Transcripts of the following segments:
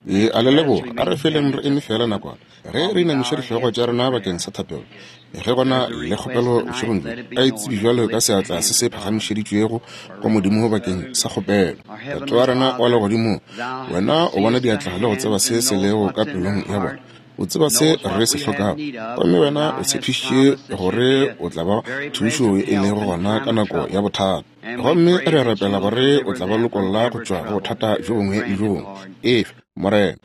Ke a le leboga. A re feleng re eme feela nakwana, ge re inamiša dihlogo tša rena bakeng sa thapelo. Ge go na le kgopelo bošegong bjo, a e tsebe bjalo ka seatla se se phagamišeditšwego go Modimo bakeng sa kgopelo. Tate wa rena wa Legodimong, Wena o bona diatla le go tseba se se lego ka pelong ya bona. O tseba se re se hlokago, gomme Wena o tshepišitše gore o tla ba thušo e lego gona ka nako ya bothata. Gomme re a rapela gore o tla ba lokolla go tšwa go bothata bjo bongwe le bjo bongwe. Efe, Morena.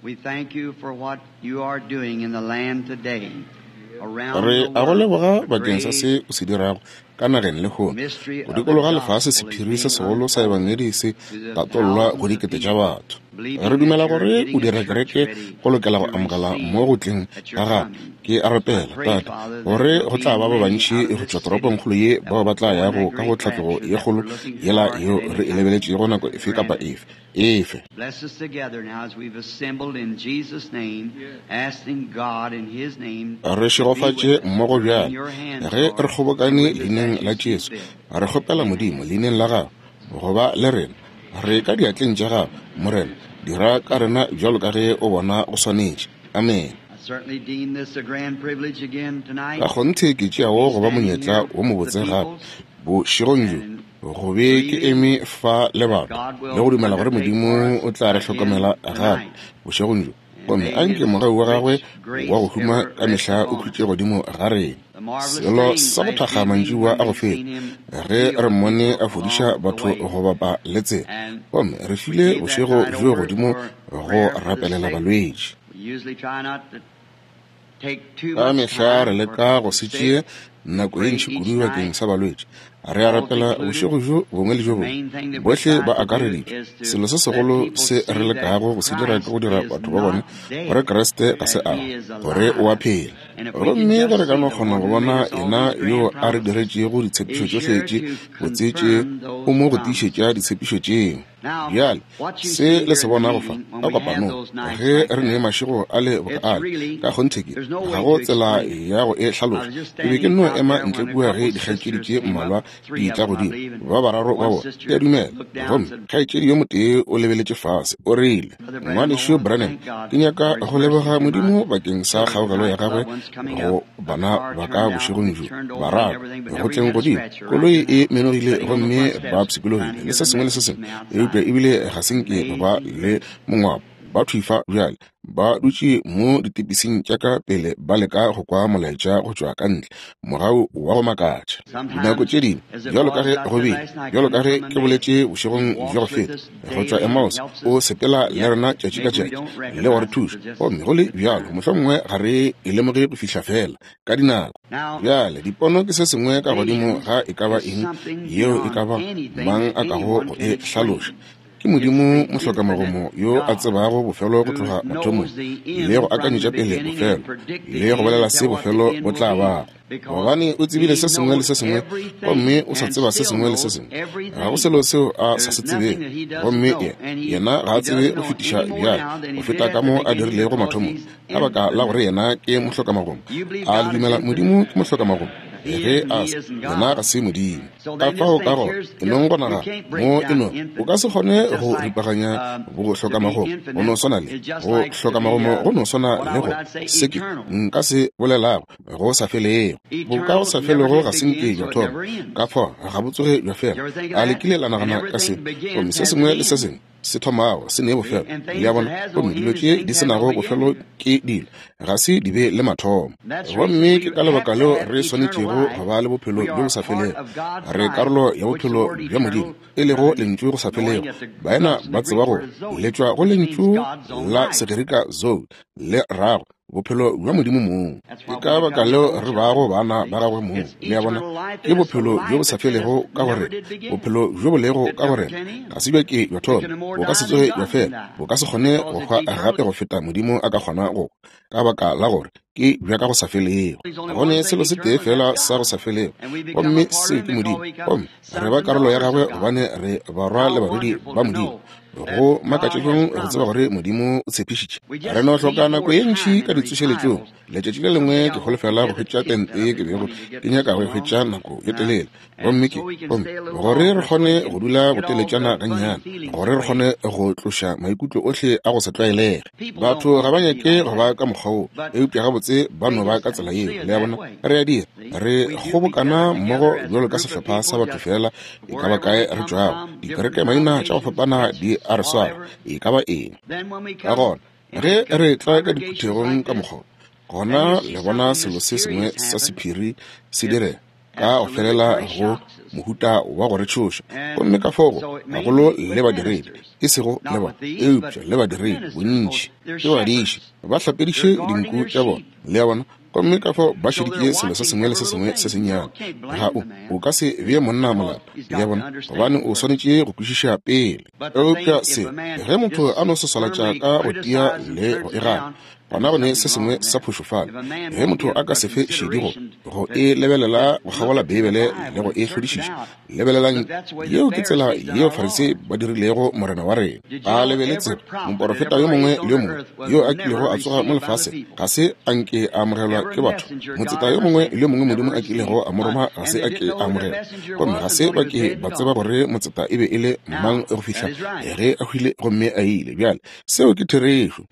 Re a go leboga bakeng sa se o se dirago ka nageng lehono. Go dikologa lefase sephiri se segolo sa Ebangedi se tatollwa go dikete tša batho. Re dumela gore o dira kereke go lokela go amogela mo go tleng ga gago. Ke a rapela, Tate, gore go tla ba ba bantši go tšwa toropongkgolo ye bao ba tla yago ka go tlhatlogo ye kgolo yela yeo re e lebeletšego nako efe kapa efe. Efe. Re šegofatše mmogo bjale ge re kgobokane Leineng la Jesu. Re kgopela Modimo, Leineng la Gagwe, go ba le rena. Re ka diatleng tša Gago, Morena. Dira ka rena bjalo ka ge O bona go swanetše. Amene. Ka kgonthe ke tšea wo go ba monyetla wo mobotse gape, bošegong bjo, go be ke eme fa le batho, le go dumela gore Modimo o tla re hlokomela gape bošegong bjo. Gomme a nke mogau wa Gagwe wa go huma ka mehla o khutše godimo ga rena. Selo sa go thakga mantšiboa a go feta, ge re Mmone a fodiša batho go bapa le tsela, gomme re file bošego bjo godimo go rapelela balwetši. Ka mehla re leka go se tšee nako ye ntši kudu bakeng sa balwetši. Re a rapela bošego bjo bongwe le bjo bongwe. Bohle ba akareditšwe. Selo se segolo se re lekago go se dira ke go dira batho ba bone gore Kriste ga se a hwa, gore o a phela. Gomme ge re ka no kgona go bona Yena yo a re diretšego ditshepišo tšohle tše botse tše, o mo go tiišetša ditshepišo tšeo. Bjale, se le se bonago fa ka kopanong, ge re ne mašego a le boka ale, ka kgonthe ke, ga go tsela ya go e hlaloša. Ke be ke nno ema ntle kua ge dikgaetšedi tše mmalwa di etla godimo, ba bararo ba bona, ke a dumela. Gomme kgaetšedi yo motee o lebeletše fase, o rile, Ngwanešu Branham, ke nyaka go leboga Modimo bakeng sa kgaogelo ya gagwe go bana ba ka bošegong bjo, bararo, go tleng godimo. Koloi e menogile gomme ba pshikologile le se sengwe le se sengwe, eupša ebile ga se nke ba ba le mongwapo. Ba thwi fa bjale, ba dutše mo ditepising tša ka pele ba leka go kwa molaetša go tšwa ka ntle, mogau wa go makatša. Dinako tše dingwe, bjalo ka ge go bile, bjalo ka ge ke boletše bošegong bja go feta, go tšwa Emmaus, o sepela le rena tšatši ka tšatši le go re thuša, gomme go le bjalo mohlomongwe ga re e lemoge go fihla feela ka dinako. Bjale, dipono ke se sengwe ka godimo ga e ka ba eng yeo e ka ba mang a kago go e hlaloša. Ke Modimo mohlokamagomo yo a tsebago bofelo go tloga mathomong, le go akanyetša pele bofelo, le go bolela se bofelo bo tla bago. Gobane o tsebile se sengwe le se sengwe, gomme o sa tseba se sengwe le se sengwe. Ga go selo seo a sa se tsebego. Gomme ye, yena ga a tsebe go fetiša bjale go feta ka mo a dirilego mathomong, ka baka la gore yena ke mohlokamagomo. A le dumela Modimo ke mohlokamagomo? Ge a se, yena ga se Modimo. Ka fao ka gona, e nong go nagana, mo e no, o ka se kgone go ripaganya bohlokamagomo, go no swana le go hlokamagomo, go no swana le go se ke nka se bolelago go sa felego. Boka go sa felego ga se nke bja thoma, ka fao ga bo tsoge bja fela. A le kile la nagana ka se? Gomme se sengwe le se sengwe se thomago se ne bofelo. Le a bona? Gomme dilo tše di se nago bofelo ke dilo, ga se di be le mathomo. Gomme ke ka lebaka leo re swanetšego go ba le bophelo bjo bo sa felego. Re karolo ya bophelo bja Modimo, e lego Lentšu go sa felego. Baena ba tseba gore le tšwa go lentšu la Segerika zoe, le rago bophelo bja Modimo mong. Ke ka baka leo re bago bana ba gagwe mong. Le a bona? Ke bophelo bjo bo sa felego ka go rena, bophelo bjo bo lego ka go rena. Ga se bja ke bja thoma, bo ka se tsoge bja fela, bo ka se kgone go hwa gape go feta Modimo a ka kgona go hwa, ka baka la gore ke bja ka go sa felego. Go ne selo se tee feela sa go sa felego, gomme seo ke Modimo. Gomme re ba karolo ya gagwe gobane re barwa le barwedi ba Modimo. Go makatša bjang go tseba gore Modimo o tshepišitše. Re no hloka nako ye ntši ka ditsošeletšong. Letšatši le lengwe ke holofela go hwetša tente ye ke bego ke nyaka go e hwetša nako ye telele. Gomme ke, gomme gore re kgone go dula boteletšana gannyane, gore re kgone go tloša maikutlo ohle a go se tlwaelege. Batho ga ba nyake go ba ka mokgwa woo, eupša gabotse ba no ba ka tsela yeo. Le a bona? Re a dira. Re kgobokana mmogo bjalo ka sehlopha sa batho feela e ka ba kae re tšwago. Dikereke maina tša go fapana di a re swara, e ka ba eng. Ka gona, ge re tla ka diphuthegong ka mokgwa, gona le bona selo se sengwe sa sephiri se direga ka go felela go mohuta wa go re tšhoša. Gomme ka fao gagolo le badiredi, e sego le bona, eupša le badiredi bontši ke badiši, ba hlapediše dinku tša bona. Le a bona? Gomme ka fao ba šeditše selo se sengwe le se sengwe se sennyane. Ga o, o ka se bee monna molato, le a bona, gobane o swanetše go kwešiša pele. Eupša se, ge motho a no swaswalatša ka go tia le go e gana, gona go ne se sengwe sa phošo fale. Ge motho a ka se fe šedi go, go e lebelela go kgabola Beibele le go e hlodišiša, Lebelelang, yeo ke tsela yeo Farisei ba dirilego Morena wa rena. A le be le tseba, moporofeta yo mongwe le yo mongwe yo a kilego a tsoga mo lefaseng ga se a nke a amogelwa ke batho. Motseta yo mongwe le yo mongwe Modimo a kilego a mo roma ga se a ke a amogelwa. Gomme ga se ba ke ba tseba gore motseta e be e le mang go fihla ge a hwile gomme a ile. Bjale, seo ke therešo.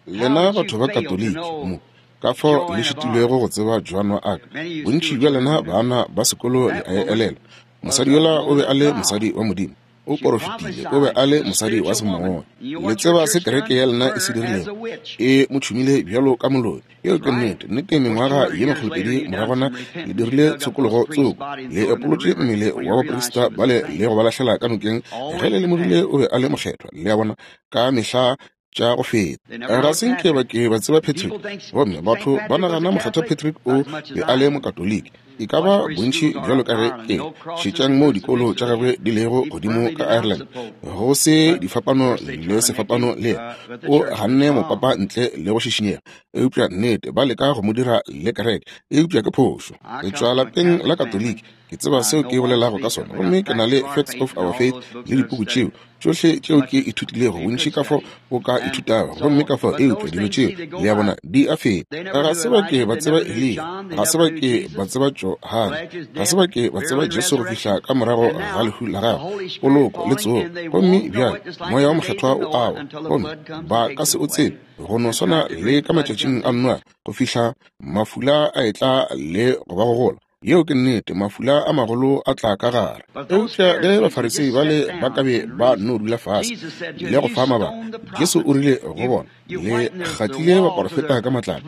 Lena batho ba Katoliki mo, ka fao le šitilwego go tseba Joan wa Arc. Bontši bja lena baana ba sekolo le a e elelwa. Mosadi yola o be a le mosadi wa Modimo. O porofetile, o be a le mosadi wa semoya. Le tseba se kereke ya lena e se dirilego? E mo tšhumile bjalo ka moloi. Yeo ke nnete. Nnete, mengwaga ye makgolopedi moragwana le dirile tshokologo tsoko. Le epolotše mmele wa baprista bale le go ba lahlela ka nokeng ge le lemogile o be a le mokgethwa. Le a bona? Ka mehla tša go feta. Ga se nke ba ke ba tseba Patrick, gomme batho ba nagana Mokgethwa Patrick o be a le Mokatoliki. E ka ba bontši bjalo ka ge ke šetšang moo dikolo tša gagwe di lego godimo ka Ireland, go se difapano le sefapano le yena. O ganne mopapa ntle le go šišinyega, eupša nnete ba leka go mo dira le kereke, eupša ke phošo. Ke tšwa lapeng la Katoliki, ke tseba seo ke bolelago ka sona, gomme ke na le Facts of Our Faith le dipuku tšeo tšohle tšeo ke ithutilego, bontši ka fao o ka ithutago, gomme ka fao, eupša dilo tšeo, le a bona, di a feta. Ga se ba ke ba tseba Eliya, ga se ba ke ba tseba Johane, ga se ba ke ba tseba Jesu go fihla ka morago ga lehu la gagwe, poloko le tsogo. Gomme bjale Moya wo Mokgethwa o a wa, gomme ba ka se o tsebe, go no swana le ka matšatšing a Noage, go fihla mafula a etla le go ba gogola. Yeo ke nnete, mafula a magolo a tla ka gare. Eupša ge Bafarisei bale ba ka be ba no dula fase le go fa mabaka, Jesu o rile go bona, Le kgatlile baporofeta ka matlapa,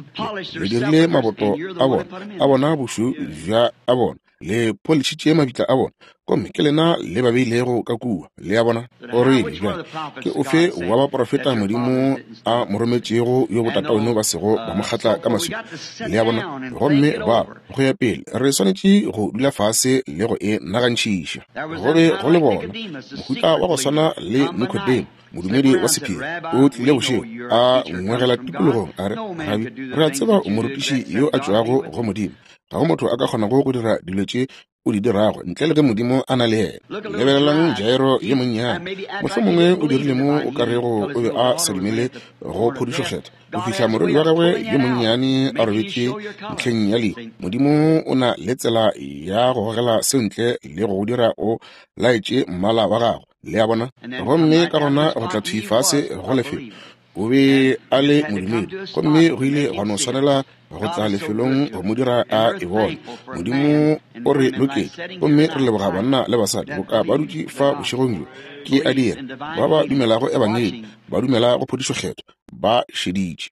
le dirile maboto a bona, a bona bošweu bja a bona, le polišitše mabitla a bona, gomme ke lena le ba beilego ka kua. Le a bona? O rile, Bjale, ke ofe wa baprofeta Modimo a mo rometšego yo botataweno ba sego ba mo kgatla ka maswika? Le a bona? Gomme ba, go ya pele, re swanetše go dula fase le go e nagantšhiša. Go be go le bona, mohuta wa go swana le Nikodemo, modumedi wa sephiri, o tlile bošego, a ngwegela tikologong, a re, Rabi, re a tseba o morutiši yo a tšwago go Modimo. Ga go motho a ka kgonago go dira dilo tše o di dirago ntle le ge Modimo a na le yena. Lebelelang Jairo yo monnyane. Mohlomongwe o dirile mo o ka rego o be a sa dumele go phodišo kgethwa, go fihla morwedi wa gagwe yo monnyane a robetše ntlheng ya lehu. Modimo o na le tsela ya go gogela seo ntle le go go dira o laetše mmala wa gago. Le a bona? Gomme ka gona go tla thwi fase go lefelo. O be a le modumedi, gomme go ile gwa no swanela go tla lefelong go mo dira a e bone. Modimo o re loketše, gomme re leboga banna le basadi boka ba dutše fa bošegong bjo. Ke a dira. Ba ba dumelago Ebangedi, ba dumela go phodišo Kgethwa, ba šeditše.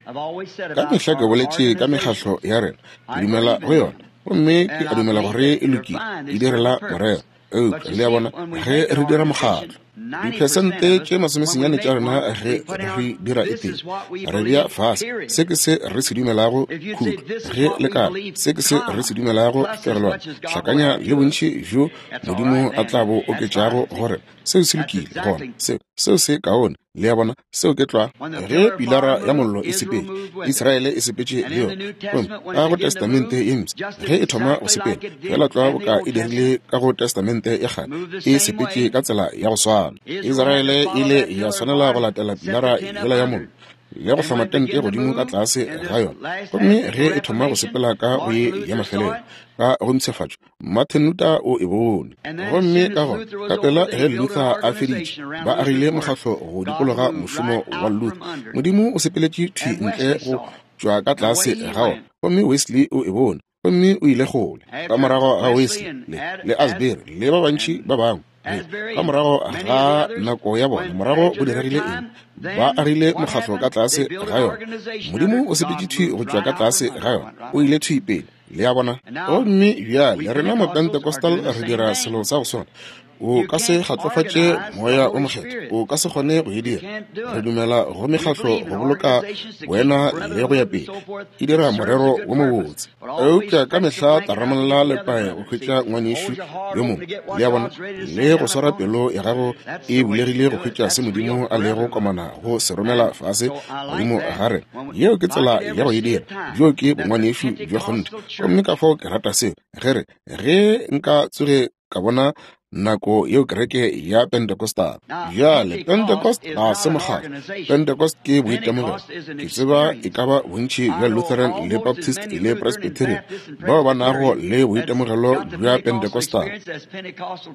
Ka mehla ke boletše ka mekgahlo ya rena. Ke dumela go yona, gomme ke a dumela gore e lokile, e direla morero. Eupša, le a bona, ge re dira mokgatlo, diphesente tše masomesenyane tša rena ge re dira e tee, re bea fase, se ke se re se dumelago, khutlo, ge le ka re, se ke se re se dumelago, fegelwana, hlakanya le bontši bjo Modimo a tla bo oketšago go rena. Seo se lokile, gona, seo, seo se kaone. Le a bona, seo ke tlwa. Ge Pilara ya Mollo e sepetše, Israele e sepetše le yona. Gomme ka go Testamente ye Mpsha, ge e thoma go sepela, feela tlwa boka e dirile ka go Testamente ya Kgale, e sepetše ka tsela ya go swana. Israele e ile ya swanela go latela Pilara yela ya Mollo, le go hloma tente godimo ka tlase ga yona. Gomme ge e thoma go sepela ka go ye ya mafelelo, ka go mpshafatšo, Martin Luther o e bone. Gomme ka gona, ka pela ge Luther a feditše, ba agile mokgatlo go dikologa mošomo wa Luther. Modimo o sepeletše thwi ntle go tšwa ka tlase ga ona. Gomme Wesley o e bone, gomme o ile kgole. Ka morago ga Wesley, le, le Asbury, le ba bantši ba bangwe, ka morago ga nako ya bona, morago go diregile eng? Ba agile mokgatlo ka tlase ga yona. Modimo o sepetše thwi go tšwa ka tlase ga yona, o ile thwi pele. Le a bona? Gomme bjale rena Mapentecostal re dira selo sa go swana. O ka se kgatlofatše Moya wo Mokgethwa. O ka se kgone go e dira. Re dumela go mekgatlo go boloka boena le go ya pele. E dira morero wo mobotse. Eupša ka mehla taramolla lepae go hwetša ngwanešu yo mongwe. Le a bona? Le go swara pelo ya gago e bulegile go hwetša se Modimo a lego komana go se romela fase godimo ga rena. Yeo ke tsela ya go e dira. Bjoo ke bongwanešu bja kgonthe. Gomme ka fao ke rata seo. Ge re, ge nka tsoge ka bona nako yeo kereke ya Pentecostal. Bjale, Pentecost ga se mokgatlo. Pentecost ke boitemogelo. Ke tseba e ka ba bontši bja Lutheran le Baptist le Presbyterian bao ba nago le boitemogelo bja Pentecostal.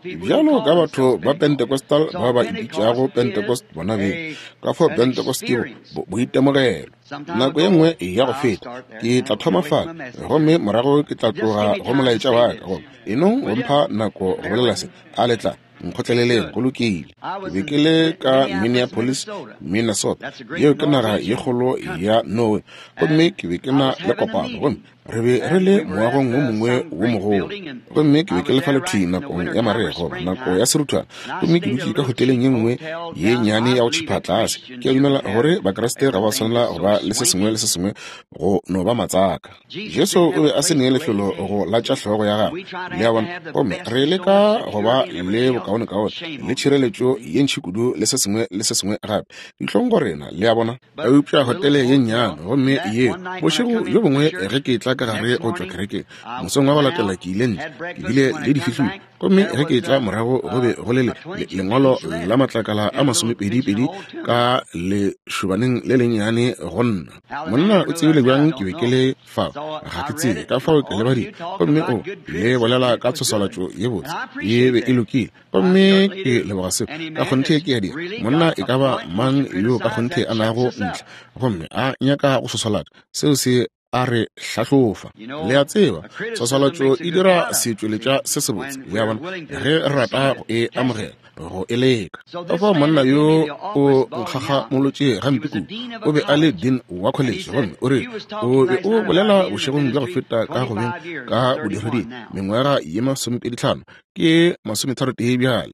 Bjalo ka batho ba Pentecostal ba ba ipitšago Pentecost bona beng. Ka fao Pentecost ke boitemogelo. Nako ye nngwe ya go feta ke tla thoma fale, gomme morago ke tla tloga go molaetša wa ka. Gomme e nong go mpha nako go bolela se, a le tla nkgotleleleng? Go lokile. Ke be ke le ka Minneapolis, Minnesota. Yeo ke naga ye kgolo ya Norway. Gomme ke be ke na le kopano, gomme re be re le moagong wo mongwe wo mogolo. Gomme ke be ke le fale thwi nakong ya marega, goba nako ya seruthwana. Gomme ke dutše ka hoteleng ye nngwe ye nnyane ya go tšhipha tlase. Ke a dumela gore Bakriste ga ba swanela go ba le se sengwe le se sengwe go no ba matsaka. Jesu o be a se ne lefelo go latša hlogo ya gagwe. Le a bona? Gomme re leka go ba le bokaonekaone le tšhireletšo ye ntši kudu le se sengwe le se sengwe gape. Dihlong go rena, le a bona? Eupša hotele ye nnyane, gomme yeo, bošego bjo bongwe ge ke etla ka gare go tšwa kerekeng, mosong wa go latela ke ile ntle, ke bile le difihlolo. Gomme ge ke etla morago go be go le le, le, lengwalo la matlakala a masomepedipedi ka lešobaneng le lennyane go nna. Monna o tsebile bjang ke be ke le fao? Ga ke tsebe. Ka fao ke le badile. Gomme o le bolela ka tshoswalatšo ye botse. Ye be e lokile. Gomme ke leboga seo. Ka kgonthe ke a dira. Monna e ka ba mang yo ka kgonthe a nago ntlha gomme a nyaka go swaswalatša, seo se a re hlahlofa. Le a tseba, tshwaswalatšo e dira setšweletša se sebotse, le a bona, ge re rata go e amogela, go e leka. Ka fao monna yo o nkgakgamolotše gampe kudu. O be a le dean wa college, gomme o rile, O be o bolela bošegong bja go feta ka go beng ka bodireding mengwaga ye masomepeditlhano, ke masometharotee bjale.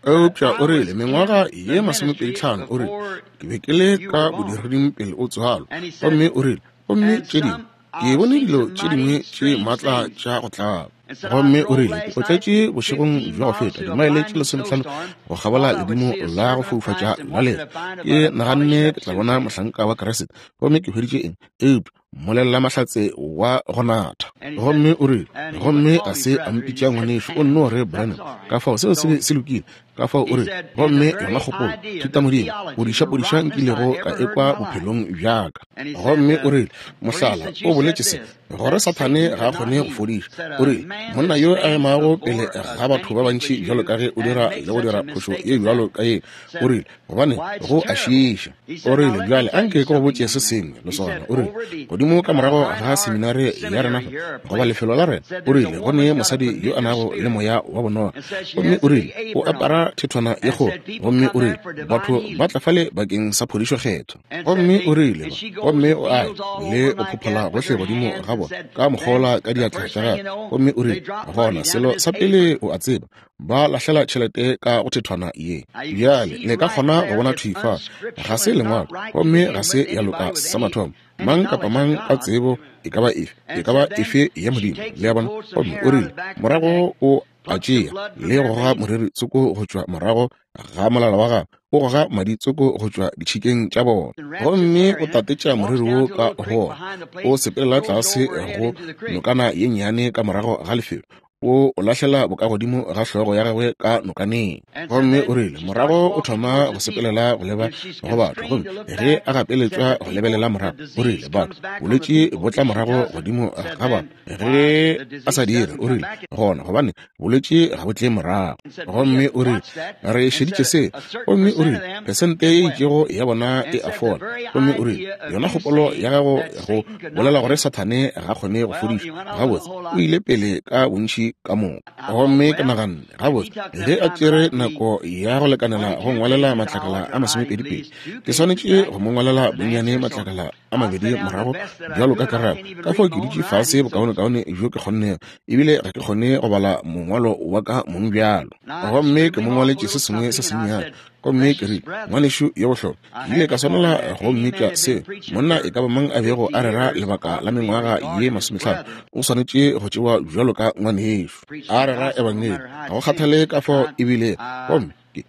Eupša o rile, mengwaga ye masomepeditlhano, o rile, ke be ke le ka bodireding pele o tswalwa. Gomme o rile, gomme tše dingwe, ke bone dilo tše dingwe tše maatla tša go tlaba. Gomme o rile, ke otletše bošegong bja go feta dimaele tše lesometlhano go kgabola ledimo la go foufatša la lera. Ke naganne ke tla bona mohlanka wa Kriste, gomme ke hweditše eng? Eupša mmolelela mahlatse wa go natha. Gomme o rile, gomme a se a mpitša ngwanešu, o nno re Branham. Ka fao seo se be se lokile. Ka fao o rile, gomme yona kgopolo, thutamodimo, podišapodiša nkilego ka ekwa bophelong bja ka. Gomme o rile, mohlala, o boletše se, gore Sathane ga a kgone go fodiša. O rile, monna yo a emago pele ga batho ba bantši bjalo ka ge o dira le go dira phošo ye bjalo ka ye, o rile, gobane go a šiiša. O rile, Bjale anke ke go botše se sengwe, lesogana. O rile, Godimo ka morago ga seminare ya rena fa, goba lefelo la rena, o rile, go ne mosadi yo a nago le moya wa bonoga. Gomme o rile, O apara thethwana ye kgolo. Gomme o rile, Batho ba tla fale bakeng sa phodišo Kgethwa. Gomme o rile, Gomme o a ya le go phophola gohle godimo ga bona, ka mokgola ka diatla tša gagwe. Gomme o rile, Gona selo sa pele o a tseba, ba lahlela tšhelete ka go thethwana ye. Bjale le ka kgona go bona thwi fa, ga se lengwalo, gomme ga se ya loka sa mathomo. Mang kapa mang ka tsebo e ka ba efe, e ka ba efe ya Modimo, le a bona. Gomme o rile, morago o a tšea le go goga moriri tsoko go tšwa morago ga molala wa gagwe, o goga madi tsoko go tšwa ditšhikeng tša bona, gomme o tatetša moriri wo ka go ona, o sepelela tlase go nokana ye nnyane ka morago ga lefelo, o o lahlela bokagodimo ga hlogo ya gagwe ka nokaneng. Gomme o rile, morago o thoma go sepelela go leba go batho, gomme ge a gapeletšwa go lebelela morago, o rile, batho, bolwetši bo tla morago godimo ga batho. Ge a sa dire, o rile, gona gobane bolwetši ga bo tle morago. Gomme o rile, re šeditše se. Gomme o rile, pesente ye itšego ya bona e a fola. Gomme o rile, yona kgopolo ya gago go bolela gore Sathane ga kgone go fodiša, gabotse o ile pele ka bontši ka moka. Gomme ke naganne, gabotse, ge a tšere nako ya go lekanela go ngwalela matlakala a masomepedipedi, ke swanetše go mo ngwalela bonnyane matlakala a mabedi morago bjalo ka karabo. Ka fao ke dutše fase bokaonekaone bjo ke kgonnego, ebile ga ke kgone go bala mongwalo wa ka mong bjalo. Gomme ke mo ngwaletše se sengwe se sennyane, gomme ke rile, Ngwanešu yo bohlokwa, ke ile ka swanela go mmitša seo. Monna e ka ba mang a bego a rera lebaka la mengwaga ye masomehlano o swanetše go tšewa bjalo ka ngwanešu a rera ebangedi, ga go kgathale ka fao ebile. Gomme ke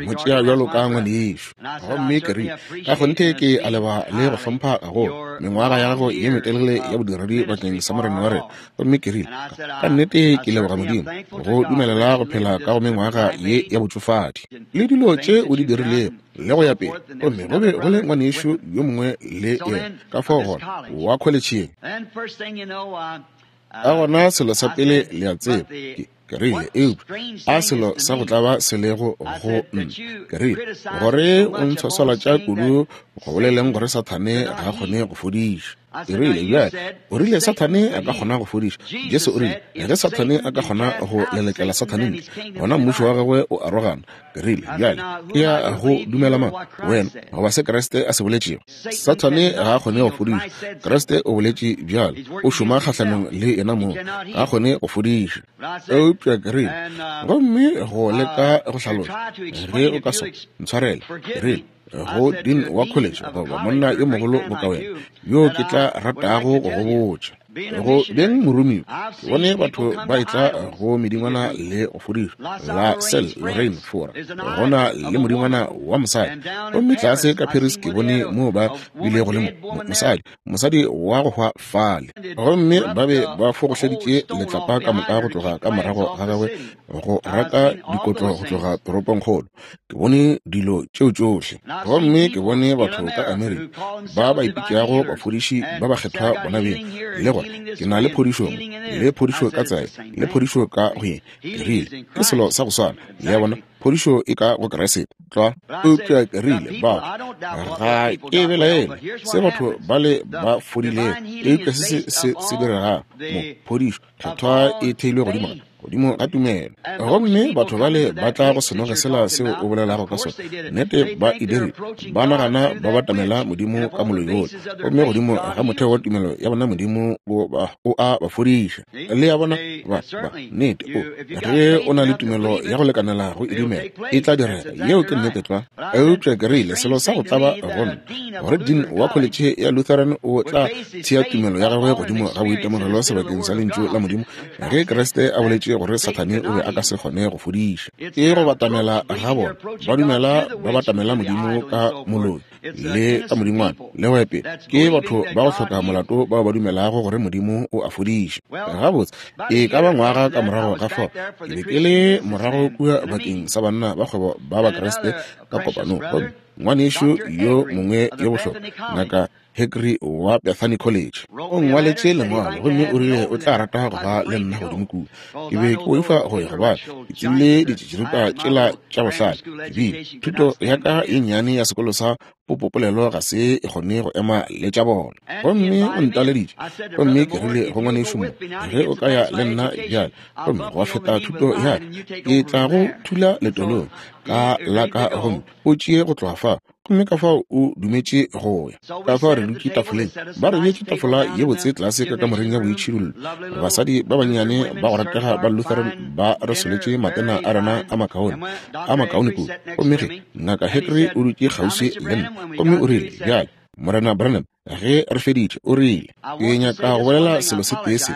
mo tšea bjalo ka ngwanešu. Gomme ke rile, ka kgonthe ke a leba le go hlompha gagolo mengwaga ya gago ye metelele ya bodiredi bakeng sa Morena wa rena. Gomme ke rile, ka nnete ke leboga Modimo go dumelela go phela ka go mengwaga ye ya botšofadi le dilo tše o di dirilego le go ya pele. Gomme go be go le ngwanešu yo mongwe le yena ka fao gona wa kholetšheng. Ka gona selo sa pele le a tseba, ke rile, eupša a selo sa go tlaba se lego go nna, ke rile, gore o ntshwaswalatša kudu go boleleng gore Sathane ga a kgone go fodiša. Ke rile, bjale, o rile Sathane a ka kgona go fodiša. Jesu o rile, ge Sathane a ka kgona go lelekela Sathane ntle, gona mmušo wa gagwe o arogana. Ke rile, bjale, ke ya go dumela mang, wena goba se Kriste a se boletšego? Sathane ga a kgone go fodiša. Kriste o boletše bjalo. O šoma kgahlanong le yena mong. Ga a kgone go fodiša. Eupša ke rile, gomme go leka go hlaloša, ge o ka so ntshwarele, ke rile, go dean wa college goba monna yo mogolo boka wena, yo ke tla ratago go go botša. Go beng moromiwa, ke bone batho ba etla go medingwana le go fodišwa la Sel Lorraine Fora, go na le modingwana wa mosadi. Gomme tlase ka Paris ke bone moo ba bilego le mosadi, mosadi wa go hwa fale. Gomme ba be ba fogohleditše letlapa ka moka go tloga ka morago ga gagwe, go raka dikotlo go tloga toropongkgolo. Ke bone dilo tšeo tšohle. Gomme ke bone batho ka Amerika ba ba ipitšago bafodiši ba bakgethwa bona beng, le gore ke na le phodišo mo, le phodišo ka tsela, le phodišo ka go ye. Ke rile, ke selo sa go swana. Le a bona, phodišo e ka go Kriste. Tlwa. Eupša ke rile, batho, ga ke belaele se batho bale ba fodilego, eupša se se se diregago mo, phodišo kgethwa e theilwe godimo ga godimo ga tumelo. Gomme batho bale ba tla go senoge sela seo o bolelago ka sona, nnete ba e dirile, ba nagana ba batamela Modimo ka moloi wola, gomme godimo ga motheo wa tumelo ya bona Modimo o a ba fodiša. Le a bona, ba, ba, nnete, o, ge o na le tumelo ya go lekanela go e dumela, e tla direga. Yeo ke nnete tlwa. Eupša ke rile, selo sa go tlaba go nna, gore dean wa kholetšhe ya Lutheran o tla thea tumelo ya gagwe godimo ga boitemogelo sebakeng sa Lentšu la Modimo, ge Kriste a boletše gore Sathane o be a ka se kgone go fodiša. Ke go batamela ga bona, ba dumela ba batamela Modimo ka moloi le ka modingwana le go ya pele. Ke batho ba go hloka molato bao ba dumelago gore Modimo o a fodiša. Gabotse, e ka ba ngwaga ka morago ga fao, ke be ke le morago kua bakeng sa banna ba kgwebo ba Bakriste ka kopanong, gomme ngwanešu yo mongwe yo bohlokwa, Ngaka Hickory wa Bethany College, o nngwaletše lengwalo gomme o rile o tla rata go ba le nna godimo kua. Ke be ke boifa go ya gobane ke tsebile ditšitširipa tšela tša bohlale. Ke bile thuto ya ka ye nnyane ya sekolo sa popopolelo ga se e kgone go ema le tša bona. Gomme o ntaleditše, gomme ke rile go ngwanešu mo, ge o ka ya le nna bjale gomme gwa feta thuto ya ka, ke tla go thula letolong ka la ka gomme o tšee go tloga fao. Gomme ka fao o dumetše go ya. Ka fao re dutše tafoleng, ba re beetše tafola ye botse tlase ka kamoreng ya boitšhidullo. Basadi ba bannyane ba go ratega ba Lutheran ba re soletše matena a rena a makaone, a makaone kudu. Gomme ge Ngaka Hickory o dutše kgauswi le nna, gomme o rile, Bjale, Morena Branham, ge re feditše, o rile, Ke nyaka go bolela selo se tee se.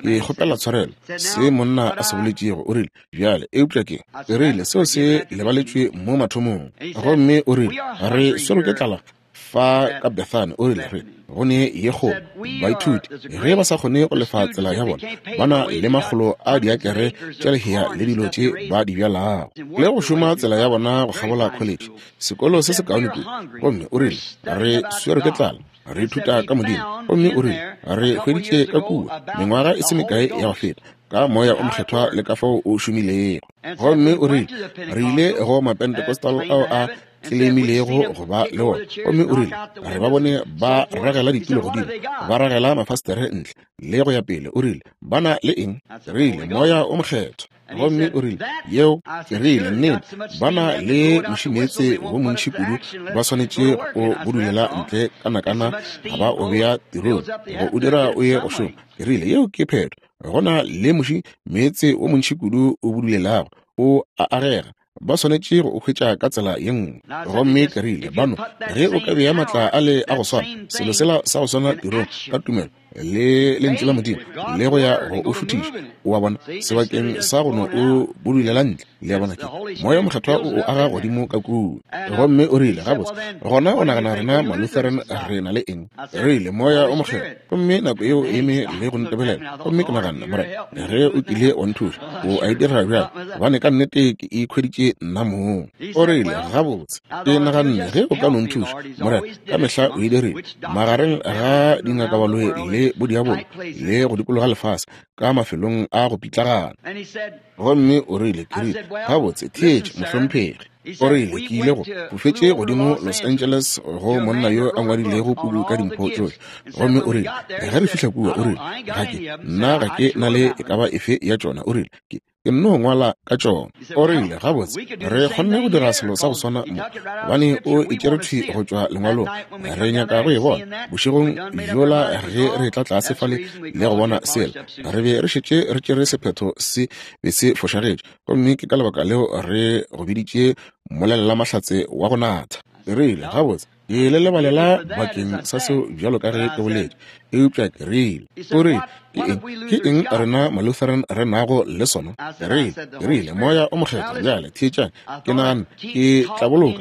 Ke kgopela tshwarelo, se monna a se boletšego. O rile, Bjale, eupša ke, ke rile, seo se lebaletšwe mo mathomong. Gomme o rile, Re swerwe ke tlala fa ka Bethany. O rile, Re go ne ye kgolo. Baithuti, ge ba sa kgone go lefa tsela ya bona, ba na le makgolo a diakere tša lehea le dilo tše ba di bjalago, le go šoma tsela ya bona go kgabola kholetše, sekolo se sekaone kudu. Gomme o rile, Re swerwe ke tlala, re ithuta ka Modimo. Gomme o rile, Re hweditše ka kua, mengwaga e se mekae ya go feta, ka Moya o Mokgethwa le ka fao o šomilego. Gomme o rile, Re ile go Mapentecostal ao a tlelemilego go ba le wona. Gomme o rile, Re ba bone ba ragela ditulo godimo, ba ragela mafastere ntle, le go ya pele. O rile, Ba na le eng? Re rile, Moya o Mokgethwa. Gomme o rile, Yeo, ke rile, nnete, ba na le mušimeetse wo montši kudu, ba swanetše go budulela ntle ka nakana ga ba o bea tirong, go o dira o ye go šoma. Ke rile, Yeo ke phetho. Go na le muši meetse wo montši kudu o budulelago, o a agega. Ba swanetše go o hwetša ka tsela ye nngwe. Gomme ke rile, Bano, ge o ka bea maatla a le a go swana, selo sela sa go swana tirong, ka tumelo le Lentšu la Modimo, le go ya go o šuthiša, o a bona, sebakeng sa go no o budulela ntle, le a bona, ke Moya Mokgethwa o o aga godimo ka kua. Gomme o rile, Gabotse, gona o nagana rena Malutheran re na le eng? Re rile, Moya o Mokgethwa. Gomme nako yeo e eme le go ntebelela, gomme ke naganne, Morena, ge o kile wa nthuša, o a e dira bjale, gobane ka nnete ke ikhweditše nna mong. O rile, Gabotse, ke naganne, ge o ka no nthuša, Morena, ka mehla o e dirile, magareng ga dingakabaloi le bodiabolo, le go dikologa lefase, ka mafelong a go pitlagana. Gomme o rile, ke rile, Gabotse, theetša, mohlomphegi. O rile, Ke ile go fofetše godimo Los Angeles go monna yo a ngwadilego puku ka dimpho tšohle. Gomme o rile, ge re fihla kua, o rile, ga ke, nna ga ke na le e ka ba efe ya tšona. O rile, ke, ke nno ngwala ka tšona. O rile, gabotse, re kgonne go dira selo sa go swana mo, gobane o e tšere thwi go tšwa lengwalong. Re nyaka go e bona. Bošegong bjola ge re tla tlase fale le go bona sela, re be re šetše re tšere sephetho se be se fošagetše. Gomme ke ka lebaka leo re go biditše mmolelelamahlatse wa go natha. Ke rile, Gabotse, ke le lebalela bakeng sa seo bjalo ka ge ke boletše. Eupša ke rile, o rile, Ke eng, ke eng rena Malutheran re nago le sona? Ke rile, ke rile, Moya o Mokgethwa. Bjale, theetšang, ke nagane ke tla boloka,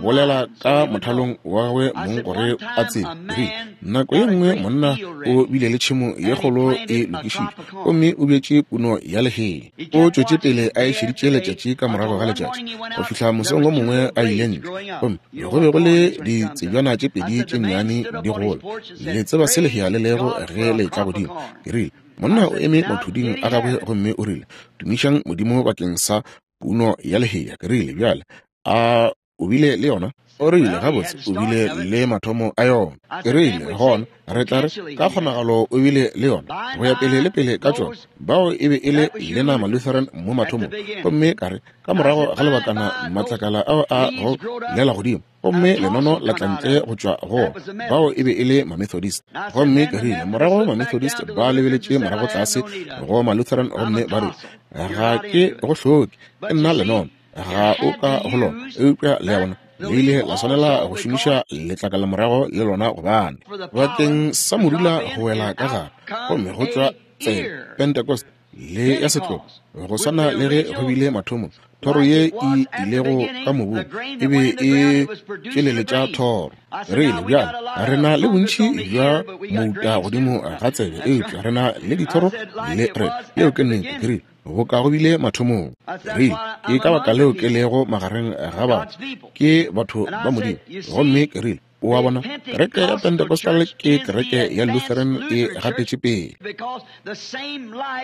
bolela ka mothalong wa gagwe mong gore a tsebe. Ke rile, Nako ye nngwe monna o bile le tšhemo ye kgolo e lokišitšwe, gomme o bjetše puno ya lehea. O tšwetše pele a e šeditše letšatši ka morago ga letšatši go fihla mosong wo mongwe a ile ntle, gomme go be go le ditsebjana tše pedi tše nnyane di gola. Le tseba se lehea le lego ge le etla godimo. Ke rile, Monna o eme mathuding a gagwe gomme o rile, Tumišang Modimo bakeng sa puno ya lehea. Ke rile, Bjale, a o bile le yona? O rile, Gabotse, o bile le mathomo a yona. Ke rile, Gona re tla re ka kgonagalo o bile le yona, go ya pele le pele ka tšona. Bao e be e le lena Malutheran mo mathomong. Gomme ka re, Ka morago ga lebakana matlakala ao a go lela godimo, gomme lenono la tla ntle go tšwa go ona. Bao e be e le Mamethodist. Gomme ke rile, Morago Mamethodist ba lebeletše morago tlase go Malutheran gomme ba rile, Ga ke go hloke, ke nna lenono. Ga o ka go lona. Eupša le a bona, le ile la swanela go šomiša letlakala morago le lona, gobane bakeng sa modula go wela ka gare, gomme go tšwa tsebe Pentecost le ya setlogo, go swana le ge go bile mathomong, thoro ye e ilego ka mobung e be e tšweleletša thoro. Re ile bjale re na le bontši bja mouta godimo ga tsebe, eupša re na le dithoro le re. Yeo ke nnete. Ke rile, Go ka go bile mathomong. Rile, Ke ka baka leo ke lego magareng ga batho. Ke batho ba Modimo. Gomme ke rile, O a bona, kereke ya Pentecostal ke kereke ya Lutheran e gatetše pele.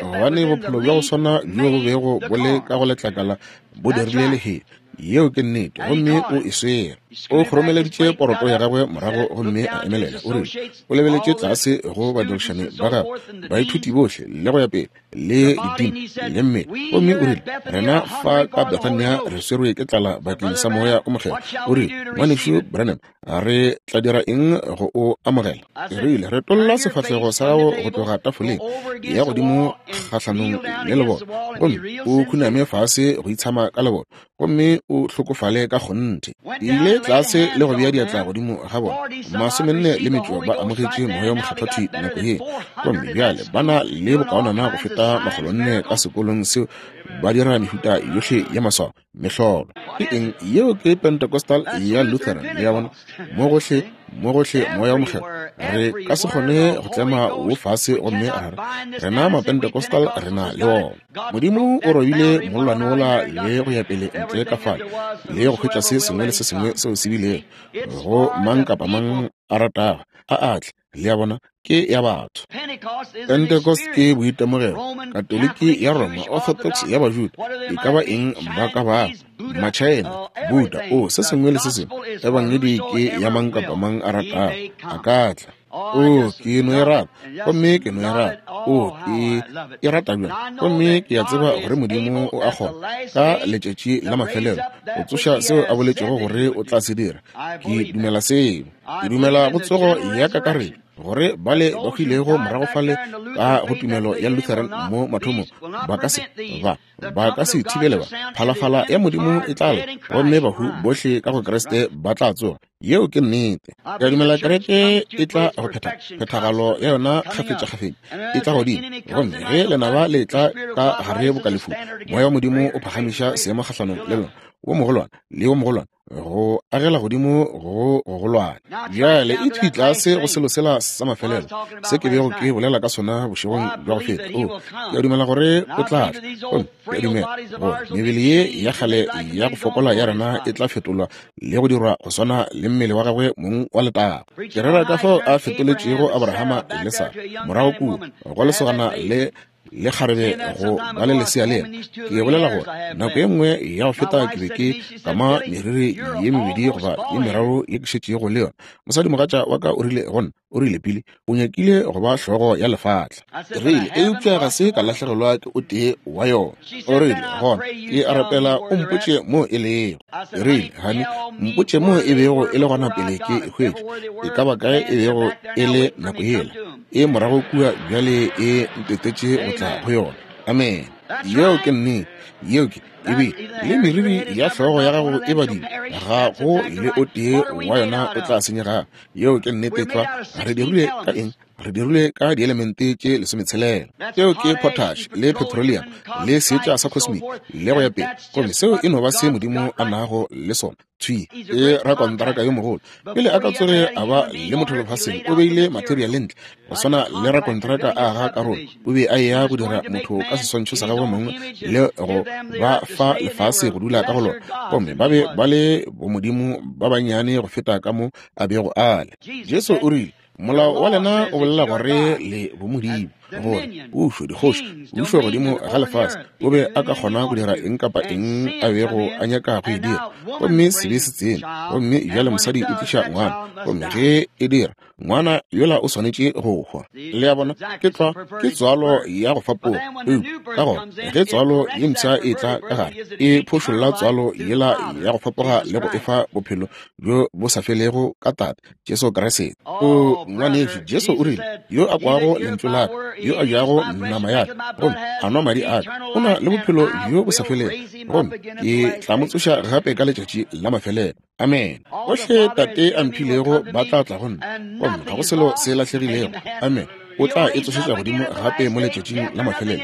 Gobane bophelo bja go swana bjo bo bego bo le ka go letlakala bo dirile lehea. Yeo ke nnete. Gomme o e swere. O kgoromeleditše poroto ya gagwe morago gomme a emelela. O rile, o lebeletše tlase go badirišani ba gagwe, baithuti bohle, le go ya pele, le didimo le mmele, gomme o rile, Rena fa ka Bethania re swerwe ke tlala bakeng sa Moya o Mokgethwa. O rile, Ngwanešu Branham, re tla dira eng go o amogela? Ke rile, Retolla sefahlego sa gago go tloga tafoleng ya godimo kgahlanong le leboto, gomme o khuname fase go itshama ka leboto, gomme o hlokofale ka kgonthe. Ke ile tlase le go bea diatla godimo ga bona. 45 ba amogetše Moya wo Mokgethwa thwi nako ye. Gomme bjale ba na le bokaonana go feta 400 ka sekolong seo, ba dira mehuta yohle ya maswao, mehlolo. Ke eng yeo? Ke Pentecostal ya Lutheran, le a bona, mo gohle, mo gohle Moya wo Mokgethwa. Re ka se kgone go tlema wo fase gomme ra re, Rena Mapentecostal re na le wona. Modimo o robile mollwane wola le go ya pele ntle ka fale le go hwetša se sengwe le se sengwe seo se bilego go mang kapa mang a ratago a atle. Le a bona, ke ya batho. Pentecost ke boitemogelo, Katoliki ya Roma, Orthodox ya Bajuda, e ka ba eng ba ka bago, Machina, Buddha, o se sengwe le se sengwe. Ebangedi ke ya mang kapa mang a ratago a ka tla. O, ke no e rata, gomme ke no e rata. O, ke e rata bjang, gomme ke a tseba gore Modimo o a kgona ka letšatši la mafelelo go tsoša seo a boletšego gore o tla se dira. Ke dumela seo. Ke dumela go tsogo ya kakaretšo, gore bale ba hwilego morago fale ka go tumelo ya Lutheran mo mathomong ba ka se ba ba ka se thibele ba. Phalafala ya Modimo e tla lla, gomme bahu bohle ka go Kriste ba tla tsoga. Yeo ke nnete. Ke a dumela kereke e tla go phetha phethagalo ya yona kgafetšakgafetša, e tla godimo. Gomme ge lenaba le tla ka gare boka lefu, Moya wa Modimo o phagamiša seemo kgahlanong le lona, wo mogolwane le wo mogolwane, go agela godimo go gogolwane. Bjale e thwi tlase go selo sela sa mafelelo se ke bego ke bolela ka sona bošegong bja go feta. O, ke a dumela gore o tla tla. Gomme ke a dumela gore mebele ye ya kgale ya go fokola ya rena e tla fetolwa le go dirwa go swana le mmele wa gagwe mong wa letago. Ke rera ka fao a fetoletšego Abrahama le Sara morago kua go lesogana le le kgarebe go ba le lesea le yena. Ke bolela gore nako ye nngwe ya go feta ke be ke kama meriri ye mebedi goba ye meraro ye ke šetšego le yona. Mosadimogatša wa ka o rile go nna, o rile, Billy, o nyakile go ba hlogo ya lefatla. Ke rile, Eupša ga se ka lahlegelwa ke o tee wa yona. O rile, Gona ke a rapela o mpotše moo e lego. Ke rile, Honey, mpotše moo e bego e le gona pele ke e hwetša. E ka ba kae e bego e le nako yela? E morago kua bjale, e ntetetše go tla go yona. Amene. Yeo ke nnete. Yeo ke, ebile le meriri ya hlogo ya gago e badile, ga go le o tee wa yona o tla senyegago. Yeo ke nnete tlwa. Re dirilwe ka eng? Re dirilwe ka dielemente tše 16. Tšeo ke potash le petroleum le seetša sa cosmic le go ya pele. Gomme seo e no ba se Modimo a nago le sona. Thwi ke rakontraka yo mogolo. Pele a ka tsoge a ba le motho lefaseng, o beile materiale ntle go swana le rakontraka a aga karolo. O be a eya go dira motho ka seswantšho sa gagwe mong le go ba fa lefase go dula ka go lona. Gomme ba be ba le bomodimo ba bannyane go feta ka mo a bego a le. Jesu o rile, Molao wa lena o bolela gore le bomodimo, gore pušo, dikgoši, pušo godimo ga lefase. O be a ka kgona go dira eng kapa eng a bego a nyaka go e dira. Gomme sebe se tsene, gomme bjale mosadi o tliša ngwana, gomme ge e dira, ngwana yola o swanetše go hwa. Le a bona, ke tlwa, ke tswalo ya go fapoga. Eupša ka gona ge tswalo ye mpsha e tla ka gare, e phošolla tswalo yela ya go fapoga le go efa bophelo bjo bo sa felego ka Tate, Jesu Kriste. O ngwanešu, Jesu o rile, yo a kwago lentšu la ka, yo a jago nama ya ka, gomme a nwa madi a ka, o na le bophelo bjo bo sa felego, gomme ke tla mo tsoša gape ka letšatši la mafelelo. Amen. Bohle Tate a mphilego ba tla tla go nna, gomme ga go selo se lahlegilego. Amen. O tla e tsošetša godimo gape mo letšatšing la mafelelo.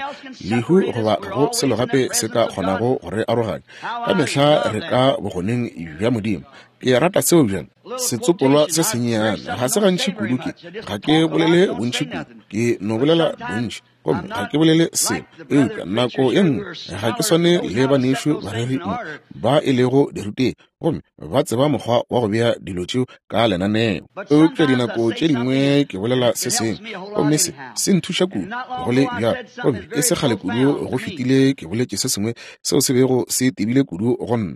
Lehu goba ga go selo gape se ka kgonago go re aroganya. Ka mehla re ka bogoneng bja Modimo. Ke rata seo bjang. Setsopolwa se sennyane ga se gantši kudu ke ga ke bolele bontši kudu, ke no bolela bontši gomme ga ke bolele selo. Eupša nako ye nngwe ga ke swane le banešu bareri mo ba e lego dirutegi gomme ba tseba mokgwa wa go bea dilo tšeo ka lenaneo. Eupša dinako tše dingwe ke bolela se sengwe gomme se se nthuša kudu go le bjalo, gomme e se kgale kudu go fetile ke boletše se sengwe seo se bego se tebile kudu go nna.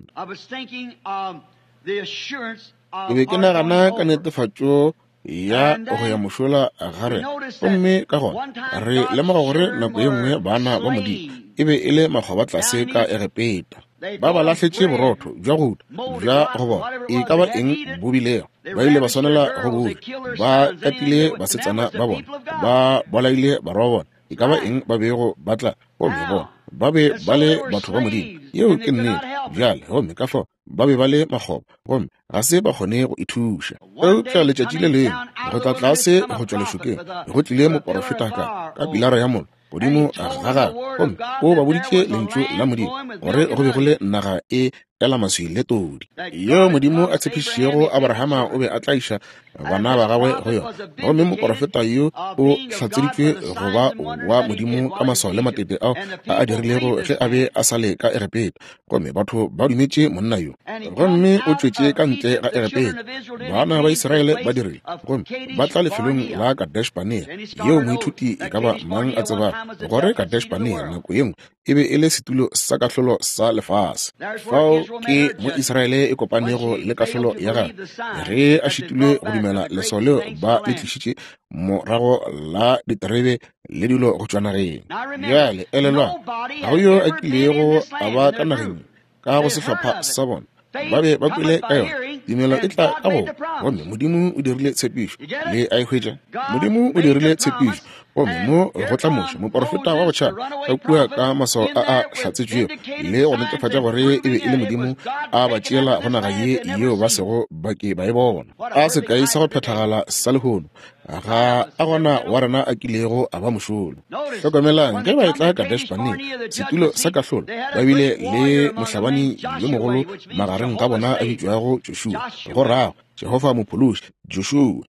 Ke be ke nagana ka netefatšo ya go ya mošola ga rena, gomme ka gona re lemoga gore nako ye nngwe bana ba Modimo e be e le makgoba tlase ka Egepeta. Ba ba lahletše borotho bja gouta bja go bona e ka ba eng bo bilego, ba ile ba swanela go bo ja. Ba katile basetsana ba bona, ba bolaile barwa ba bona, e ka ba eng ba bego ba tla, gomme bona ba be ba le batho ba Modimo. Yeo ke nnete. Bjale, gomme ka fao ba be ba le makgoba, gomme ga se ba kgone go ithuša. Eupša letšatši le lengwe, go tla tlase go tšwa lešokeng, go tlile moporofeta ka, ka pilara ya mollo godimo ga gagwe, gomme o ba boditše Lentšu la Modimo, gore go be go le naga e ela maswi le todi, yeo Modimo a tshepišitšego Abrahama o be a tla iša bana ba gagwe go yona. Gomme moporofeta yo o hlatseditšwe go ba wa Modimo ka maswao le matete ao a a dirilego ge a be a sa le ka Egepeta. Gomme batho ba dumetše monna yo. Gomme o tšwetše ka ntle ga Egepeta, bana ba Israele ba dirile, gomme ba tla lefelong la Kadesh-Barnea, yeo moithuti e ka ba mang a tsebago gore Kadesh-Barnea nako ye nngwe e be e le setulo sa kahlolo sa lefase. Fao ke mo Israele e kopanego le kahlolo ya gagwe ge a šitilwe go dumela leswao leo ba le tlišitše morago la diterebe le dilo go tšwa nageng. Bjale elelwang, ga go yo a kilego a ba ka nageng ka go sehlopha sa bona. Ba be ba kwele ka yona. Tumelo e tla ka go, gomme Modimo o dirile tshepišo. Le a e hwetša? Modimo o dirile tshepišo, gomme mo go tla Moshe, moporofeta wa go tšhaba, ka kua ka maswao a a hlatsetšwego le go netefatša gore e be e le Modimo a ba tšeela go naga ye yeo ba sego ba ke ba e bona. A sekai sa go phethagala sa lehono! Ga a gona wa rena a kilego a ba mošolo. Hlokomelang, ge ba etla Kadesh-Barnea, setulo sa kahlolo, ba bile le mohlabani yo mogolo magareng ga bona a bitšwago Joshua, go rago Jehofa Mophološi, Joshua.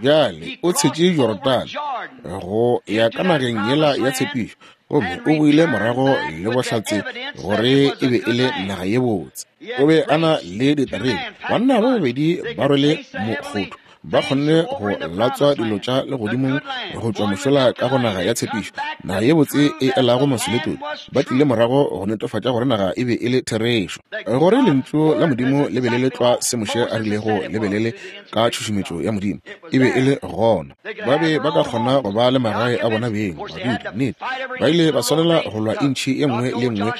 Bjale o tshetše Jorodane go ya ka nageng yela ya tshepišo, gomme o boile morago le bohlatse gore e be e le naga ye botse. O be a na le diterebe, banna ba babedi ba rwele mokgotho, ba kgonne go latswa dilo tša legodimong go tšwa mošola ka go naga ya tshepišo, naga ye botse e elago maswi le todi. Ba tlile morago go netefatša gore naga e be e le therešo, gore Lentšu la Modimo le be le le tlwa se Moshe a rilego le be le le ka tšhušumetšo ya Modimo. E be e le gona. Ba be ba ka kgona go ba le magae a bona beng, badudi, nnete. Ba ile ba swanela go lwa intšhi ye nngwe le ye nngwe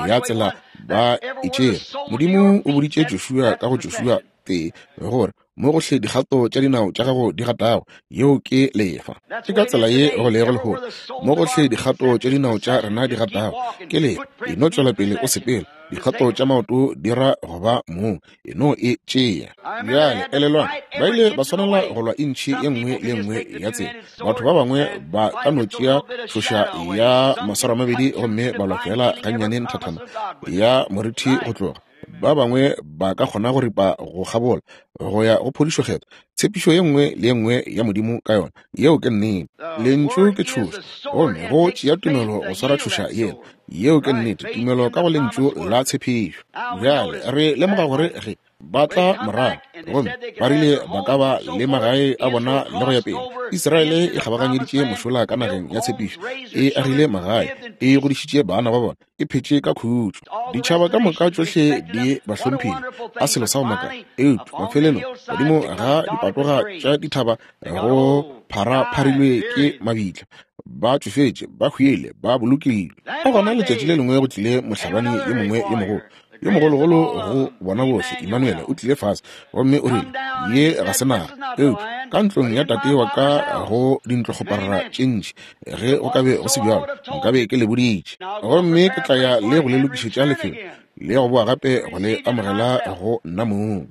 ya tsela ba e tšere. Modimo o boditše Joshua ka go Joshua tee gore mo gohle dikgato tša dinao tša gago di gatago, yeo ke lefa. Ke ka tsela ye go lego lehono. Mo gohle dikgato tša dinao tša rena di gatago, ke lefa. E no tšwela pele o sepela. Dikgato tša maoto di ra go ba mong. E no e tšea. Bjale, elelwang, ba ile ba swanela go lwa intšhi ye nngwe le ye nngwe ya tsela. Batho ba bangwe ba ka no tšea tšhoša ya maswaramabedi gomme ba lwa feela gannyane nthathana ya morithi go tloga. Ba bangwe ba ka kgona go ripa go kgabola go ya go phodišo kgethwa, tshepišo ye nngwe le ye nngwe ya Modimo ka yona. Yeo ke nnete. Lentšu ke tšhoša, gomme go tšea tumelo go swara tšhoša yela. Yeo ke nnete, tumelo ka go Lentšu la tshepišo. Bjale re lemoga gore ge ba tla morago gomme ba rile ba ka ba le magae a bona le go ya pele, Israele e kgabaganyeditše mošola ka nageng ya tshepišo, e agile magae, e godišitše bana ba bona, e phetše ka khutšo. Ditšhaba ka moka tšohle di ba hlomphile. A selo sa go makatša! Eupša mafelelong, godimo ga dipatoga tša dithaba go pharapharilwe ke mabitla. Ba tšofetše, ba hwile, ba bolokilwe. Ka gona letšatši le lengwe go tlile mohlabani yo mongwe yo mogolo, yo mogologolo go bona bohle, Emmanuel, o tlile fase gomme o rile, Ye ga se naga, eupša ka ntlong ya tate wa ka go dintlokgoparara tše ntši. Ge go ka be go se bjalo, nkabe ke le boditše. Gomme ke tla ya le go le lokišetša lefelo, le go boa gape go le amogela go nna mong.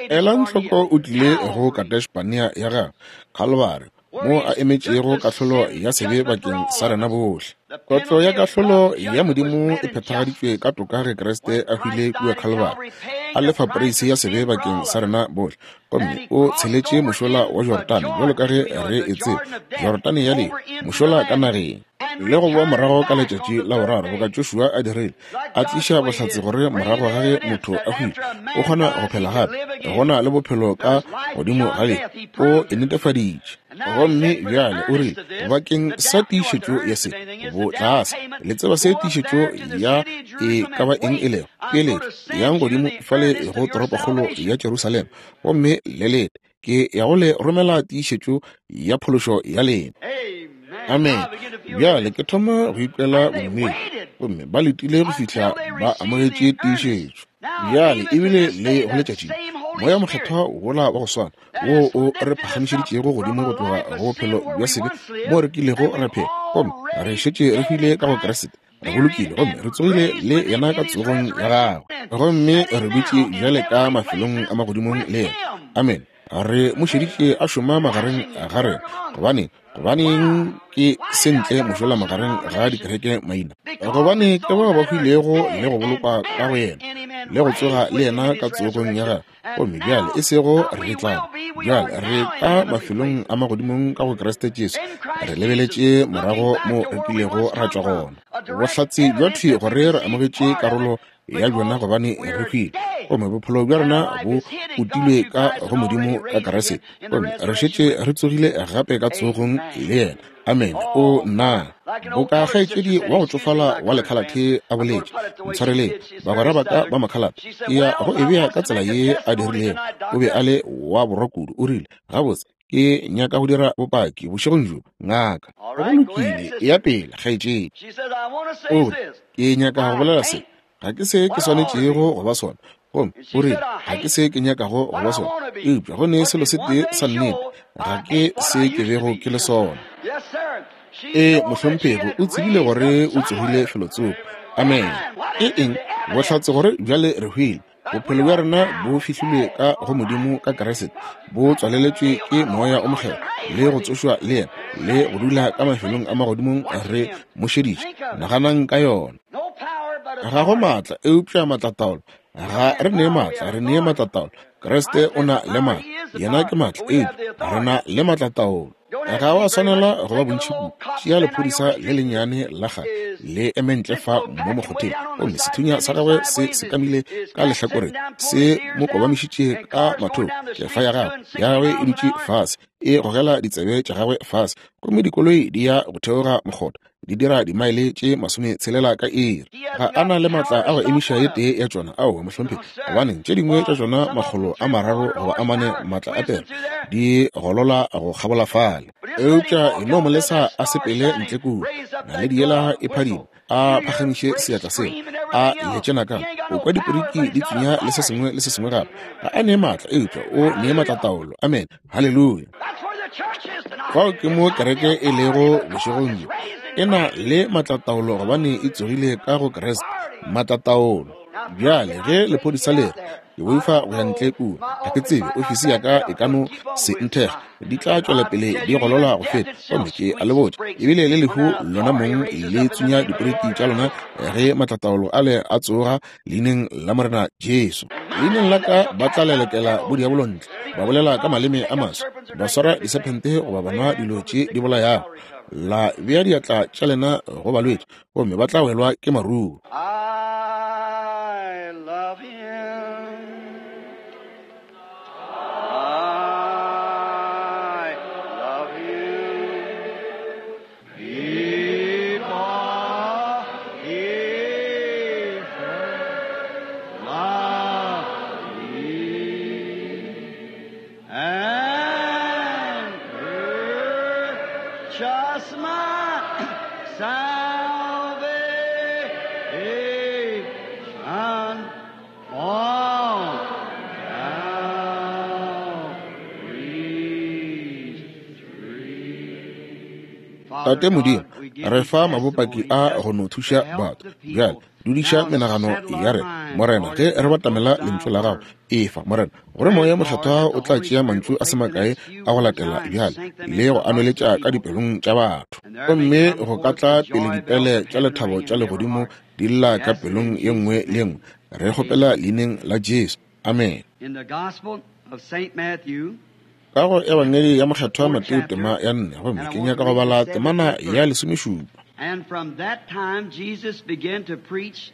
Elang hloko, o tlile go Kadesh-Barnea ya gagwe, Khalibari, moo a emetšego kahlolo ya sebe bakeng sa rena bohle. Kotlo ya kahlolo ya Modimo e phethagaditšwe ka toka ge Kriste a hwile kua Khalibari, a lefa poreisi ya sebe bakeng sa rena bohle, gomme o tsheletše mošola wa Jorodane, bjalo ka ge re e tseba, Jorodane ya lehu, mošola ka nageng. Le go boa morago ka letšatši la boraro, boka Joshua a dirile, a tliša bohlatse gore morago ga ge motho a hwile o kgona go phela gape, go na le bophelo ka godimo ga lehu. O e netefaditše. Gomme bjale o rile, bakeng sa tiišetšo ya se, botlase. Le tseba se tiišetšo ya e ka ba eng e lego? Peeletšo. Yang godimo fale go toropokgolo ya Jerusalema, gomme le lete. Ke ya go le romela tiišetšo ya phološo ya lena. Amen. Bjale ke thoma go ikwela bodumedi. Gomme ba letile go fihla ba amogetše tiišetšo. Bjale ebile le go letšatši, Moya Mokgethwa wola wa go swana wo o re phagamišeditšego godimo go tloga go bophelo bja sebe moo re kilego ra phela, gomme re šetše re hwile ka go Kriste. Re bolokile gomme re tsogile le yena ka tsogong ya gagwe, gomme re dutše bjale ka mafelong a magodimong le yena. Amene. Re mo šeditše a šoma magareng ga rena. Gobaneng? Gobaneng ke se ntle mošola magareng ga dikereke maina? Gobane ke bao ba hwilego le go bolokwa ka go yena, le go tsoga le yena ka tsogong ya gagwe. Gomme bjale e sego re tla, bjale re ka mafelong a magodimong ka go Kriste Jesu, re lebeletše morago mo re kilego ra tšwa gona. Bohlatse bja thwi gore re amogetše karolo ya bjona gobane re hwile, gomme bophelo bja rena bo utilwe ka go Modimo ka Kriste, gomme re šetše re tsogile gape ka tsogong le yena. Amene. O nna, boka kgaetšedi wa go tšofala wa lekhalathe a boletše, ntshwareleng, bagwera ba ka ba makhalathe, ke ya go e bea ka tsela ye a dirilego. O be a le wa borwa kudu. O rile, Gabotse, ke nyaka go dira bopaki bošegong bjo, ngaka. Go lokile, eya pele, kgaetšedi. O re, Ke nyaka go bolela se. Ga ke se ke swanetšego go ba sona. Gomme o rile, Ga ke se ke nyakago go ba sona. Eupša go ne selo se tee sa nnete, ga ke se ke bego ke le sona. Ee, mohlomphegi, o tsebile gore o tsogile felotsoko. Amene. Ke eng? Bohlatse gore bjale re hwile. Bophelo bja rena bo fihlilwe ka go Modimo ka Kriste, bo tswaleletšwe ke Moya o Mokgethwa, le go tsošwa le yena, le go dula ka mafelong a magodimong re mo šeditše. Naganang ka yona. Ga go maatla, eupša maatlataolo. Ga re ne maatla, re ne maatlataolo. Kriste o na le maatla, yena ke maatla, eupša re na le maatlataolo. Ga wa swanela go ba bontši kudu. Tšea lephodisa le lennyane la kgale le eme ntle fa mo mokgotheng, gomme sethunya sa gagwe se sekamile ka lehlakoreng, se mo kobamišitše ka mathoko, kefa ya gagwe, ya gagwe e dutše fase, e gogela ditsebe tša gagwe fase, gomme dikoloi di ya go theoga mokgotha, di dira dimaele tše 60 ka iri. Ga a na le maatla a go emiša ye tee ya tšona. Aowa, mohlomphegi. Gobaneng, tše dingwe tša tšona 300 goba 4 maatla a pere di golola go kgabola fale. Eupša e no mo lesa a sepele ntle kua, naledi yela e phadima, a phagamiše seatla sela, a letše nakana, o kwa diporiki di tsunya le se sengwe le se sengwe gape. Ga a ne maatla, eupša o ne maatlataolo. Amene. Haleluya. Fao ke mo kereke e lego bošegong bjo. E na le maatlataolo gobane e tsogile ka go Kriste. Maatlataolo. Bjale ge lephodisa le re, Ke boifa go ya ntle kua, ga ke tsebe, ofisi ya ka e ka no se nthekge, di tla tšwela pele di golola go feta. Gomme ke a le botša, ebile le lehu lona mong le tsunya diporiki tša lona ge maatlataolo ale a tsoga leineng la Morena Jesu. Leineng la ka ba tla lelekela bodiabolo ntle, ba bolela ka maleme a maswa, ba swara disephente goba ba nwa dilo tše di bolayago, la bea diatla tša lena go balwetši, gomme ba tla welwa ke maruo. I love him. I love him. Because he first loved me and purchased my salvation on Calvary's tree. Tate Modimo, re fa mabopaki a go no thuša batho. Bjale dudiša menagano ya rena, Morena, ge re batamela Lentšu la Gago. Efa, Morena, gore Moya Mokgethwa o tla tšea mantšu a se makae a go latela bjale le go a nweletša ka dipelong tša batho. Gomme go ka tla pele dipele tša lethabo tša legodimo di lla ka pelong ye nngwe le ye nngwe. Re kgopela leineng la Jesu. Amene. In the Gospel of Saint Matthew, Ka go Ebangedi ya Mokgethwa Mateo tema ya 4, gomme ke nyaka go bala temana ya 17. And from that time Jesus began to preach,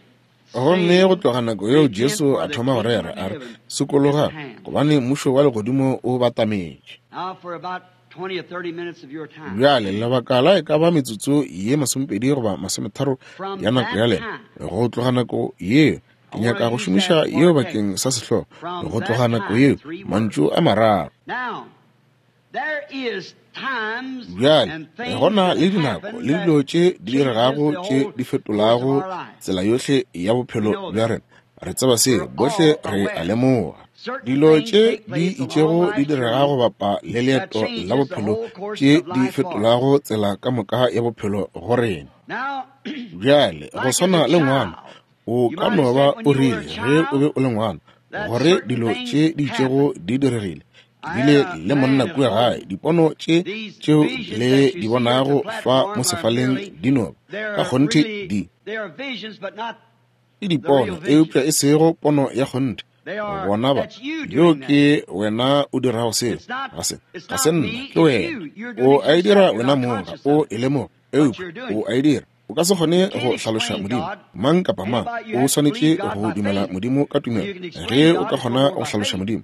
Gomme go saying, tloga nako yeo Repent, Jesu for a the thoma go kingdom rera, of a re, heaven is at Sokologang, hand. gobane mmušo wa legodimo o batametše. Now for about 20 or 30 minutes of your time. Bjale lebaka la e ka ba metsotso ye 20 goba 30 From ya nako ya that lena, time, go tloga nako yeo, I ke want nyaka to go use šomiša that for yeo a text. bakeng sa sehlogo, From go that tloga nako time, yeo, three words. mantšu a mararo. Now, there is times Bjale, and go things na that le dinako happen le that dilo tše di changes diregago the tše whole di course of fetolago our life. tsela yohle ya We bophelo know bja that. rena. Re tseba seo, We're bohle all re a aware. lemoga. Dilo tše di itšego di direga go bapa le leeto la bophelo tše di fetolago tsela ka moka ya bophelo go rena. Bjale, go swana le ngwana, o ka no ba o rile ge o be o le ngwana gore dilo tše di itšego di diregile. Ke bile le monna kua gae, dipono tše tšeo le di bonago fa mo sefaleng di no ba ka kgonthe di ke dipono, eupša e sego pono ya kgonthe. Bona ba, yo ke wena o dirago seo, ga se, ga se nna, ke wena. O a e dira wena mong, ga o e lemoge, eupša o a e dira. O ka se kgone go hlaloša Modimo. Mang kapa mang o swanetše go dumela Modimo ka tumelo. Ge o ka kgona go hlaloša Modimo,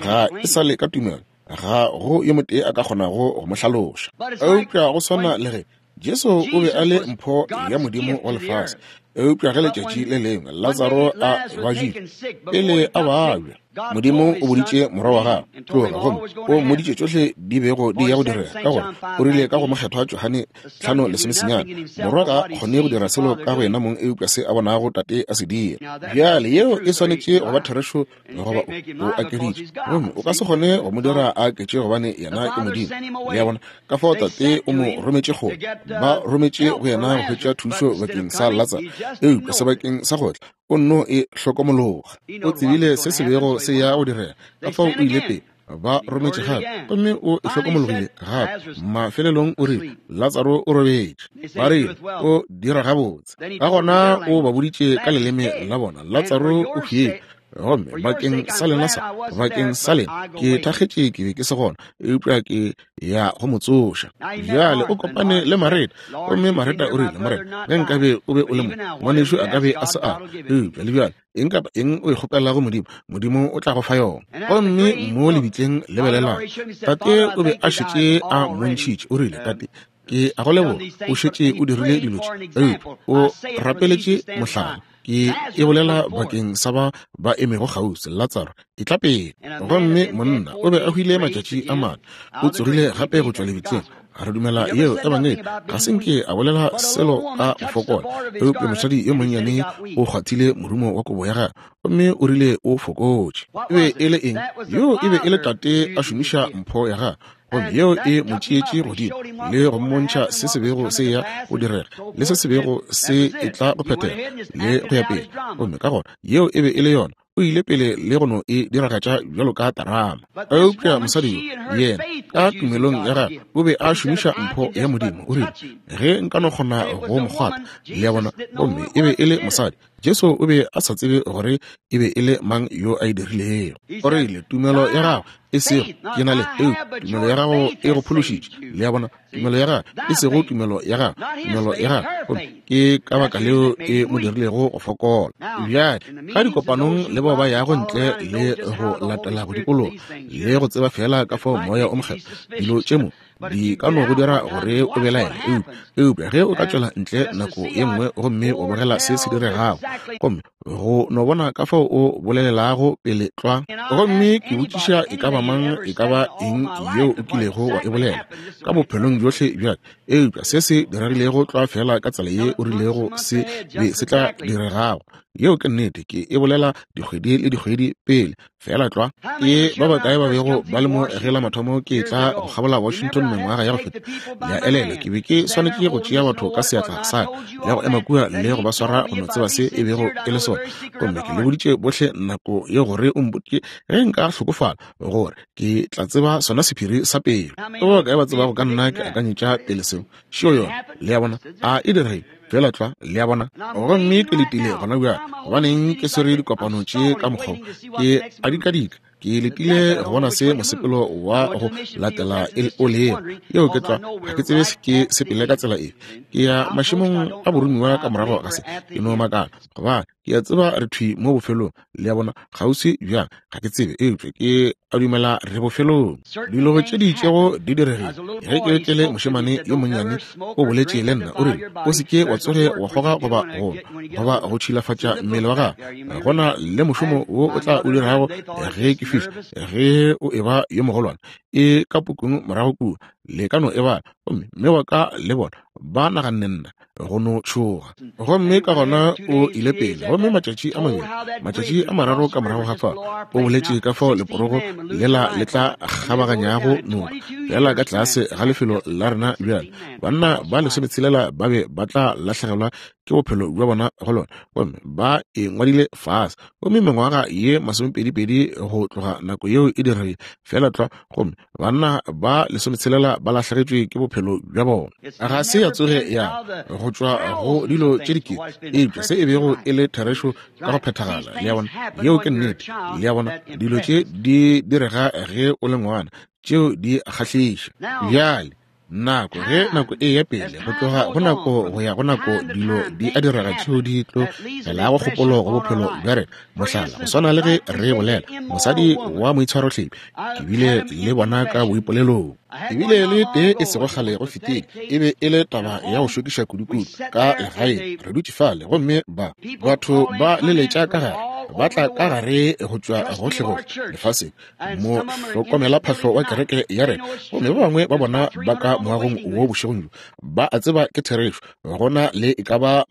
ga e sa le ka tumelo, ga go yo motee a ka kgonago go mo hlaloša. Eupša go swana le ge Jesu o be a le mpho ya Modimo wa lefase, eupša ge letšatši le lengwe Latsaro a babjile, pele a babja, Modimo o boditše morwa wa gagwe, tloga, gomme o mmoditše tšohle di bego di ya go direga, ka gore o rile ka go mokgethwa Johane 5:19, Morwa ga a kgone go dira selo ka go yena mong eupša se a bonago Tate a se dira. Bjale yeo e swanetše go ba therešo goba o akeditše, gomme o ka se kgone go mo dira a aketše gobane yena ke Modimo. Le a bona? Ka fao Tate o mo rometše kgole, ba rometše go yena go hwetša thušo bakeng sa Latsaro, eupša sebakeng sa go tla o nno e hlokomologa. O tsebile se se bego se ya go direga, ka fao o ile pele. Ba rometše gape, gomme o e hlokomologile gape. Mafelelong o rile, Latsaro o robetše. Ba rile, O dira gabotse. Ka gona o ba boditše ka leleme la bona, Latsaro o hwile. Gomme bakeng sa lena sa, bakeng sa lena, ke thakgetše ke be ke se gona, eupša ke ya go mo tsoša. Bjale o kopane le Mareta, gomme Mareta o rile, Morena, ge nkabe o be o le mo, ngwanešu a ka be a se a. Eupša le bjale, eng kapa eng o e kgopelago Modimo, Modimo o tla go fa yona. Gomme mo lebitleng, lebelelang, Tate o be a šetše a mmontšhitše, o rile, Tate, ke a go leboga, o šetše o dirile dilo tše, eupša o rapeletše mohlala. Ke e bolela bakeng sa ba ba emego kgauswi, Latsaro, etla pele. Gomme monna o be a hwile matšatši a mane, o tsogile gape go tšwa lebitleng. Re dumela yeo ebangedi. Ga se nke a bolela selo ka go fokola, eupša mosadi yo monnyane o kgwathile morumo wa kobo ya gagwe, gomme o rile o fokotše. E be e le eng? Yoo e be e le Tate a šomiša mpho ya gagwe, gomme yeo e mo tšeetše godimo le go mmontšha se se bego se ya go direga le se se bego se etla go phethega le go ya pele. Gomme ka gona yeo e be e le yona, o ile pele le go no e diragatša bjalo ka terama. Eupša mosadi yo, yena ka tumelong ya gagwe o be a šomiša mpho ya Modimo. O rile, ge nka no kgona go mo kgwatha, le a bona, gomme e be e le mosadi. Jesu o be a sa tsebe gore e be e le mang yo a e dirilego. O rile, tumelo ya gago e sego ke na le, eupša tumelo ya gago e go phološitše. Le a bona, tumelo ya gago e sego tumelo ya gago, tumelo ya gago. Gomme ke ka baka leo e mo dirilego go fokola. Bjale, ka dikopanong le bao ba yago ntle le go latela go dikologa le go tseba feela ka fao Moya o Mokgethwa dilo tše mo di ka no go dira gore o belaele, eupša ge o ka tšwela ntle nako ye nngwe gomme o bogela se se diregago, gomme go no bona ka fao o bolelelago pele tlwa. Gomme ke botšiša e ka ba mang, e ka ba eng yeo o kilego wa e bolela ka bophelong bjohle bja ka, eupša se se diregilego tlwa feela ka tsela ye o rilego se be se tla diregago. Yeo ke nnete, ke e bolela dikgwedi le dikgwedi pele. Feela tlwa. Ke ba bakae ba bego ba le mo ge la mathomo ke tla go kgabola Washington mengwaga ya go feta? Le a elelwa, ke be ke swanetše go tšea batho ka seatla sa ka le go ema kua le go ba swara go no tseba se e bego e le sona. Gomme ke le boditše bohle nako ye gore o mpotše ge nka hlokofala, gore ke tla tseba sona sephiri sa pelo. Ke ba bakae ba tsebago ka nna ke akanyetša pele seo? Šio yona. Le a bona? A e diregile? Feela tlwa, le a bona. Gomme ke letile gona bjale. Gobaneng ke swere dikopano tše ka mokgwa wo? Ke a dikadika. Ke letile go bona se mosepelo wa go latela o lego. Yeo ke tlwa. Ga ke tsebe ke sepele ka tsela efe. Ke ya mašemong a boromiwa ka morago ga se. Ke no makala, gobane ke a tseba re thwi mo bofelong. Le a bona, kgauswi bjang, ga ke tsebe, eupša ke a dumela re bofelong. Dilo tše di itšego di diregile. Ge ke be ke le mošemane yo monnyane, o boletše le nna, o rile, O se ke wa tsoge wa kgoga goba go nwa, goba go tšhilafatša mmele wa gago. Go na le mošomo wo o tla o dirago ge ke fihla, ge o eba yo mogolwane. E ka pukung morago kua, le ka no e bala. Gomme mme wa ka le bona ba naganne nna go no tšhoga. Gomme ka gona o ile pele. Gomme matšatši a mabedi, matšatši a mararo ka morago ga fao, o boletše ka fao leporogo lela le tla kgabaganyago noka, feela ka tlase ga lefelo la rena bjale. Banna ba 16 ba be ba tla lahlegelwa ke bophelo bja bona go lona, gomme ba e ngwadile fase. Gomme mengwaga ye 22 go tloga nako yeo e diregile feela tlwa, gomme banna ba 16 ba lahlegetšwe ke bophelo bja bona. Ga se ya tsoge ya go tšwa go dilo tše dikete, eupša se e bego e le therešo ka go phethagala. Le a bona, yeo ke nnete. Le a bona, dilo tše di direga ge o le ngwana, tšeo di kgahliša. Bjale nako ge nako e ya pele, go tloga go nako go ya go nako, dilo di a direga tšeo di tlo felago kgopolo go bophelo bja rena. Mohlala, go swana le ge re bolela mosadi wa moitshwarohlebi, ke bile le bona ka boipolelong. Ke bile le tee e sego kgale go fetile, e be e le taba ya go šokiša kudukudu ka legaeng. Re dutše fale gomme ba batho ba leletša ka gare, ba tla ka gare go tšwa gohlegohle lefaseng, mo hlokomela phahlo wa kereke ya rena, gomme ba bangwe ba bona ba ka moagong wo bošegong bjo ba a tseba ke therešo. Go na le e ka ba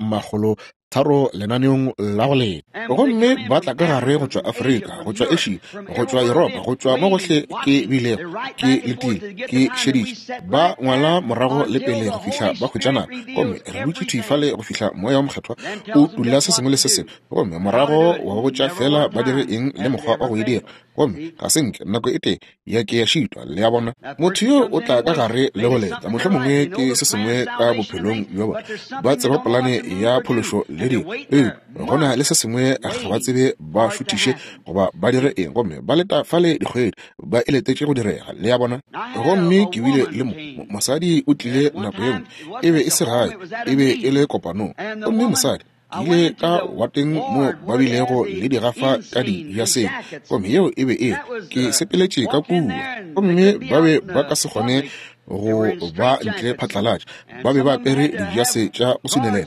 300 lenaneong la go leta, gomme ba tla ka gare go tšwa Afrika, go tšwa Asia, go tšwa Europa, go tšwa mo gohle ke bilego ke letile ke šeditše. Ba ngwala morago le pele go fihla ba hwetša nako, gomme re dutše thwi fale go fihla Moya wo Mokgethwa o tulla se sengwe le se sengwe, gomme morago wa ba botša feela ba dire eng le mokgwa wa go e dira. Gomme ga se nke nako e tee ya ke ya šitwa. Le a bona, motho yo o tla ka gare le go leta, mohlomongwe ke se sengwe ka bophelong bja bona, ba tseba polane ya phološo le dilo, eupša go na le se sengwe ga ba tsebe ba šuthiše goba ba dire eng, gomme ba leta fale dikgwedi ba e letetše go direga. Le a bona? Gomme ke bile le mosadi o tlile nako ye nngwe, e be e se gae, e be e le kopanong, gomme mosadi, ke ile ka wateng mo ba bilego le digafa ka dijaseng, gomme yeo e be e ke sepeletše ka kua, gomme ba be ba ka se kgone go ba ntle phatlalatša, ba be ba apere dijase tša go sunelela,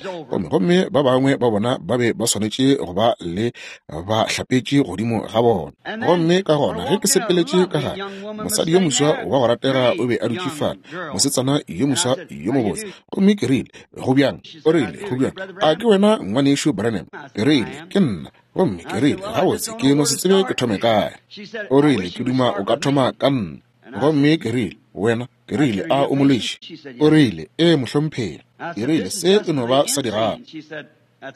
gomme ba bangwe ba bona ba be ba swanetše go ba le ba hlapetše godimo ga bona. Gomme ka gona ge ke sepeletše ka gare, mosadi yo moswa wa go ratega o be a dutše fale, mosetsana yo moswa yo mobotse, gomme ke rile, Go bjang? O rile, Go bjang? A ke wena ngwanešu Branham? Ke rile, Ke nna. Gomme ke rile, Gabotse, ke no se tsebe ke thome kae. O rile, Ke duma o ka thoma ka nna. Gomme ke rile, Wena? Ke rile, A o molweši? O rile, Ee, mohlomphegi. Ke rile, Se e no ba sa digafa.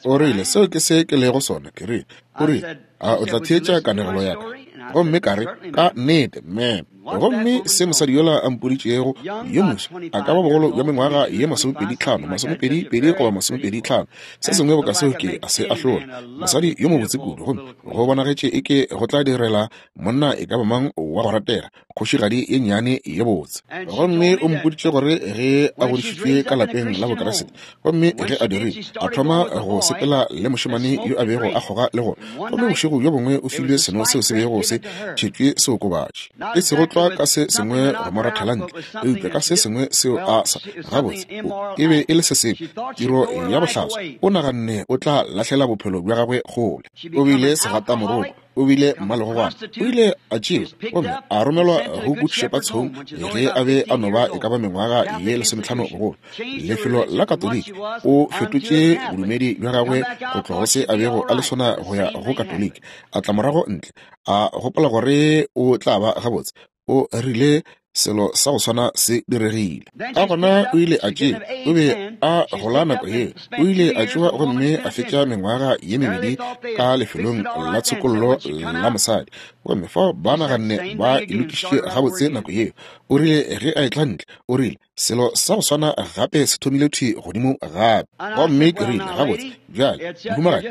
O rile, Seo ke se ke lego sona. Ke rile, o rile, A o tla theetša kanegelo ya ka? Gomme ka re, Ka nnete, ma'am. Gomme se mosadi yola a mpoditšego, yo moswa, a ka ba bogolo bja mengwaga ye 25, 22 goba 25, se sengwe boka seo, ke a se ahlola. Mosadi yo mobotse kudu, gomme go bonagetše eke go tla direla monna e ka ba mang wa go ratega, kgošigadi ye nnyane ye botse. Gomme o mpoditše gore ge a godišitšwe ka lapeng la Bokriste, gomme ge a dirile, a thoma go sepela le mošemane yo a bego a kgoga le gona, gomme bošego bjo bongwe o filwe seno seo se bego se tšhetšwe seokobatši, e sego tlwa ka se sengwe go mo rathela ntle, eupša ka se sengwe seo a sa, gabotse, o, e be e le se sengwe, tiro ya bohlaswa, o naganne o tla lahlela bophelo bja gagwe kgole. O bile segatamoroko. O bile mmalegogwana. O ile a tšewa gomme a romelwa go Good Shepherd's Home ge a be a no ba e ka ba mengwaga ye 15 bogolo, lefelo la Katoliki. O fetotše bodumedi bja gagwe go tloga go se a bego a le sona go ya go Katoliki. A tla morago ntle, a gopola gore o tla ba gabotse. O rile selo sa go swana se diregile. Ka gona o ile a tšewa, o be a gola nako yeo, o ile a tšewa gomme a fetša mengwaga ye mebedi ka lefelong la tshokollo la mosadi. Gomme fao ba naganne ba e lokišitše gabotse nako yeo. O rile ge a etla ntle, o rile, Selo sa go swana gape se thomile thwi godimo gape. Gomme ke rile, Gabotse, bjale, mohumagadi,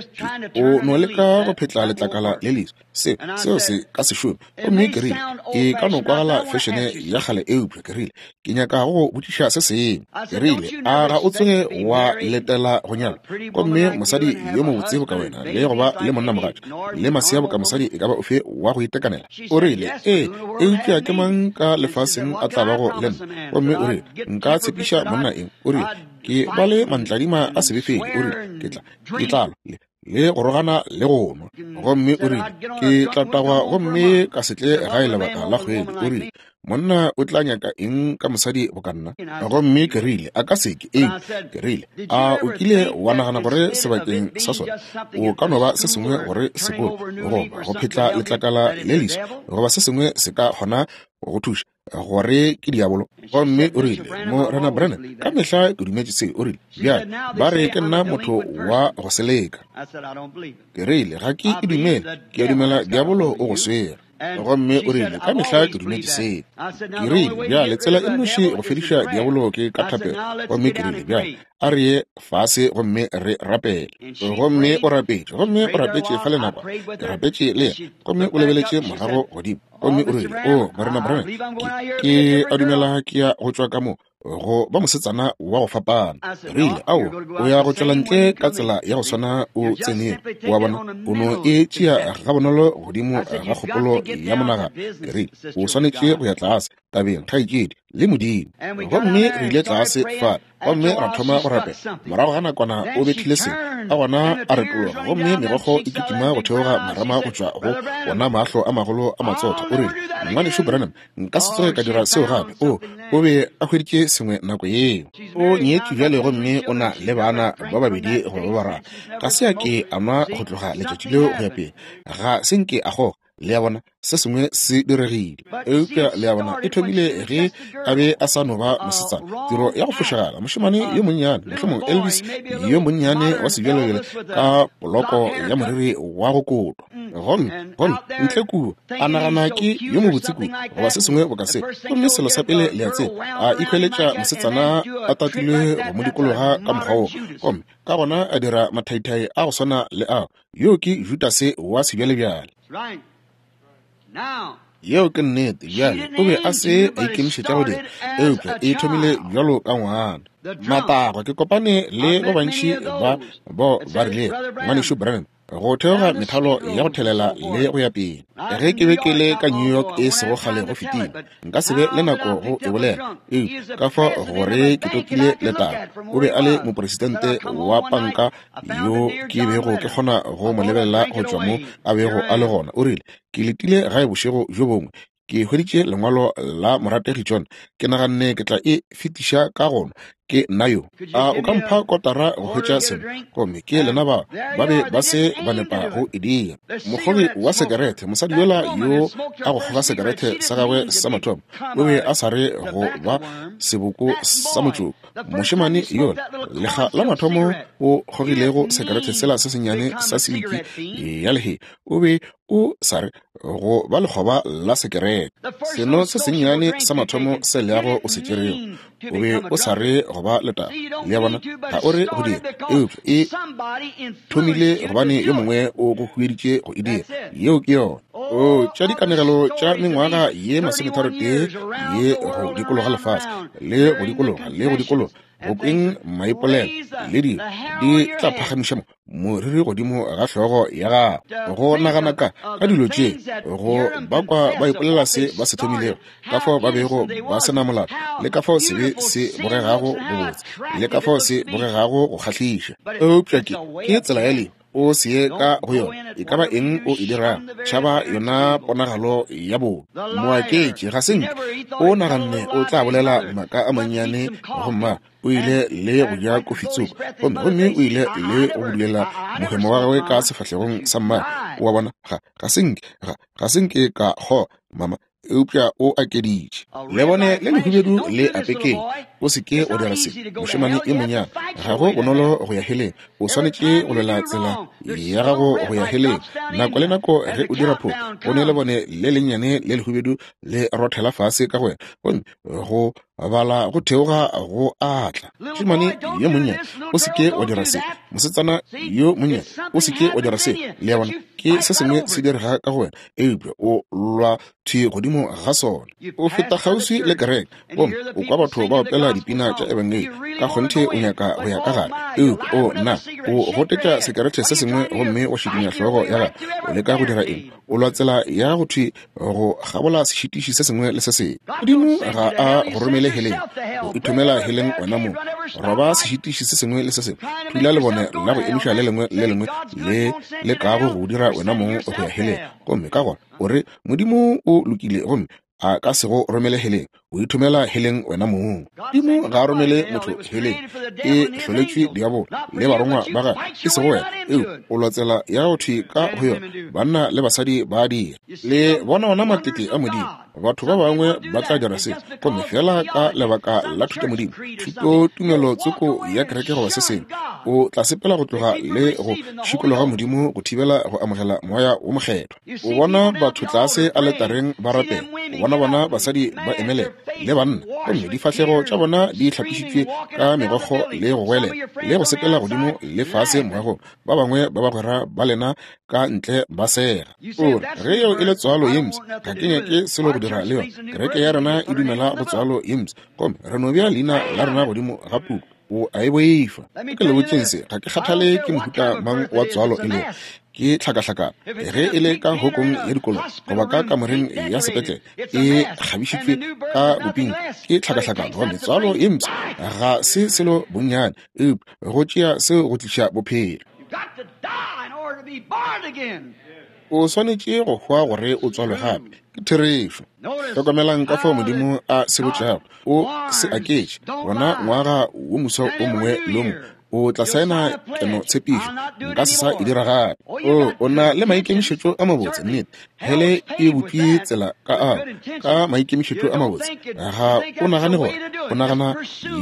ke, o no leka go phetla letlakala le leswa. Se, seo se ka se šome. Gomme ke rile, E ka no kwagala fešene ya kgale, eupša, ke rile, ke nyaka go go botšiša se sengwe. Ke rile, A ga o tsoge wa letela go nyalwa? Gomme mosadi yo mobotse boka wena, le go ba le monnamogatša, le masea boka mosadi e ka ba ofe wa go itekanela? O rile, Ee, eupša ke mang ka lefaseng a tla bago le nna? Gomme o rile, Nka tshepiša monna eng? O rile, Ke ba le mantladima a sebefedi. O rile, Ke tla, ke tla lwa le. le go rogana le go nwa. Gomme o rile, Ke tla tagwa gomme ka se tle gae lebaka la kgwedi. O rile, Monna o tla nyaka eng ka mosadi boka nna? Gomme ke rile, A ka se ke. Eng? Ke rile, A o kile wa nagana gore sebakeng sa sona o ka no ba se sengwe gore sekolo, goba go phetla letlakala le leso, goba se sengwe se ka kgona go thuša, gore ke diabolo? Gomme o rile, Morena Branham, ka mehla ke dumetše se. O rile, Bjale, ba re ke nna motho wa go seleka. Ke rile, Ga ke e dumele. Ke a dumela diabolo o go swere. Gomme o rile, Ka mehla ke dumetše seo. Ke rile, Bjale, tsela e nnoši go fediša diabolo ke ka thapelo. Gomme ke rile, Bjale, a re ye fase gomme re rapele. Gomme o rapetše, gomme o rapetše fa le nakwa. Ke rapetše le yena, gomme o lebeletše morago godimo. Gomme o rile, O, Morena Branham, ke, ke a dumela ke ya go tšwa ka mo go ba mosetsana wa go fapana. Rile, Ao, o ya go tšwela ntle ka tsela ya go swana o tsenego. O a bona, o no e tšea gabonolo godimo ga kgopolo ya monagano. Ke rile, O swanetše go ya tlase tabeng, kgaetšedi, le Modimo. Gomme re ile tlase fa gomme ra thoma go rapela. Morago ga nakwana o bethile sengwe, ka gona a retologa, gomme megokgo e kitima go theoga marama go tšwa go wona mahlo a magolo a matsotho. O rile, Ngwanešu Branham, nka se tsoge ka dira seo gape. O, o be a hweditše sengwe nako yeo. O nyetšwe bjale gomme o na le bana ba babedi goba ba bararo. Ga se a ke a nwa go tloga letšatši leo go ya pele. Ga se nke a kgoga. Le a bona, se sengwe se diregile. Eupša le a bona, e thomile ge a be a sa no ba mosetsana. Tiro ya go fošagala, mošemane yo monnyane, mohlomongwe Elvis yo monnyane wa sebjalebjale ka poloko ya moriri wa go kotwa. Gomme, gomme ntle kua, a nagana ke yo mobotse kudu, goba se sengwe boka se. Gomme selo sa pele le a tseba, a ikhweletša mosetsana a tatilwe go mo dikologa ka mokgwa woo. Gomme ka gona a dira mathaithai a go swana le ao. Yoo ke Judase wa sebjalebjale. Yeo ke nnete. Bjale, o be a se a ikemišetša go dira, eupša e thomile bjalo ka ngwana. Matagwa, ke kopane le ba bantši ba bao ba rilego, Ngwanešu Branham, go theoga methalo ya go thelela le go ya pele. Ge ke be ke le ka New York e sego kgale go fetile, nka se be le nako go e bolela, eupša ka fao gore ke topile letaba. O be a le mopresidente wa panka yo ke bego ke kgona go mo lebelela go tšwa mo a bego a le gona. O rile, Ke letile gae bošego bjo bongwe, ke hweditše lengwalo la morategi John. Ke naganne ke tla e fetiša ka gona. Ke nna yo. A o ka mpha kotara go hwetša seno? Gomme ke lena ba ba be ba se ba nepa go e dira. Mokgogi wa sekerete, mosadi yola yo a go kgoga sekerete sa gagwe sa mathomo, o be a sa re go ba seboko sa motšoko. Mošemane yola, lekga la mathomo o kgogilego sekerete sela se sennyane sa siliki ya lehea, o be o sa re go ba lekgoba la sekerete. Seno se sennyane sa mathomo se leago o se tšerego, o be o sa re go ba letaba. Le a bona, ga o re go dira, eupša e thomile gobane yo mongwe o go hueditše go e dira. Yeo ke yona. O tša dikanegelo tša mengwaga ye masometharotee ye go dikologa lefase, le go dikologa, le go dikologa, go kweng maipolelo le dilo di tla phagamiša mo moriri godimo ga hlogo ya gago go nagana ka ka dilo tše go bakwa ba ipolela se ba se thomilego, ka fao ba bego ba se na molato, le ka fao sebe se bogegago bobotse, le ka fao se bogegago go kgahliša. Eupša ke, ke tsela ya lehu, o se ye ka go yona. E ka ba eng o e dirago, tšhaba yona ponagalo ya bobe. Moaketši ga se nke o naganne o tla bolela maaka a mannyane go mma. O ile le go ja kofi tsoko, gomme, gomme o ile le go budulela mohemo wa gagwe ka sefahlegong sa mmagwe. O a bona, ga, ga se nke, ga, ga se nke ka kgoga, mama, eupša o akeditše. Lebone le lehubedu le apekeng. O se ke wa dira se, mošemane yo monnyane. Ga go bonolo go ya heleng. O swanetše go lwela tsela ya gago go ya heleng. Nako le nako ge o dira phošo, go ne lebone le lennyane le lehubedu le rothela fase ka go wena, gomme go bala go theoga go atla. Mošemane yo monnyane, o se ke wa dira se. Mosetsana yo monnyane, o se ke wa dira se. Le a bona, ke se sengwe se direga ka go wena, eupša o lwa thwi godimo ga sona. O feta kgauswi le kereke gomme o kwa batho ba opela opela dipina tša ebangedi, ka kgonthe o nyaka go ya ka gare. Eupša o nna o gotetša sekerete se sengwe gomme wa šikinya hlogo ya gago. O leka go dira eng? O lwa tsela ya go thwi go kgabola sešitiši se sengwe le se sengwe. Modimo ga a go romele heleng, o ithomela heleng wena mong. Roba sešitiši se sengwe le se sengwe, thula lebone la go emiša le lengwe le lengwe le le kago go dira wena mong go ya heleng. Gomme ka gona o re Modimo o lokile gomme a ka se go romele heleng. O ithomela heleng wena mong. Modimo ga a romele motho heleng. E hloletšwe diabolo le barongwa ba gagwe, e sego wena. Eupša o lwa tsela ya go thwi ka go yona. Banna le basadi ba a dira. Le bona ona matete a Modimo. Batho ba bangwe ba tla dira se, gomme feela ka lebaka la thutamodimo, thutotumelo tsoko ya kereke goba se sengwe, o tla sepela go tloga le go šikologa Modimo go thibela go amogela Moya wo Mokgethwa. O bona batho tlase aletareng ba rapela, o bona bona basadi ba emelela le banna, gomme difahlego tša bona di hlapišitšwe ka megokgo le go goelela le go sepela godimo le fase moagong, ba bangwe ba bagwera ba lena ka ntle ba sega. O re, ge yeo e le tswalo ye mpsha, ga ke nyake selo go dira le yona. Kereke ya rena e dumela go tswalo ye mpsha, gomme re no bea leina la rena godimo ga puku. O a e boifa. Ke le botšeng se, ga ke kgathale ke mohuta mang wa tswalo e lego, ke tlhakahlakano. Ge e le ka hokong ya dikolo goba ka kamoreng ya sepetlele e kgabišitšwe ka boping, ke tlhakahlakano. Gomme tswalo ye mpsha ga se selo bonnyane, eupša go tšea seo go tliša bophelo. O swanetše go hwa gore o tswalwe gape. Ke therešo. Hlokomelang ka fao Modimo a se botšago. O se aketše. Gona ngwaga wo moswa o mongwe le o mongwe o tla saena keno tshepišo. Nka se sa e dira gape. O, o na le maikemišetšo a mabotse, nnete. Hele e butšwe tsela ka ao, ka maikemišetšo a mabotse. Ga o nagane gore, o nagana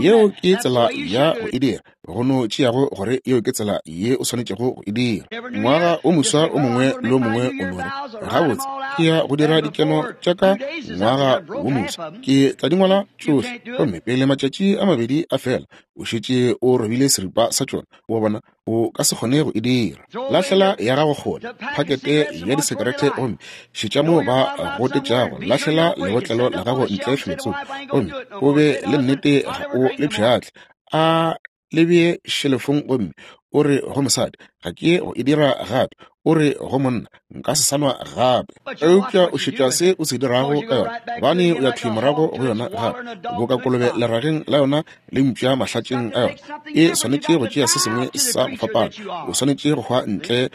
yeo ke tsela ya go e dira. Go no tšeago gore yeo ke tsela ye o swanetšego go e dira. Ngwaga o moswa o mongwe le o mongwe o no re, Gabotse, ke ya go dira dikeno tša ka ngwaga wo moswa. Ke tla di ngwala tšohle. Gomme pele matšatši a mabedi a fela, o šetše o robile seripa sa tšona. O bona, o ka se kgone go e dira. Lahlela ya gago kgole, phakete ya disekerete, gomme šetša moo ba gotetšago. Lahlela lebotlelo la gago ntle felotsoko, gomme o be le nnete ga o le pšhatle. A le bee šelefong gomme o re go mosadi, ga ke go e dira gape. O re go monna, nka se sa nwa gape. Eupša o šetša se o se dirago ka yona, gobane o ya thwi morago go yona gape, boka kolobe lerageng la yona le mpša mahlatšeng a yona. E swanetše go tšea se sengwe sa go fapana. O swanetše go hwa ntle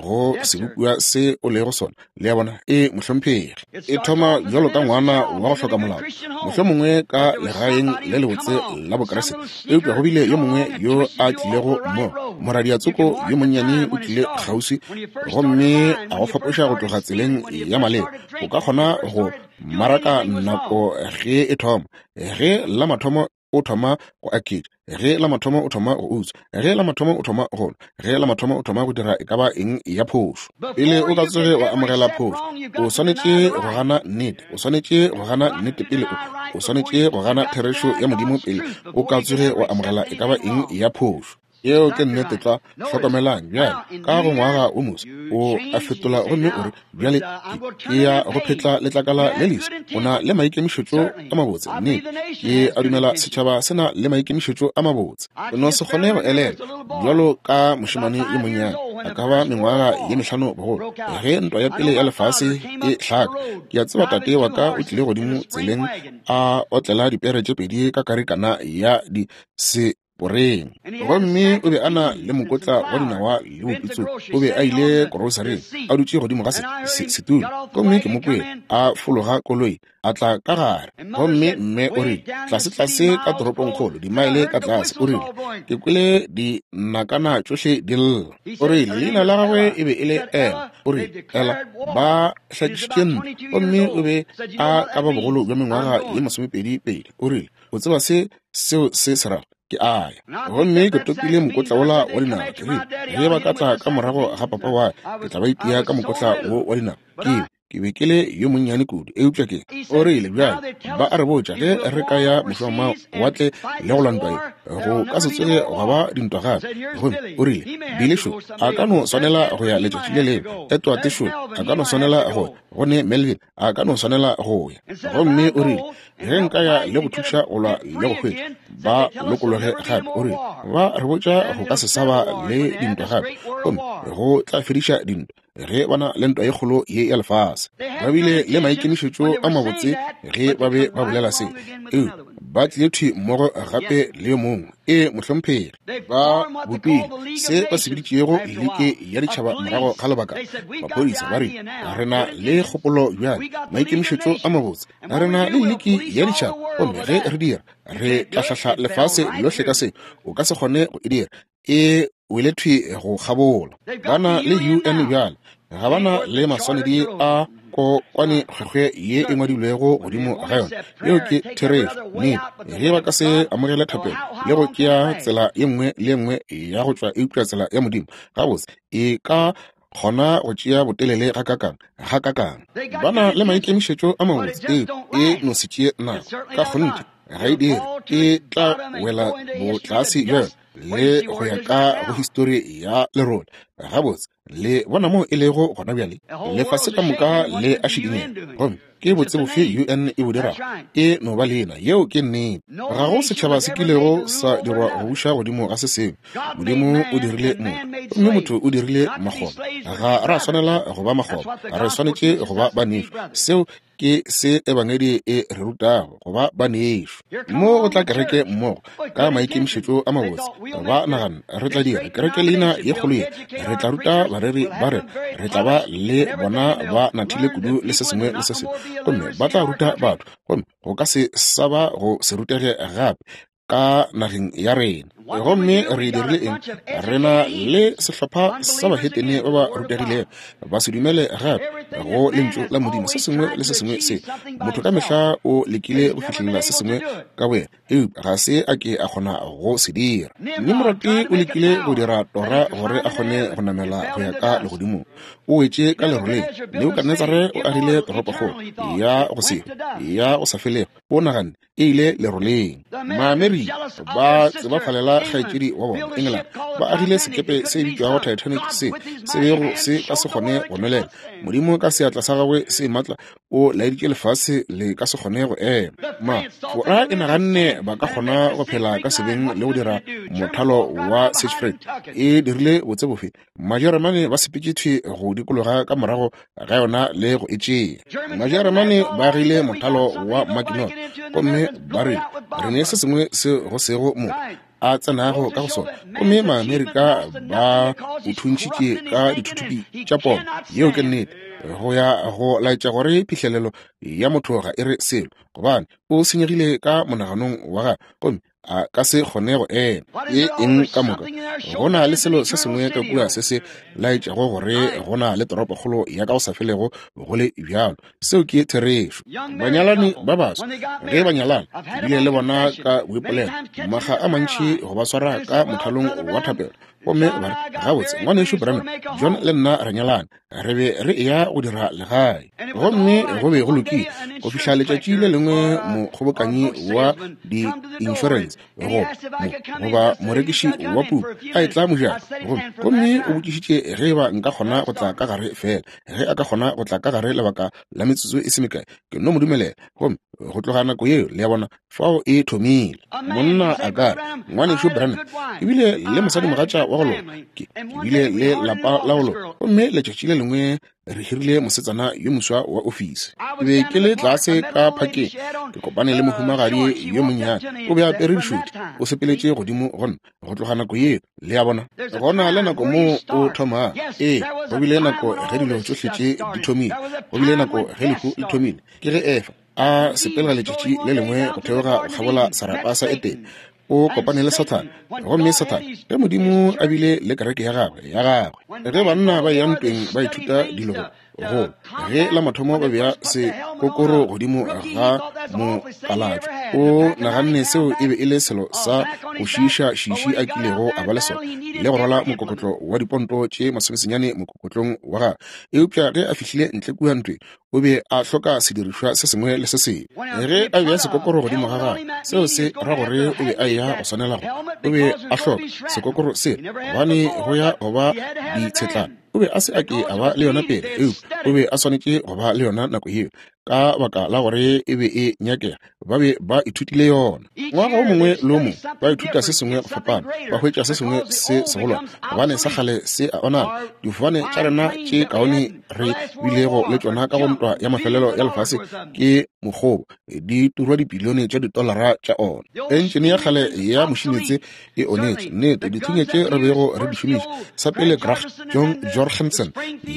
go sebopiwa se o lego sona. Le a bona? E, mohlomphegi. E thoma bjalo ka ngwana wa go hloka molao, mohlomongwe ka legaeng le lebotse la Bokriste, eupša go bile yo mongwe yo a tlilego mo, moradiatsoko yo monnyane o tlile kgauswi gomme a go fapoša go tloga tseleng ya maleba. O ka kgona go maraka nako ge e thoma, ge la mathomo o thoma go aketša, ge la mathomo o thoma go utswa, ge la mathomo o thoma go nwa, ge la mathomo o thoma go dira e ka ba eng ya phošo. Pele o ka tsoge wa amogela phošo, o swanetše go gana nnete. O swanetše go gana nnete pele o, o swanetše go gana therešo ya Modimo pele o ka tsoge wa amogela e ka ba eng ya phošo. Yeo ke nnete tlwa. Hlokomelang bjale, ka go ngwaga wo moswa, o a fetola gomme o re, Bjale ke, ke ya go phetla letlakala le leswa. O na le maikemišetšo a mabotse. Nnete. Ke a dumela setšhaba se na le maikemišetšo a mabotse. O no se kgone go elelwa, bjalo ka mošemane yo monnyane, a ka ba mengwaga ye mehlano bogolo, ge Ntwa ya Pele ya Lefase e hlaka. Ke a tseba tate wa ka o tlile godimo tseleng a otlela dipere tše pedi ka karikana ya di se poreng. Gomme o be a na le mokotla wa dinawa le bopitso. O be a ile korosaring, a dutše godimo ga se, se, setulo. Gomme ke mo kwele a fologa koloi, a tla ka gare. Gomme mme o rile, tlasetlase ka toropongkgolo, dimaele ka tlase, o rile, ke kwele dinakana tšohle di lla. O rile, leina la gagwe e be e le Ella. O rile, Ella, ba hlakišitše ntlo. Gomme o be a ka ba bogolo bja mengwaga ye masomepedi pedi. O rile, O tseba se seo se se rago? Ke a ya. Gomme ke topile mokotla wola wa dinawa. Ke rile, ge ba ka tla ka morago ga papa wa, ke tla ba itia ka mokotla wo wa dinawa. Ke. Ke be ke le yo monnyane kudu, eupša ke o rile, Bjale, ba a re botša ge re ka ya mošwamawatle le go lwa ntwa ye, go ka se tsoge gwa ba dintwa gape. Gomme o rile, Billy šo a ka no swanela go ya letšatši le lengwe, Edward šo a ka no swanela go ya, go ne Melvin a ka no swanela go ya. Gomme o rile, Ge nka ya le go thuša go lwa le go hwetša ba lokologe gape, o rile, ba re botša go ka se sa ba le dintwa gape, gomme go tla fediša dintwa ge ba na le ntwa ye kgolo ye ya lefase. Ba bile le maikemišetšo a mabotse ge ba be ba bolela se, eupša ba tlile thwi mmogo gape le yo mongwe. Ee, mohlomphegi. Ba bopile se ba se biditšego Liki ya Ditšhaba morago ga lebaka. Maphodisa ba rile, Re na le kgopolo bjale, maikemišetšo a mabotse. Re na le Liki ya Ditšhaba, gomme ge re dira, re tla hlahla lefase lohle ka se. O ka se kgone go e dira. E wele thwi go kgabola. Ba na le UN bjale. Ga ba na le maswanedi a kokwane kgwekgwe ye e ngwadilwego godimo ga yona. Yeo ke therešo. Nnete. Ge ba ka se amogele thapelo le go tšea tsela ye nngwe le ye nngwe ya go tšwa eupša tsela ya Modimo, gabotse e ka kgona go tšea botelele gakakang, gakakang. Ba na le maikemišetšo a mabotse, eupša e no se tšee nako. Ka kgonthe ga e dire. E tla wela botlase bja yona le go ya ka go histori ya lerole. Gabotse, le bona moo e lego gona bjale? Lefase ka moka le a šikinyega. Gomme ke botse bofe UN e bo dirago? E no ba leina. Yeo ke nnete. Ga go setšhaba se kilego sa dirwa go buša godimo ga se sengwe. Modimo o dirile motho, gomme motho o dirile makgoba. Ga ra swanela go ba makgoba, re swanetše go ba banešu. Seo ke se Ebangedi e re rutago, go ba banešu. Mo go tla kereke mmogo ka maikemišetšo a mabotse, ba nagana re tla dira kereke leina ye kgolo ye, re tla ruta bareri ba re, re tla ba le bona ba nathile kudu le se sengwe le se sengwe, gomme ba tla ruta batho, gomme go ka se sa ba go se rutege gape ka nageng ya rena. Gomme re dirile eng? Re na le sehlopha sa bahetene ba ba rutegilego, ba se dumele gape go Lentšu la Modimo. Se sengwe le se sengwe se motho ka mehla o lekile go fihlelela se sengwe ka boyena, eupša ga se a ke a kgona go se dira. Nimrod o lekile go dira tora gore a kgone go namela go ya ka legodimong, o wetše ka leroleng. Nebukadnetsare o agile toropokgolo ya go se ya go sa felego, o naganne e ile leroleng. Maamerika ba tsebafalela kgaetšedi wa bona England, ba agile sekepe se bitšwago Titanic se se bego se ka se kgone go nwelela. Modimo ka seatla sa gagwe se matla o laeditše lefase le ka se kgone go ema. Ma Fora e naganne ba ka kgona go phela ka sebeng le go dira mothalo wa Siegfried. E dirile botse bofe? Majeremane ba sepetše thwi go dikologa ka morago ga yona le go e tšea. Majeremane ba agile mothalo wa Maginot gomme ba re re ne se sengwe se go sego motho a tsenago ka go sona, gomme Maamerika ba o thuntšhitše ka dithuthupi tša pomo. Yeo ke nnete, go ya go laetša gore phihlelelo ya motho ga e re selo, gobane o senyegile ka monaganong wa gagwe gomme a ka se kgone go ema. E eng ka moka? Go na le selo se sengwe ka kua se se laetšago gore go na le toropokgolo ya ka go sa felego go le bjalo. Seo ke therešo. Banyalani ba baswa ge ba nyalana, ke bile le bona ka boipolelo makga a mantši go ba swara ka mothalong wa thapelo, gomme ba re, Gabotse, Ngwanešu Branham, John le nna re nyalane. Re be re eya go dira legae, gomme go be go lokile go fihla letšatši le lengwe mokgobokanyi wa di-insurance goba morekiši wa puku a etla mojako, gomme o botšišitše ge eba nka kgona go tla ka gare feela ge a ka kgona go tla ka gare lebaka la metsotso e se mekae. Ke no mo dumelela, gomme go tloga nako yeo, le a bona, fao e thomile. Monna a ka re, Ngwanešu Branham, ke bile le mosadimogatša wa go loka, ke bile le lapa la go loka, gomme letšatši le lengwe re hirile mosetsana yo moswa wa ofisi. Ke be ke le tlase ka phakeng, ke kopane le mohumagadi yo monnyane, o be a apere dišuti, o sepeletše godimo go nna. Go tloga nako yeo, le a bona, go na le nako moo o thomago. Ee, go bile nako ge dilo tšohle tše di thomile. Go bile nako ge lehu le thomile. Ke ge Efa a sepela letšatši le lengwe go theoga go kgabola serapa sa Etene, o kopane le Sathane. Gomme Sathane, ge Modimo a bile le kereke ya gagwe, ya gagwe, ge banna ba eya ntweng ba ithuta dilo go, go, ge la mathomo ba bea sekokoro godimo ga mokalatšo, o naganne seo e be e le selo sa go šiiša šiši a kilego a ba le sona, le go rwala mokokotlo wa diponto tše masomesenyane mokokotlong wa gagwe. Eupša ge a fihlile ntle kua ntweng, O be a hloka sedirišwa se sengwe le se sengwe. Ge a bea sekokoro godimo ga gagwe, seo se ra gore o be a eya go swanela go. O be a hloka sekokoro se, gobane go ya go ba ditshetlana. O be a se a ke a ba le yona pele, eupša o be a swanetše go ba le yona nako yeo, ka baka la gore e be e nyakega. Ba be ba ithutile yona. Ngwaga o mongwe le o mongwe ba ithuta se sengwe go fapana, ba hwetša se sengwe se segolwane, gobane sa kgale se a onala. Difofane tša rena tše kaone re bilego le tšona ka go ntwa ya mafelelo ya lefase ke mokgobo, di turwa dipilione tša ditolara tša ona. Entšene ya kgale ya mošinetse e onetše. Nnete, dithunya tše re bego re di šomiša, sa pele Grach John Jorgensen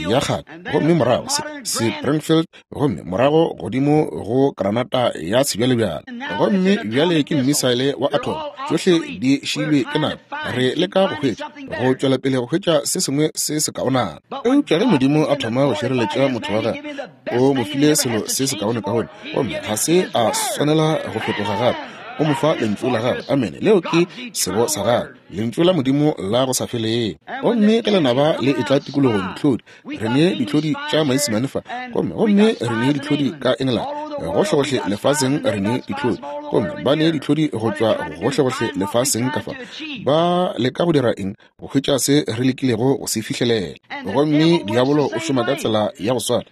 ya kgale, gomme morago Springfield, gomme morago godimo go granata ya sebjalebjale, gomme bjale ke mmisaele wa atom. Tšohle di šiilwe ke nako. Re leka go hwetša, go tšwela pele go hwetša se sengwe se sekaonana. Eupša ge Modimo a thoma go šireletša motho wa gagwe, o mo file selo se sekaonekaone, gomme ga se a swanela go fetoga gape. O mo fa Lentšu la gagwe. Amene. Leo ke sebo sa gagwe, Lentšu la Modimo la go sa felego. Gomme ge lenaba le etla tikologong, dihlodi, re ne dihlodi tša Maisemane fa, gomme, gomme re ne dihlodi ka Engelane, gohlegohle lefaseng re ne dihlodi, gomme ba ne dihlodi go tšwa gohlegohle lefaseng ka fa. Ba leka go dira eng? Go hwetša se re lekilego go se fihlelela. Gomme diabolo o šoma ka tsela ya go swana.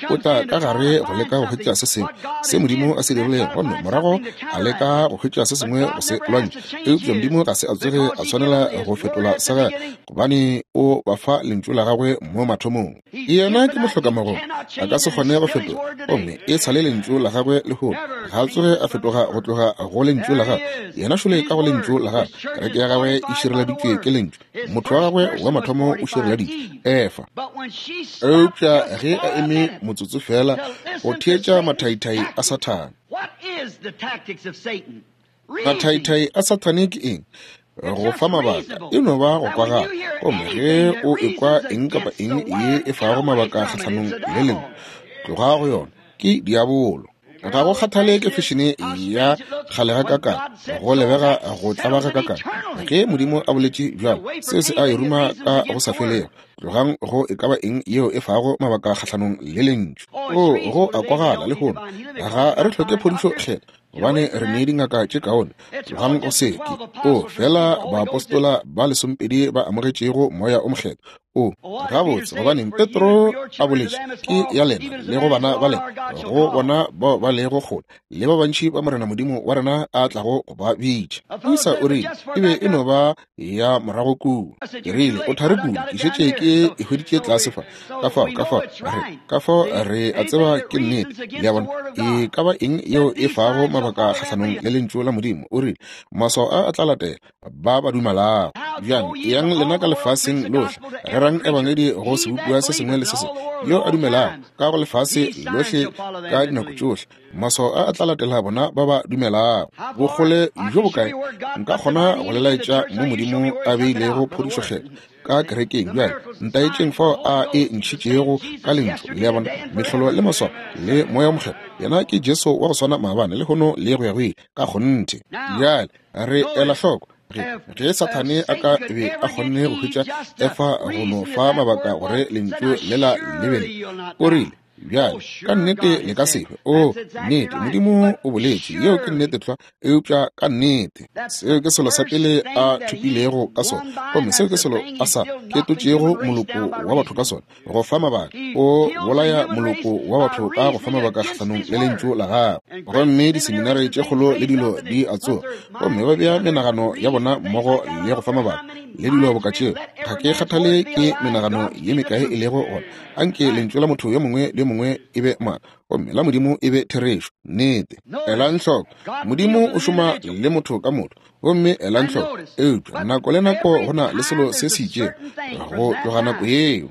O tla ka gare go leka go hwetša se sengwe se Modimo a se dirilego, gomme morago a leka go hwetša se sengwe go se lwantšha. Eupša Modimo ga se a tsoge a swanela go fetola sa gagwe, gobane o ba fa Lentšu la gagwe mo mathomong. Yena ke mohlokamagong, a ka se kgone go fetola, gomme e sa le Lentšu la gagwe lehono. Ga a tsoge a fetoga go tloga go Lentšu la gagwe. Yena šole ka go Lentšu la gagwe. Kereke ya gagwe e šireleditšwe ke Lentšu. Motho wa gagwe wa mathomo o šireleditšwe, Efa. Eupša ge a eme motsotso feela go theetša mathaithai a Sathane. Mathaithai a Sathane ke eng? Go fa mabaka. E no ba go kwagala. Gomme ge o ekwa eng kapa eng ye e fago mabaka kgahlanong le lengwe, tloga go yona. Ke diabolo. Ga go kgathale ke fešene ya kgale gakakang, go lebega go tlaba gakakang, ge Modimo a boletše bjalo, seo se a e ruma ka go sa felego. Tlogang go e ka ba eng yeo e fago mabaka kgahlanong le Lentšu. O, go a kwagala lehono. Ga re hloke phodišo Kgethwa, gobane re ne dingaka tše kaone. Tlogang go se ke. O, feela baapostola ba lesomepedi ba amogetšego Moya o Mokgethwa. O, gabotse, gobaneng Petro a boletše, ke ya lena le go bana ba lena, go bona bao ba lego kgole, le ba bantši ba Morena Modimo wa rena a tlago go ba bitša. Moisa o rile, e be e no ba ya morago kua. Ke rile, o thari kudu, ke šetše ke e hweditše tlase fa. Ka fao, ka fao, re, ka fao re a tseba ke nnete. Le a bona, e ka ba eng yeo e fago mabaka kgahlanong le Lentšu la Modimo? O rile, maswao a a tla latela ba ba dumelago. Bjang, eyang lena ka lefaseng lohle, rerang ebangedi go sebopiwa se sengwe le se sengwe yo a dumelago ka go lefase lohle ka dinako tšohle. Maswao a a tla latela bona ba ba dumelago. Bokgole bjo bokae nka kgona go le laetša mo Modimo a beilego phodišo kgethwa ka kerekeng? Bjale ntaetšeng fao a e ntšhitšego ka Lentšu. Le a bona, mehlolo le maswao le Moya wo Mokgethwa, yena ke Jesu wa go swana maabane, lehono le go ya go ile. Ka kgonthe. Bjale re ela hloko ge, ge Sathane a ka be a kgonne go hwetša Efa go no fa mabaka gore Lentšu lela le be le, o rile, Bjale, ka nnete le ka se hwe. Oo, nnete, Modimo o boletše, yeo ke nnete tlwa, eupša ka nnete. Seo ke selo sa pele a thopilego ka sona, gomme seo ke selo a sa ketotšego moloko wa batho ka sona, go fa mabaka. O bolaya moloko wa batho ka go fa mabaka kgahlanong le Lentšu la Gagwe. Gomme diseminari tše kgolo le dilo di a tsoga, gomme ba bea menagano ya bona mmogo le go fa mabaka le dilo boka tšeo. Ga ke kgathale ke menagano ye mekae e lego gona. Anke lentšu la motho yo mongwe le yo mongwe e be maaka, gomme la Modimo e be therešo. Nnete. Elang hloko, Modimo o šoma le motho ka motho. Gomme elang hloko, eupša nako le nako go na le selo se se itšego go tloga nako yeo.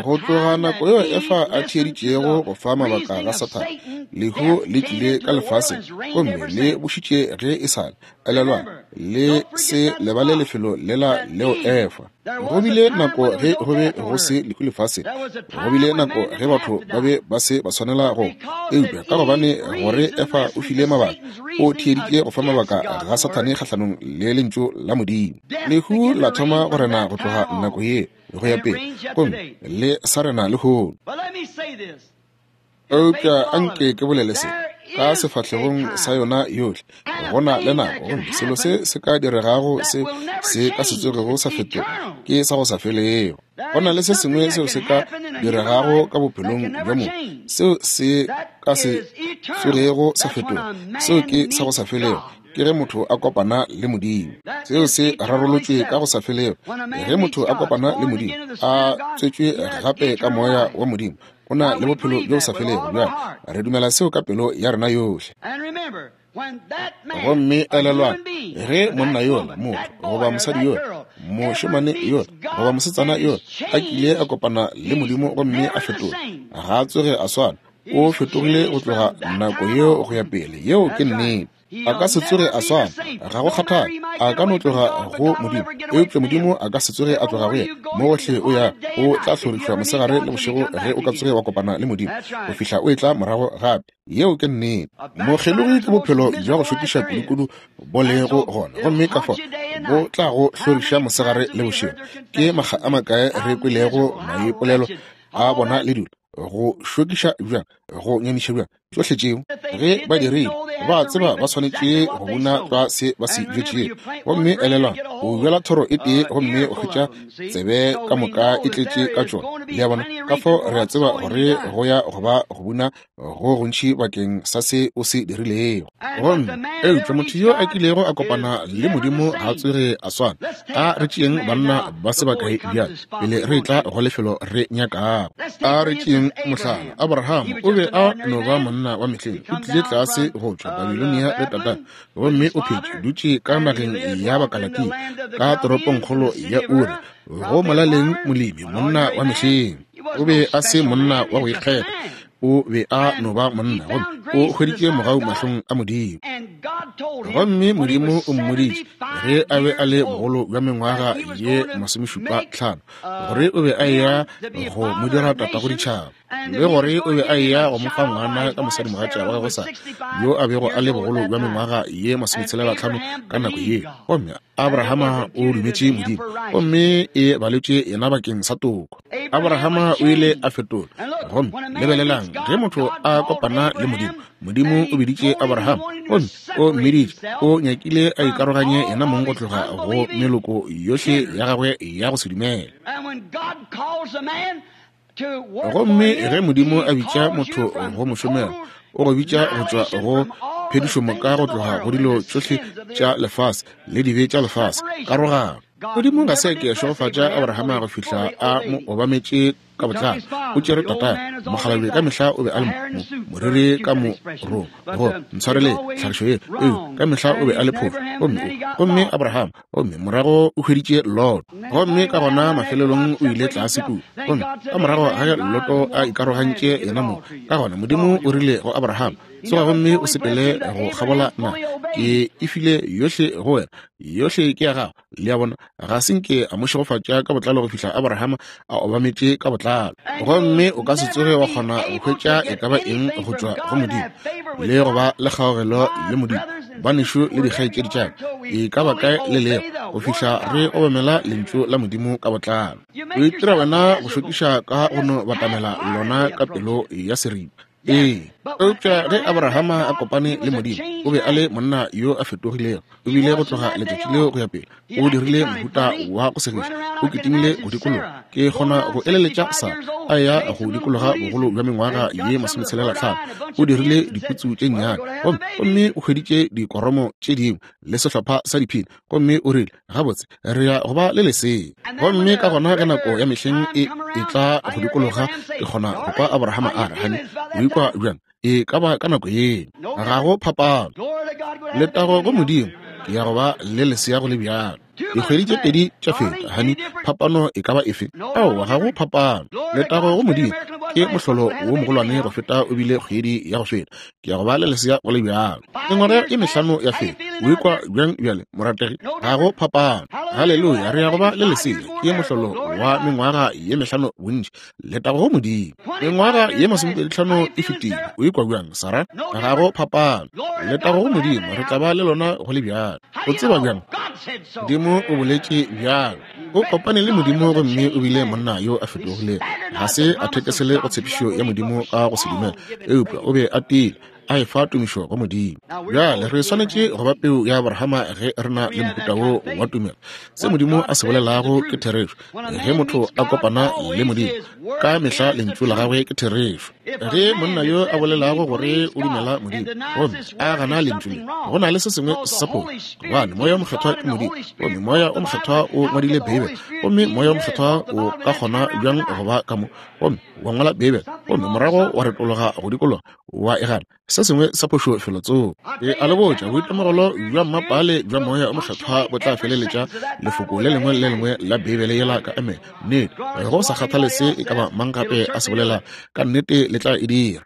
Go tloga nako yeo Efa a theeditšego go fa mabaka ga Sathane, lehu le tlile ka lefaseng gomme le bušitše ge e sa le. Elelwang, le se lebale lefelo lela leo Efa. Go bile nako ge go be go se lehu lefaseng. Go bile nako ge batho ba be ba se ba swanela go. Eupša ka gobane gore Efa o file mabaka, o theeditše go fa mabaka ga Sathane kgahlanong le Lentšu la Modimo. Lehu la thoma go rena go tloga nako ye go ya pele, gomme le sa rena lehono. Eupša anke ke bolele se ka sefahlegong sa yona yohle, go na le nako gomme selo se se ka diregago se se ka se tsogego sa fetoga ke sa go sa felego. Go na le se sengwe seo se ka diregago ka bophelong bja motho seo se ka se tsogego sa fetoga, seo ke sa go sa felego, ke ge motho a kopana le Modimo. Seo se rarolotšwe ka go sa felego. Ge motho a kopana le Modimo, a tswetšwe gape ka Moya wa Modimo, o na le bophelo bjo bo sa felego. Bjale re dumela seo ka pelo ya rena yohle. Gomme elelwang, ge monna yola, motho goba mosadi yola, mošemane yola goba mosetsana yola a kile a kopana le Modimo gomme a fetoga, ga a tsoge a swana. O fetogile go tloga nako yeo go ya pele. Yeo ke nnete. A ka se tsoge a swana, ga go kgathale. A ka no tloga go Modimo, eupša Modimo a ka se tsoge a tloga go yena. Mo gohle o ya, o tla hlorišwa mosegare le bošego ge o ka tsoge wa kopana le Modimo, go fihla o etla morago gape. Yeo ke nnete. Mokgelogi ke bophelo bja go šokiša kudukudu bo lego gona, gomme ka fao bo tla go hloriša mosegare le bošego. Ke makga a makae re kwelego maipolelo a bona le dilo, go šokiša bjang, go nyamiša bjang, tšohle tšeo. Ge ba dirile, ba tseba ba swanetše go buna tlwa se ba se bjetšego. Gomme elelwang, o bjala thoro e tee gomme o hwetša tsebe ka moka e tletše ka tšona. Le a bona? Ka fao re a tseba gore go ya go ba go buna go gontši bakeng sa se o se dirilego. Gomme eupša motho yo a kilego a kopana le Modimo ga a tsoge a swana. A re tšeeng banna ba se bakae bjale pele re etla go lefelo re nyakago. A re tšeeng mohlala, Abraham o be a no ba monna wa mehleng. O tlile tlase go tšwa Babilonia le tatagwe, gomme o phetše dutše ka nageng ya Bakalatia, ka toropongkgolo ya Uri, go molaleng molemi, monna wa mehleng. O be a se monna wa go ikgetha, o be a no ba monna, gomme o hweditše mogau mahlong a Modimo. Gomme Modimo o mmoditše ge a be a le bogolo bja mengwaga ye 75 gore o be a eya go mo dira tatago ditšhaba, le gore o be a eya go mo fa ngwana ka mosadimogatša wa gagwe Sara, yo a bego a le bogolo bja mengwaga ye 65 ka nako yeo. Gomme Abrahama o dumetše Modimo, gomme e baletše yena bakeng sa toko. Abrahama o ile a fetola. Gomme lebelelang, ge motho a kopana le Modimo, Modimo o biditše Abraham, gomme o mmiditše, o nyakile a ikaroganye yena mong go tloga go meloko yohle ya gagwe ya go se dumele. Gomme ge Modimo a bitša motho go mo šomela, o go bitša go tšwa go phedišomoka, go tloga go dilo tšohle tša lefase le dibe tša lefase, karogano. Modimo ga se a ke a šegofatša Abrahama go fihla a mo obametše ka botlalo. O tšere tatagwe, mokgalabje ka mehla o be a le moriri ka morong, go ntshwarele tlhagišo ye, eu ka mehla o be a le phofu, gomme gomme Abraham, gomme morago o hweditše Lot, gomme ka gona mafelelong o ile tlase kua, gomme ka morago ga ge Loto a ikarogantše yena mong, ka gona Modimo o rile go Abraham, tsoga gomme o sepele go kgabola naga, ke e file yohle go wena, yohle ke ya gago. Le a bona, ga se nke a mo šegofatša ka botlalo go fihla Abraham a obametše ka botlalo. Gomme o ka se tsoge wa kgona go hwetša e ka ba eng go tšwa go Modimo, le go ba le kgaogelo le Modimo, banešu le dikgaetšedi tša ka, e ka ba kae le lego, go fihla re obamela Lentšu la Modimo ka botlalo. O itira wena go šokiša ka go no batamela lona ka pelo ya seripa. Ee, eupša ge Abrahama a kopane le Modimo, o be a le monna yo a fetogilego. O bile go tloga letšatši leo go ya pele, o dirile mohuta wa go segiša, o kitimile go dikologa. Ke kgona go eleletša sa a ya go dikologa bogolo bja mengwaga ye 65. O dirile diputsu tše nnyane, gomme gomme o hweditše dikoromo tše dingwe le sehlopha sa diphini, gomme o rile, Gabotse, re ya go ba le lesea. Gomme ka gona ge nako ya mehleng e etla go dikologa, ke kgona go kwa Abrahama a re, Hani, o ikwa bjang? E ka ba ka nako yeo. Ga go phapano. Letago go Modimo, ke ya go ba le lesea go le bjalo. Dikgwedi tše pedi tša feta, hani, phapano e ka ba efe? Aowa, ga go phapano. Letago go Modimo, ke mohlolo wo mogolwane go feta o bile kgwedi ya go feta. Ke ya go ba le lesea go le bjalo. Mengwaga e mehlano ya feta. O ikwa bjang bjale, morategi? Ga go phapano. Haleluya, re ya go ba le lesea. Ke mohlolo wa mengwaga ye mehlano bontši. Letago go Modimo. Mengwaga ye 25 e fetile. O ikwa bjang, Sarah? Ga go phapano. Letago go Modimo, re tla ba le lona go le bjalo. O tseba bjang? Modimo o boletše bjalo. O kopane le Modimo gomme o bile monna yo a fetogilego. Ga se a thekesele go tshepišo ya Modimo ka go se dumela, eupša o be a tiile, a efa tumišo go Modimo. Bjale re swanetše go ba peu ya Abrahama ge re na le mohuta wo wa tumelo. Se Modimo a se bolelago ke therešo. Ge motho a kopana le Modimo, ka mehla lentšu la gagwe ke therešo. Ge monna yo a bolelago gore o dumela Modimo gomme a gana lentšu le, go na le se sengwe sa phošo, gobane Moya o Mokgethwa ke Modimo, gomme Moya o Mokgethwa o ngwadile Beibele, gomme Moya o Mokgethwa o ka kgona bjang go ba ka mo gomme wa ngwala Beibele gomme morago wa retologa go dikologa wa e gana? Se sengwe sa phošo felotsoko. Ke a le botša, boitemogelo bja mmapale bja Moya o Mokgethwa bo tla feleletša lefoko le lengwe le lengwe la Beibele yela ka amen. Nnete, go sa kgathale se e ka ba mang gape a se bolela, ka nnete le tla e dira.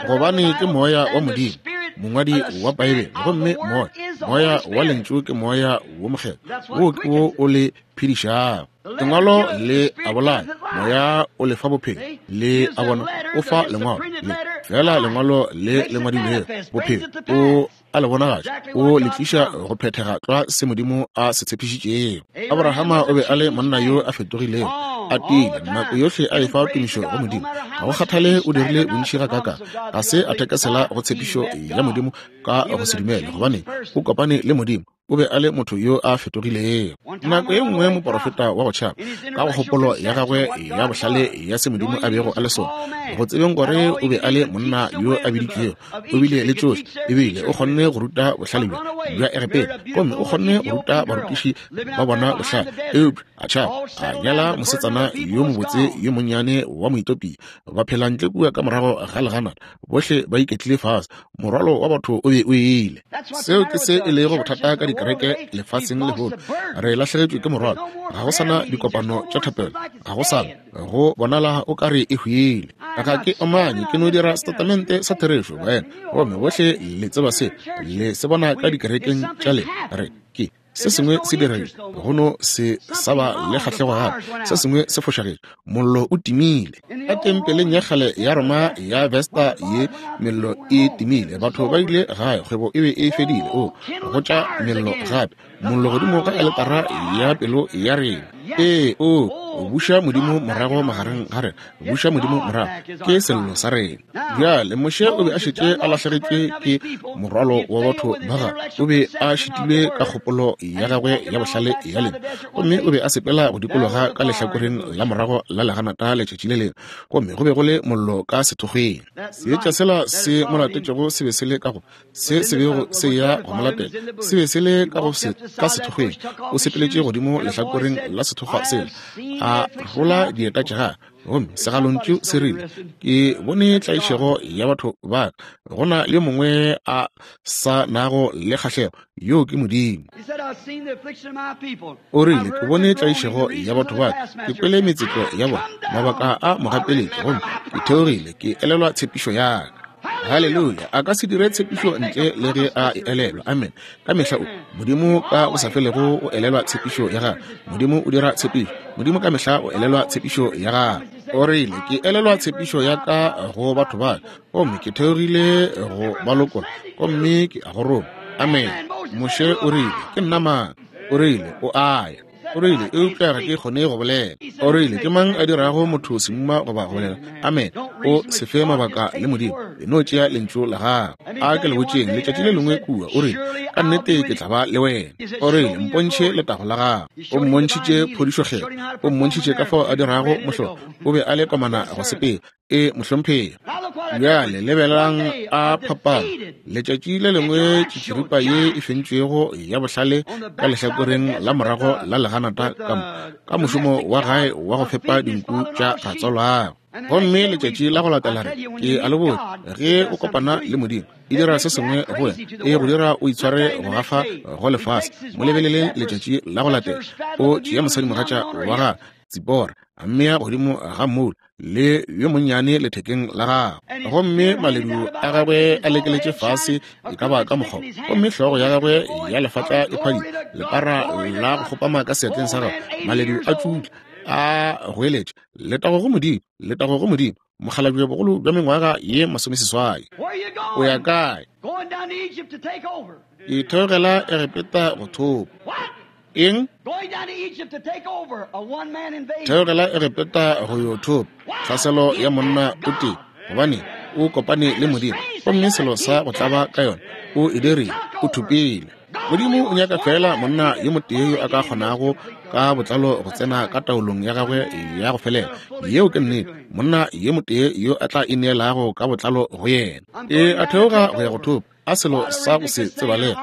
Gobane ke Moya wa Modimo, mongwadi wa Beibele, gomme Moya, Moya wa Lentšu ke Moya wo Mokgethwa, wo ke wo o le phedišago. Lengwalo le a bolaya, Moya o le fa bophelo. Le a bona, o fa lengwalo le fela lengwalo le le ngwadilwego bophelo, o a le bonagatša, o le tliša go phethega tlwa se Modimo a se tshepišitšego. Abrahama o be a le monna yo a fetogilego, a tiile nako yohle a efa tumišo go Modimo. Ga go kgathale o dirile bontši gakaakang, ga se a thekesela go tshepišo ya Modimo ka go se dumele, gobane o kopane le Modimo. O be a le motho yo a fetogilego. Nako ye nngwe moporofeta wa go tšhaba, ka go kgopolo ya gagwe ya bohlale ya se Modimo a bego a le sona, go tsebeng gore o be a le monna yo a biditšwego, o bile le tšohle, ebile o kgonne go ruta bohlale bjo bja Egepeta, gomme o kgonne go ruta barutiši ba bona bohlale, eupša a tšhaba, a nyala mosetsana yo mobotse yo monnyane wa Moetopia, ba phela ntle kua ka morago ga leganata, bohle ba iketlile fase, morwalo wa batho o be o ile. Seo ke se e lego bothata ka dikereke lefaseng lehono. Re lahlegetšwe ke morwalo. Ga go sana dikopano tša thapelo, ga go sana, go bonala o ka re e hwile. Ga ke omanye, ke no dira setatamente sa therešo, baena, gomme bohle le tseba se, le se bona ka dikerekeng tša lena. Re ke Se sengwe se diregile, go no se sa ba le kgahlego gape. Se sengwe se fošagetše, mollo o timile. Ka tempeleng ya kgale ya Roma ya Vesta ye, mello e timile. Batho ba ile gae, kgwebo e be e fedile. O go tša mello gape, mollo godimo ga aletara ya pelo ya rena. Ee, o buša Modimo morago magareng ga rena, buša Modimo morago, ke sello sa rena. Bjale Moshe o be a šetše a lahlegetšwe ke morwalo wa batho ba gagwe. O be a šitilwe ka kgopolo ya gagwe ya bohlale ya lena, gomme o be a sepela go dikologa ka lehlakoreng la morago la leganata letšatši le lengwe, gomme go be go le mollo ka sethokgweng. Seetša sela se mo latetšego se be se le ka go se se bego se ya go mo latela, se be se le ka go se ka sethokgweng. O sepeletše godimo lehlakoreng la sethokgwa sela, a rola dieta tša gagwe, gomme segalontšu se rile, Ke bone tlaišego ya batho ba ka. Go na le mongwe a sa nago le kgahlego, yoo ke Modimo. O rile, Ke bone tlaišego ya batho ba ka, ke kwele metsetlo ya bona, mabaka a mogapeletši, gomme ke theogile, ke elelwa tshepišo ya ka. Haleluya! A ka se dire tshepišo ntle le ge a e elelwa. Amen. Ka mehla o Modimo ka go sa felego o elelwa tshepišo ya gagwe. Modimo o dira tshepišo. Modimo ka mehla o elelwa tshepišo ya gagwe. O rile, Ke elelwa tshepišo ya ka go batho ba ka, gomme ke theogile go ba lokola, gomme ke a go roma. Amen. Moshe o rile, Ke nna mang? O rile, O a ya. O rile, Eupša ga ke kgone go bolela. O rile, Ke mang a dirago motho semuma goba go bolela? Amen. O se fe mabaka le Modimo. E no tšea Lentšu la Gagwe. A ke le botšeng, letšatši le lengwe kua, o rile, Ka nnete ke tla ba le wena. O rile, Mpontšhe letago la gago. O mmontšhitše phodišokgethwa. O mmontšhitše ka fao a dirago mohlolo. O be a le komana go sepela. E, mohlomphegi. Bjale lebelelang a phapano. Letšatši le lengwe tšitširipa ye e fentšwego ya bohlale ka lehlakoreng la morago la leganata ka mo, ka mošomo wa gae wa go fepa dinku tša ratswalwagwe. Gomme letšatši la go latela re, ke a le botša, ge o kopana le Modimo, e dira se sengwe go wena, e go dira o itshware go gafa go lefase. Mo lebeleleng letšatši la go latela, o tšea mosadimogatša wa gagwe, Tsipora, a mmea godimo ga mmoula. le yo monnyane lethekeng la gagwe, gomme maledu a gagwe a lekeletše fase e ka ba ka mokgwa, gomme hlogo ya gagwe ya lefatla e phadima, lepara la go kgopama ka seatleng sa gagwe, maledu a tšutla, a goeletša, Letago go Modimo, letago go Modimo, mokgalabje bogolo bja mengwaga ye 80. O ya kae? Ke theogela Egepeta go thopa. Eng? Theogela Egepeta go yo thopa tlhaselo ya monna o tee, gobane o kopane le Modimo, gomme selo sa go tlaba ka yona, o e dirile, o thopile. Modimo o nyaka feela monna yo motee yo a ka kgonago ka botlalo go tsena ka taolong ya gagwe ya go felela. Yeo ke nnete, monna yo motee yo a tla ineelago ka botlalo go yena. E a theoga go ya go thopa, a selo sa go se tsebalege.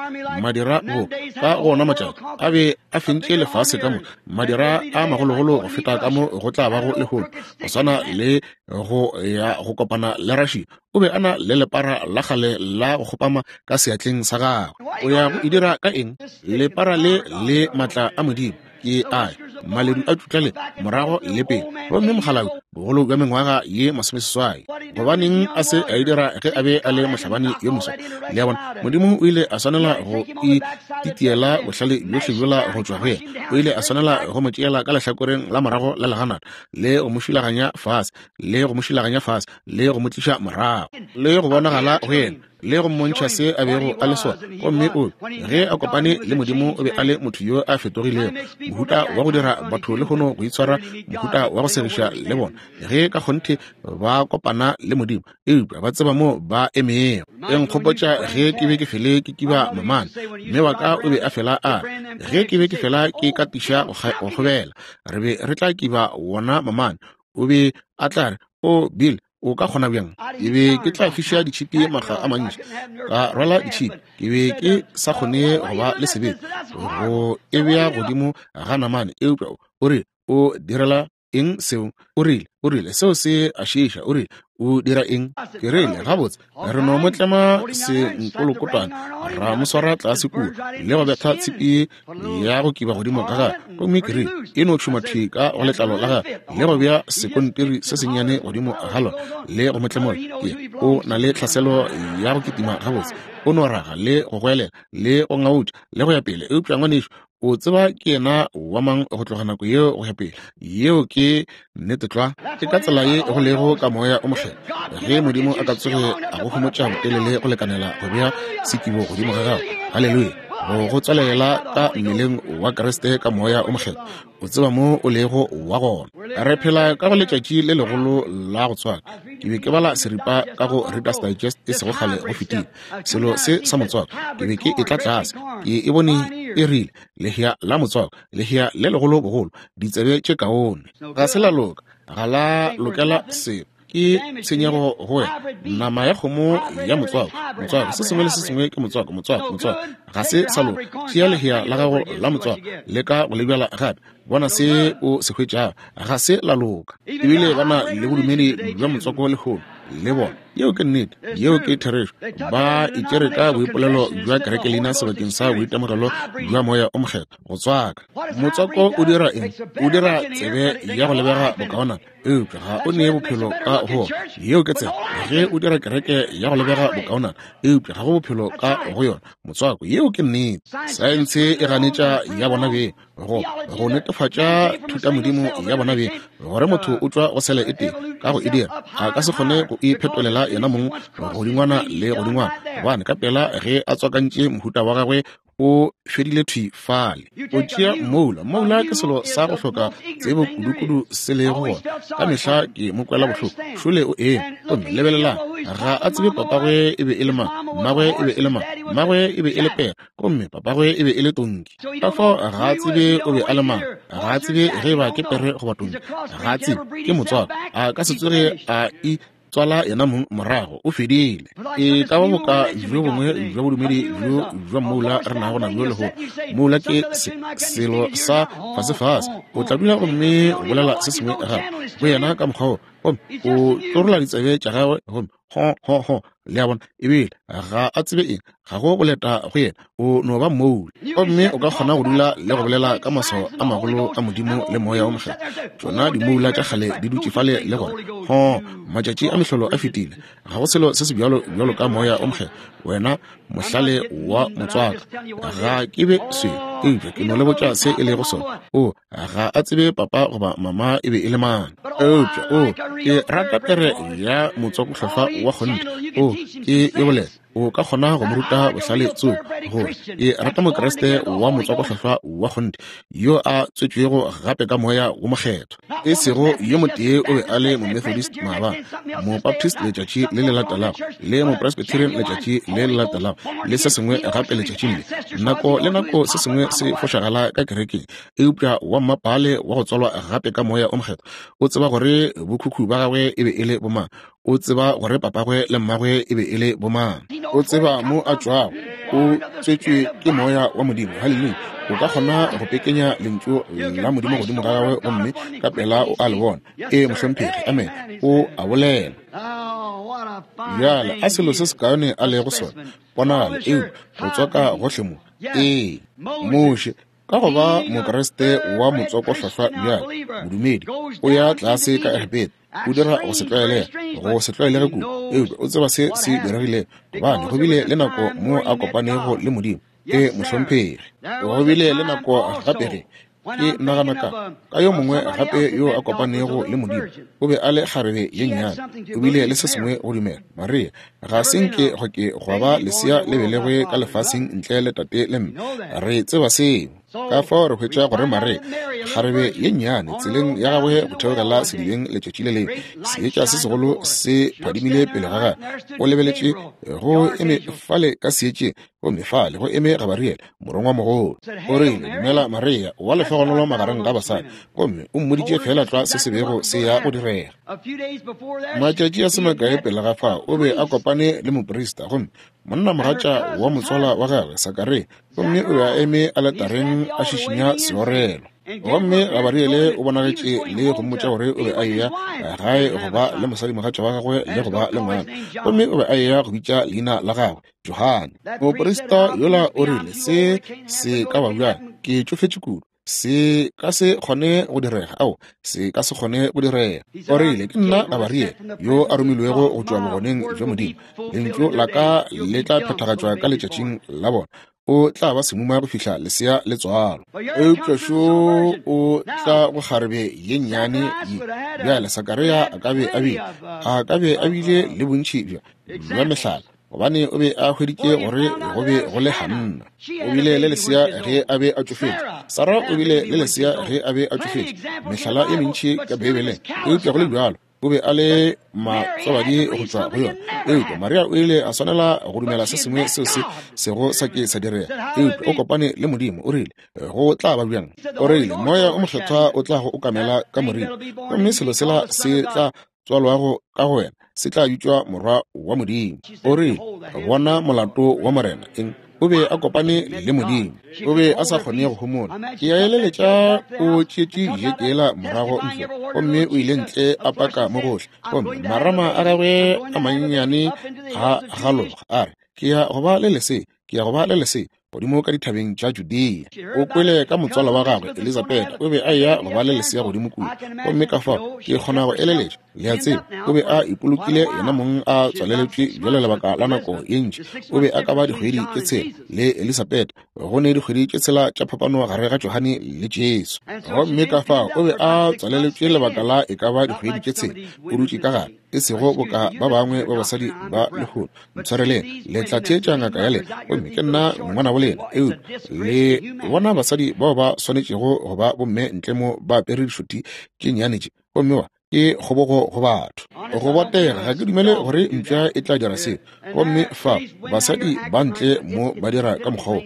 Madira go ka go ona matšatši a be a fentše lefase ka moka, madira a magologolo go feta ka mo go tla bago lehono, go swana le go ya go kopana le Russia. O be a na le lepara la kgale la go kgopama ka seatleng sa gagwe. O ya go e dira ka eng? Lepara le le matla a Modimo ke a maledu a tšutla le morago le pele, gomme mokgalabje bogolo bja mengwaga ye 80. Gobaneng a se a e dira ge a be a le mohlabani yo moswa? Le a bona, Modimo o ile a swanela go ititiela bohlale bjohle bjola go tšwa go yena. O ile a swanela go mo tšeela ka lehlakoreng la morago la leganata le go mo šulaganya fase, le go mo šulaganya fase, le go mo tliša morago, le go bonagala go yena, le go mmontšha se a bego a le sona. Gomme o, ge a kopane le Modimo, o be a le motho yo a fetogilego, mohuta wa go dira batho lehono go itshwara, mohuta wa go segiša le bona, ge ka kgonthe ba kopana le Modimo, eupša ba tseba mo ba emego. E nkgopotša ge ke be ke fele ke kiba mamane, mme wa ka o be a fela a re, ge ke be ke fela ke katiša go kgobela, re be re tla kiba wona mamane. O be a tla re, O Bill, o ka kgona bjang? Ke be ke tla fiša ditšhipi makga a mantši, ka rwala ditšhipi. Ke be ke sa kgone go ba le sebete go e bea godimo ga namane, eupša o rile, O direla eng seo? O rile, o rile, seo se a šiiša. O rile, O dira eng? Ke rile, Gabotse, re no mo tlema senkolokotwana, ra mo swara tlase kua, le go betha tshipi ya go kiba godimo ga gagwe. Gomme ke rile, E no tšhuma thwi ka go letlalo la gagwe, le go bea sekontiri se sennyane godimo ga lona, le go mo tlemola. Ke, o na le tlhaselo ya go kitima gabotse, o no raga le go goelela le go ngautša le go ya pele. Eupša ngwanešu, o tseba ke yena wa mang go tloga nako yeo go ya pele. Yeo ke nnete tlwa. Ke ka tsela ye go lego ka Moya o Mokgethwa. Ge Modimo a ka tsoge a go homotša botelele go lekanela go bea sekibo godimo ga gago, haleluya, go go tswalela ka mmeleng wa Kriste ka Moya o Mokgethwa, o tseba mo o lego wa gona. Re phela ka go letšatši le legolo la go tswaka. Ke be ke bala seripa ka go Reader's Digest e sego kgale go fetile, selo se sa motswako. Ke be ke etla tlase, ke e bone e rile, Lehea la motswako, lehea le legolo bogolo, ditsebe tše kaone. Ga se la loka, ga la lokela selo, ke tshenyego go wena. Nama ya kgomo ya motswako, motswako, se sengwe le se sengwe ke motswako, motswako, motswako. Ga se sa loka. Tšea lehea la gago la motswako, leka go le bjala gape, bona se o se hwetšago. Ga se la loka. Ebile ba na le bodumedi bja motswako lehono, le bona. Yeo ke nnete, yeo ke therešo. Ba itšere ka boipolelo bja kerekelina sebakeng sa boitemogelo bja Moya o Mokgethwa, go tswaka. Motswako o dira eng? O dira tsebe ya go lebega bokaonana, eupša ga o nee bophelo ka go wona. Yeo ke tsela ge o dira kereke ya go lebega bokaonana, eupša ga go bophelo ka go yona. Motswako, yeo ke nnete. Saense e ganetša ya bona beng, go netefatša thutamodimo ya bona beng, gore motho o tšwa go sele e tee ka go e dira, a ka se kgone go iphetolela yena mong godingwana le godingwana, gobane ka pela ge a tswakantše mohuta wa gagwe o fedile thwi fale. O tšea mmoula. Mmoula ke selo sa go hloka tsebo kudukudu se lego gona. Ka mehla ke mo kwela bohloko. Šole o eme, gomme lebelelang, ga a tsebe papagwe e be e le mang, mmagwe e be e le mang. Mmagwe e be e le pere, gomme papagwe e be e le tonki. Ka fao ga a tsebe o be a le mang, ga a tsebe ge e ba ke pere goba tonki, ga a tsebe, ke motswako. A ka se tsoge a i tswala yena mong morago, o fedile. E ka ba boka bjo bongwe bja bodumedi bjo bja mmoula re nago nabjo lehono. Mmoula ke selo sa fasefase. O tla dula gomme o bolela se sengwe gape go yena ka mokgwa wo. Gomme o tlorola ditsebe tša gagwe, gomme ho, ho, ho, le a bona, ebile ga a tsebe eng, ga go boleta go yena, o no ba mmoula. Gomme o ka kgona go dula le go bolela ka maswao a magolo a Modimo le Moya wo Mokgethwa. Tšona dimoula tša kgale di dutše fale le gore, ho, matšatši a mehlolo a fetile, ga go selo se se bjalo bjalo ka Moya wo Mokgethwa. Wena mohlale wa motswako, ga ke be swele, eupša ke no le botša se e lego sona. O, ga a tsebe papa goba mama e be e le mang, eupša o, ke rata pere ya motswakohlwahlwa wa kgonthe. O, ke e bolela, o ka kgona go mo ruta bohlale tsoko, gore ke rata Mokriste wa motswakohlwahlwa wa kgonthe yo a tswetšwego gape ka Moya wo Mokgethwa. E sego yo motee o be a le Momethodist maabane, Mobaptist letšatši le le latelago, le Mopresbyterian letšatši le le latelago, le se sengwe gape letšatšing le. Nako le nako se sengwe se fošagala ka kerekeng, eupša wa mmapaale wa go tswalwa gape ka Moya o Mokgethwa o tseba gore bokhukhu ba gagwe e be e le bomang, o tseba gore papagwe le mmagwe e be e le bomang, o tseba mo a tšwago, o tswetšwe ke Moya wa Modimo. Haleluya! O ka kgona go pekenya Lentšu la Modimo godimo ga gagwe gomme ka pela o a le bona. Ee, mohlomphegi. Amen. O a bolela. Bjale, a selo se sekaone a lego sona, ponagalo, eupša go tswaka gohle mo. Ee, Moshe, ka go ba Mokriste wa motswakohlwahlwa bjale, modumedi, o ya tlase ka Egepeta, o dira go se tlwaelege, go se tlwaelege kudu, eupša o tseba se se diregilego, gobane go bile le nako mo a kopanego le Modimo. Ee, mohlomphegi. Go bile le nako gape ge ke nagana ka yo mongwe gape yo a kopanego le Modimo. O be a le kgarebe ye nnyane, o bile le se sengwe go dumela. Maria, ga se nke go ke gwa ba lesea le belegwe ka lefaseng ntle le tate le mme. Re tseba seo. Ka fao re hwetša gore Maria, kgarebe ye nnyane, tseleng ya gagwe go theogela sedibeng letšatši le lengwe, seetša se segolo se phadimile pele ga gagwe. O lebeletše go eme fale ka seetšeng, gomme fale go eme Gabariele, morongwamogolo. O rile, Dumela Maria, wa lehlogonolo magareng ga basadi, gomme o mmoditše feela tlwa se se bego se ya go direga. Matšatši a se makae pele ga fao, o be a kopane le moprista, gomme monnamogatša wa motswala wa gagwe, Sakaria, gomme o be a eme aletareng a šišinya seorelo. Gomme Gabariele o bonagetše le go mmotša gore o be a eya gae go ba le mosadimogatša wa gagwe le go ba le ngwana, gomme o be a eya go bitša leina la gagwe Johane. Moprista yola o rile, Se se ka ba bjang? Ke tšofetše kudu. Se ka se kgone go direga. Ao, se ka se kgone go direga. O rile, Ke nna Gabariele, yo a romilwego go tšwa bogoneng bja Modimo. Lentšu la ka le tla phethagatšwa ka letšatšing la bona. O tla ba semuma go fihla lesea le tswalwa. Eupša šo o tla go kgarebe ye nnyane ye. Bjale, Sakaria a ka be a bile, a ka be a bile le bontši bja, bja mehlala, gobane o be a hweditše gore go be go le Hanna. O bile le lesea ge a be a tšofetše. Sara o bile le lesea ge a be a tšofetše. Mehlala e mentši ka Beibeleng, eupša go le bjalo o be a le matswabadi go tšwa go yona. Eupša Maria o ile a swanela go dumela se sengwe seo se sego sa ke sa direga. Eupša o kopane le Modimo, o rile, Go tla ba bjang? O rile, Moya o Mokgethwa o tla go okamela ka moriri, gomme selo sela se tla tswalwago ka go wena se tla bitšwa Morwa wa Modimo. O rile, Bona molato wa Morena. Eng? O be a kopane le Modimo. O be a sa kgone go homola. Ke a eleletša o tšeetše dijekela morago ntlong, gomme o ile ntle a paka mo gohle, gomme marama a gagwe a mannyane a galoga, a re, Ke ya go ba le lesea, ke ya go ba le lesea, godimo ka dithabeng tša Judea. O kwele ka motswala wa gagwe Elizabeta, o be a eya go ba le lesea godimo kua. Gomme ka fao ke kgona go eleletša, le a tseba, o be a ipolokile yena mong a tswaleletšwe bjale lebaka la nako ye ntši. O be a ka ba dikgwedi tše tshela le Elizabeta, go ne dikgwedi tše tshela tša phapano gare ga Johane le Jesu. Gomme ka fao o be a tswaleletšwe lebaka la e ka ba dikgwedi tše tshela, o dutše ka gare, e sego boka ba bangwe ba basadi ba lehono. Ntshwareleng, le tla theetša ngaka ya lena, gomme ke nna ngwanabo lena. Eupša le bona basadi bao ba swanetšego go ba bomme ntle mo ba apere dišuthi tše nnyane tše, gomme wa ke kgobogo go batho. Go botega, ga ke dumele gore mpša e tla dira seo. Gomme fa basadi ba ntle mo ba dira ka mokgwa wo,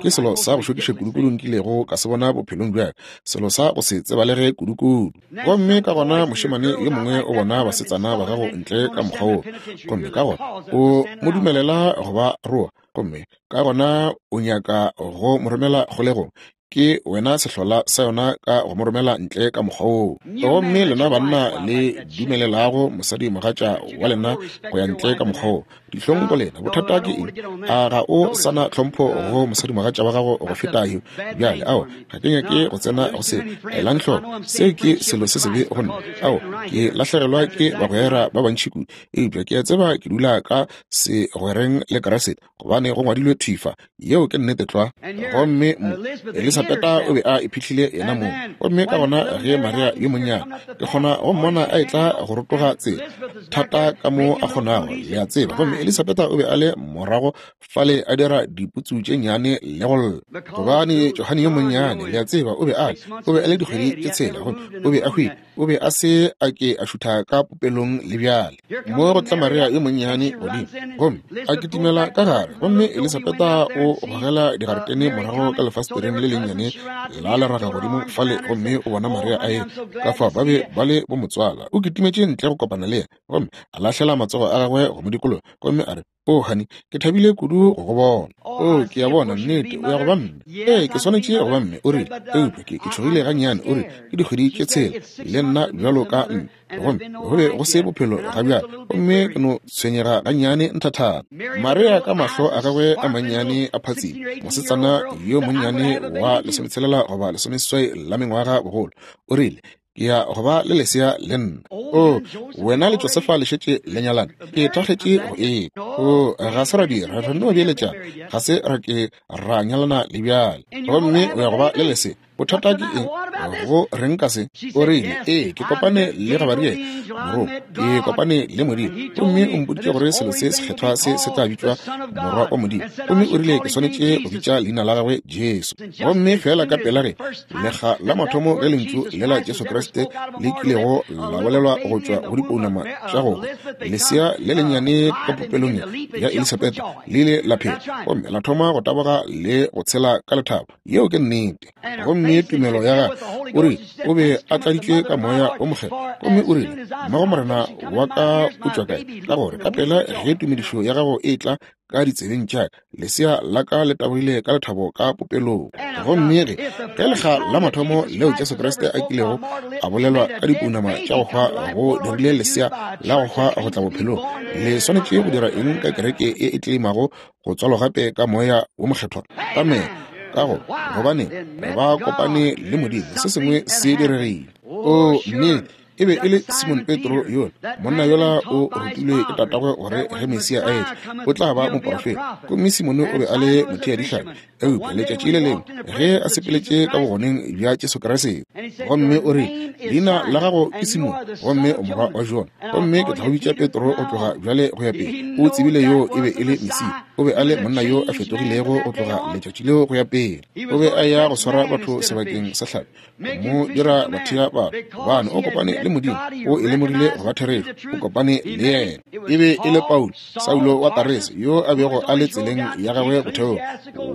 ke selo sa go šokiša kudukudu nkilego ka se bona bophelong bja ka, selo sa go se tsebalege kudukudu. Gomme ka gona mošemane yo mongwe o bona basetsana ba gago ntle ka mokgwa wo, gomme ka gona o mo dumelela go ba roa, gomme ka gona o nyaka go mo romela kgolegong. Ke wena sehlola sa yona ka go mo romela ntle ka mokgwa woo. Gomme lena banna le dumelelago mosadimogatša wa lena go ya ntle ka mokgwa woo, dihlong go lena. Bothata ke eng? A ga o sa na tlhompho go mosadimogatša wa gago go feta yo? Bjale, ao, ga ke nyake go tsena go se. Elang hloko, seo ke selo se sebe go nna. Ao, ke lahlegelwa ke bagwera ba bantši kudu, eupša ke a tseba ke dula ka segwereng le Kriste, gobane go ngwadilwe thwi fa. Yeo ke nnete tlwa. Gomme mo, Elisabeta o be a iphihlile yena mong. Gomme ka gona ge Maria yo monnyane, ke kgona go mmona a etla go rotoga tsela, thata ka mo a kgonago, le a tseba. Gomme Elisabeta o be a le morago fale a dira diputsu tše nnyane le go lla, gobane Johane yo monnyane, le a tseba, o be a le, o be a le dikgwedi tše tshela, gomme o be a hwile. O be a se a ke a šutha ka popelong le bjale. Mo go tla Maria yo monnyane godimo, gomme a kitimela ka gare, gomme Elisabeta o gogela digaretene morago ka lefastereng le lennyane la leraga godimo fale, gomme o bona Maria a etla. Ka fao ba be ba le bomotswala. O kitimetše ntle go kopana le yena, gomme a lahlela matsogo a gagwe go mo dikologa, gomme a re, O, honey, ke thabile kudu go go bona. O, ke a bona, nnete, o ya go ba mme. Ee, ke swanetše go ba mme, o rile, eupša ke, ke tšhogile gannyane, o rile, ke dikgwedi tše tshela, le nna bjalo ka mme. Gomme go be go se bophelo ga bjale, gomme ke no tshwenyega gannyane nthathana. Maria ka mahlo a gagwe a mannyane a phatsima, mosetsana yo monnyane wa lesometshelela goba lesomeseswai la mengwaga bogolo, o rile, Ke ya go ba le lesea le nna. O, wena le Josefa le šetše le nyalane. Ke thakgetše go e. O, ga se ra dira, re no beeletšana. Ga se ra ke ra nyalana le bjale. Gomme o ya go ba le lesea. Bothata ke eng? Go reng ka se? O rile, Ee, ke kopane le Gabariele, morongwa. Ke kopane le Modimo. Gomme o mpoditše gore selo se sekgethwa se se tla bitšwa Morwa wa Modimo. Gomme o rile ke swanetše go bitša leina la gagwe Jesu. Gomme feela ka pela ge lekga la mathomo ge lentšu le la Jesu Kriste le kilego la bolelwa go tšwa go dipounama tša go lesea le lennyane ka popelong ya Elisabetha le ile la phela gomme la thoma go taboga le go tshela ka lethabo. Yeo ke nnete. Gomme tumelo ya gagwe, o rile o be a tladitšwe ka Moya wo Mokgethwa, gomme o rile, Mmago Morena wa ka o tšwa kae? Ka gore ka pela ge tumedišo ya gago e tla ka ditsebeng tša ka, lesea la ka le tabogile ka lethabo ka popelong. Gomme ge, ge lekga la mathomo leo Jesu Kriste a kilego a bolelwa ka dipounama tša go hwa go dirile lesea la go hwa go tla bophelong, le swanetše go dira eng ka kereke e e tleimago go tswalwa gape ka Moya wo Mokgethwa? Amene. Ka go, gobane ba kopane le Modimo, se sengwe se diregile. Oo, nnete. E be e le Simon Petro yola. Monna yola o rutilwe ke tatagwe gore ge Mesia a etla, o tla ba moporofeta. Gomme Simone o be a le motheadihlapi. Eupša letšatši le lengwe ge a sepeletše ka bogoneng bja Jesu Kriste, gomme o rile, Leina la gago ke Simone, gomme o morwa wa Jona, gomme ke tla go bitša Petro go tloga bjale go ya pele. O tsebile yoo e be e le Mesia. O be a le monna yo a fetogilego go tloga letšatši leo go ya pele. O be a ya go swara batho sebakeng sa hlapi, mo dira bathea batho, gobane o kopane le Modimo, o e lemogile go ba therešo, o kopane le yena. E be e le Paulo, Saulo wa Tarese, yo a bego a le tseleng ya gagwe botheong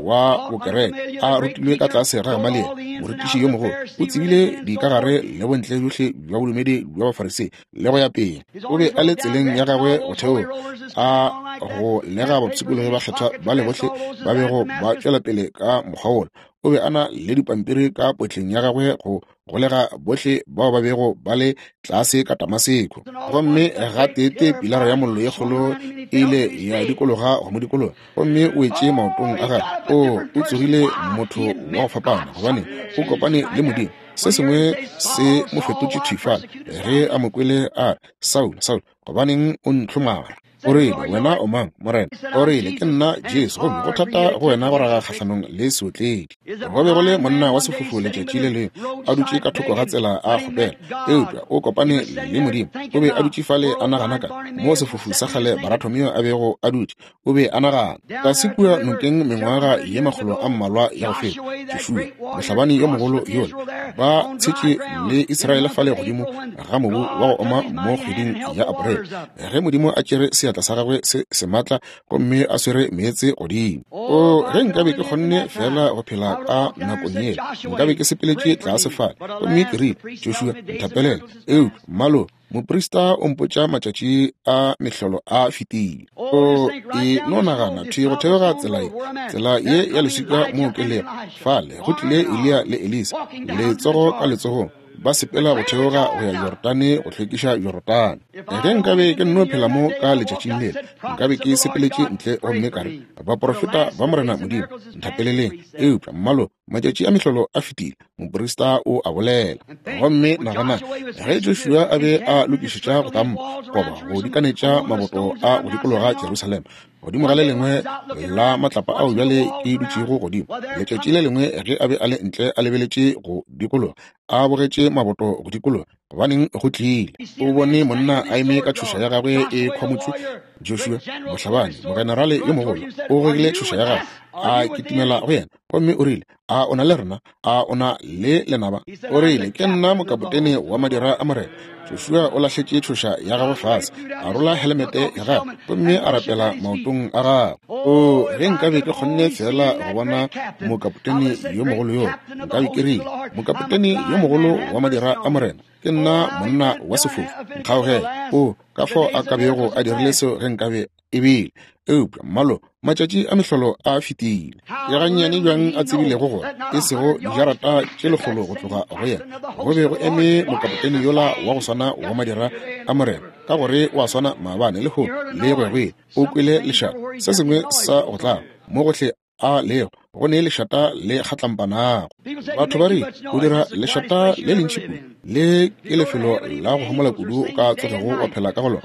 wa bokereke, a rutilwe ka tlase ga Gamaliele, morutiši yo mogolo. O tsebile dikagare le bontle bjohle bja bodumedi bja Bafarisei le go ya pele. O be a le tseleng ya gagwe botheong, a go lega bapshikologi bakgethwa ba le bohle ba bego ba tšwela pele ka mokgwa wola. O be a na le dipampiri ka potleng ya gagwe go golega bohle bao ba bego ba le tlase ka Damaseko. Gomme gateetee pilara ya mollo ye kgolo e ile ya dikologa go mo dikologa, gomme o wetše maotong a gagwe. O, o tsogile motho wa go fapana, gobane o kopane le Modimo. Se sengwe se mo fetotše thwi fale ge a mo kwele a re, Saulo, Saulo, gobaneng o ntlhomara? O rile, Wena o mang, Morena? O rile, Ke nna Jesu, gomme go thata go wena go raga kgahlanong le seotledi. Go be go le monna wa sefofu letšatši le lengwe, a dutše ka thoko ga tsela a kgopela, eupša o kopane le Modimo. O be a dutše fale a nagana ka moo sefofu sa kgale Baratomio a bego a dutše. O be a nagana. Tlase kua nokeng mengwaga ye makgolo a mmalwa ya go feta, Joshua, mohlabani yo mogolo yola, ba tshetše le Israele fale godimo ga mobu wa go oma mo kgweding ya April, ge Modimo a tšere seatla sa gagwe se sematla gomme a swere meetse godimo. O, ge nkabe ke kgonne feela go phela ka nakong yela, nkabe ke sepeletše tlase fale gomme ke rile, Joshua, nthapelele. Eupša, mmalo, Moprista o mpotša matšatši a mehlolo a fetile. O e no nagana thwi go theoga tsela ye, tsela ye ya leswika moo ke lego. Fale go tlile Eliya le Elisa, letsogo ka letsogong, ba sepela go theoga go ya Jorodane go hlwekiša Jorodane. Ge nkabe ke nno phela mo ka letšatšing lela, nkabe ke sepeletše ntle gomme ka re, Baprofeta ba Morena Modimo, nthapeleleng. Eupša, mmalo, matšatši a mehlolo a fetile, moprista o a bolela. Gomme nagana, ge Joshua a be a lokišetša go kampa goba go dikanetša maboto a go dikologa Jerusalema, godimo ga le lengwe la matlapa ao bjale ke dutšego godimo, letšatši le lengwe ge a be a le ntle a lebeletše go dikologa, a bogetše maboto go dikologa, gobaneng go tlile, o bone monna a eme ka tšhoša ya gagwe e khwamotšwe. Joshua, mohlabani, mogenerale yo mogolo, o gogile tšhoša ya gagwe, a kitimela go yena, gomme o rile, A o na le rena? A o na le lenaba? O rile, Ke nna mokapotene wa madira a Morena. Joshua o lahletše tšhoša ya gagwe fase, a rola helemete ya gagwe, gomme a rapela maotong a gagwe. O, ge nkabe ke kgonne feela go bona mokapotene yo mogolo yo, nkabe ke rile, Mokapotene yo mogolo wa madira a Morena, ke nna monna wa sefofu, nkgaogele. O, ka fao a ka bego a dirile seo ge nkabe e bile. Eupša, mmalo, matšatši a mehlolo a fetile. Ke gannyane bjang a tsebilego gore e sego dijarata tše lekgolo go tloga go yena go be go eme mokapotene yola wa go swana wa madira a Morena, ka gore o a swana maabane, lehono, le go ya go ile. O kwele lešata, se sengwe sa go tlaba mo gohle a lego go ne lešata le kgatlampanago. Batho ba re o dira lešata le lentši kudu, le ke lefelo la go homola kudu o ka tsogego wa phela ka go lona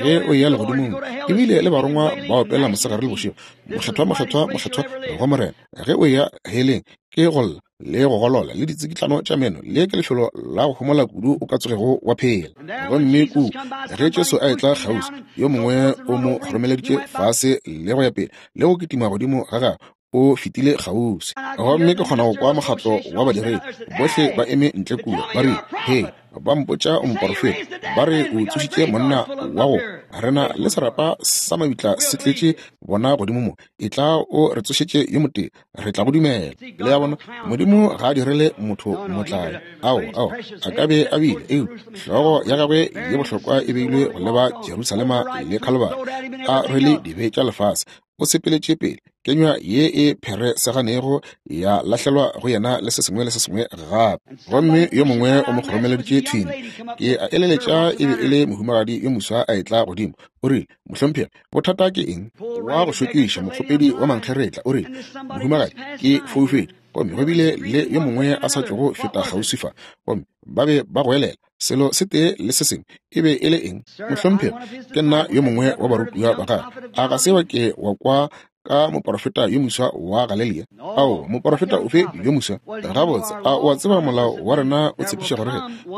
ge o eya legodimong. Ebile le barongwa ba opela mosegare le bošego, Mokgethwa, mokgethwa, mokgethwa go Morena. Ge o eya heleng ke go lla le go golola le ditsikitlano tša meno, le ke lefelo la go homola kudu o ka tsogego wa phela. Gomme ku ge Jesu a etla kgauswi, yo mongwe o mo kgoromeleditše fase le go ya pele le go kitima godimo ga gagwe, o fetile kgauswi. Gomme ke kgona go kwa mokgatlo wa badiredi bohle ba eme ntle kua, ba rile, Hei, ba mpotša o moporofeta, ba re o tsošitše monna wa go rena le serapa sa mabitla se tletše bona godimo mo, etla o re tsošetše yo motee, re tla go dumela. Le a bona, Modimo ga a direle motho motlae. Ao, ao, a ka be a bile, eupša hlogo ya gagwe ye bohlokwa e beilwe go leba Jerusalema le Khalibari, a rwele dibe tša lefase. O sepeletše pele, kenywa ye e phereseganego ya lahlelwa go yena le se sengwe le se sengwe gape. Gomme yo mongwe o mo kgoromeleditše thwing. Ke a eleletša e be e le mohumagadi yo moswa a etla godimo. O rile, Mohlomphegi, bothata ke eng? Wa go šokiša, mokgopedi wa mankgeretla, o rile, Mohumagadi, ke foufetše. Gomme go bile le yo mongwe a sa tšogo feta kgauswi fa, gomme ba be ba goelela selo se tee le se sengwe. E be e le eng? Mohlomphegi, ke nna yo mongwe wa barutiwa ba gagwe. A ga se wa ke wa kwa ka moporofeta yo moswa wa Galelia? Ao, moporofeta ofe yo moswa? Gabotse, a o a tseba molao wa rena o tshepiša gore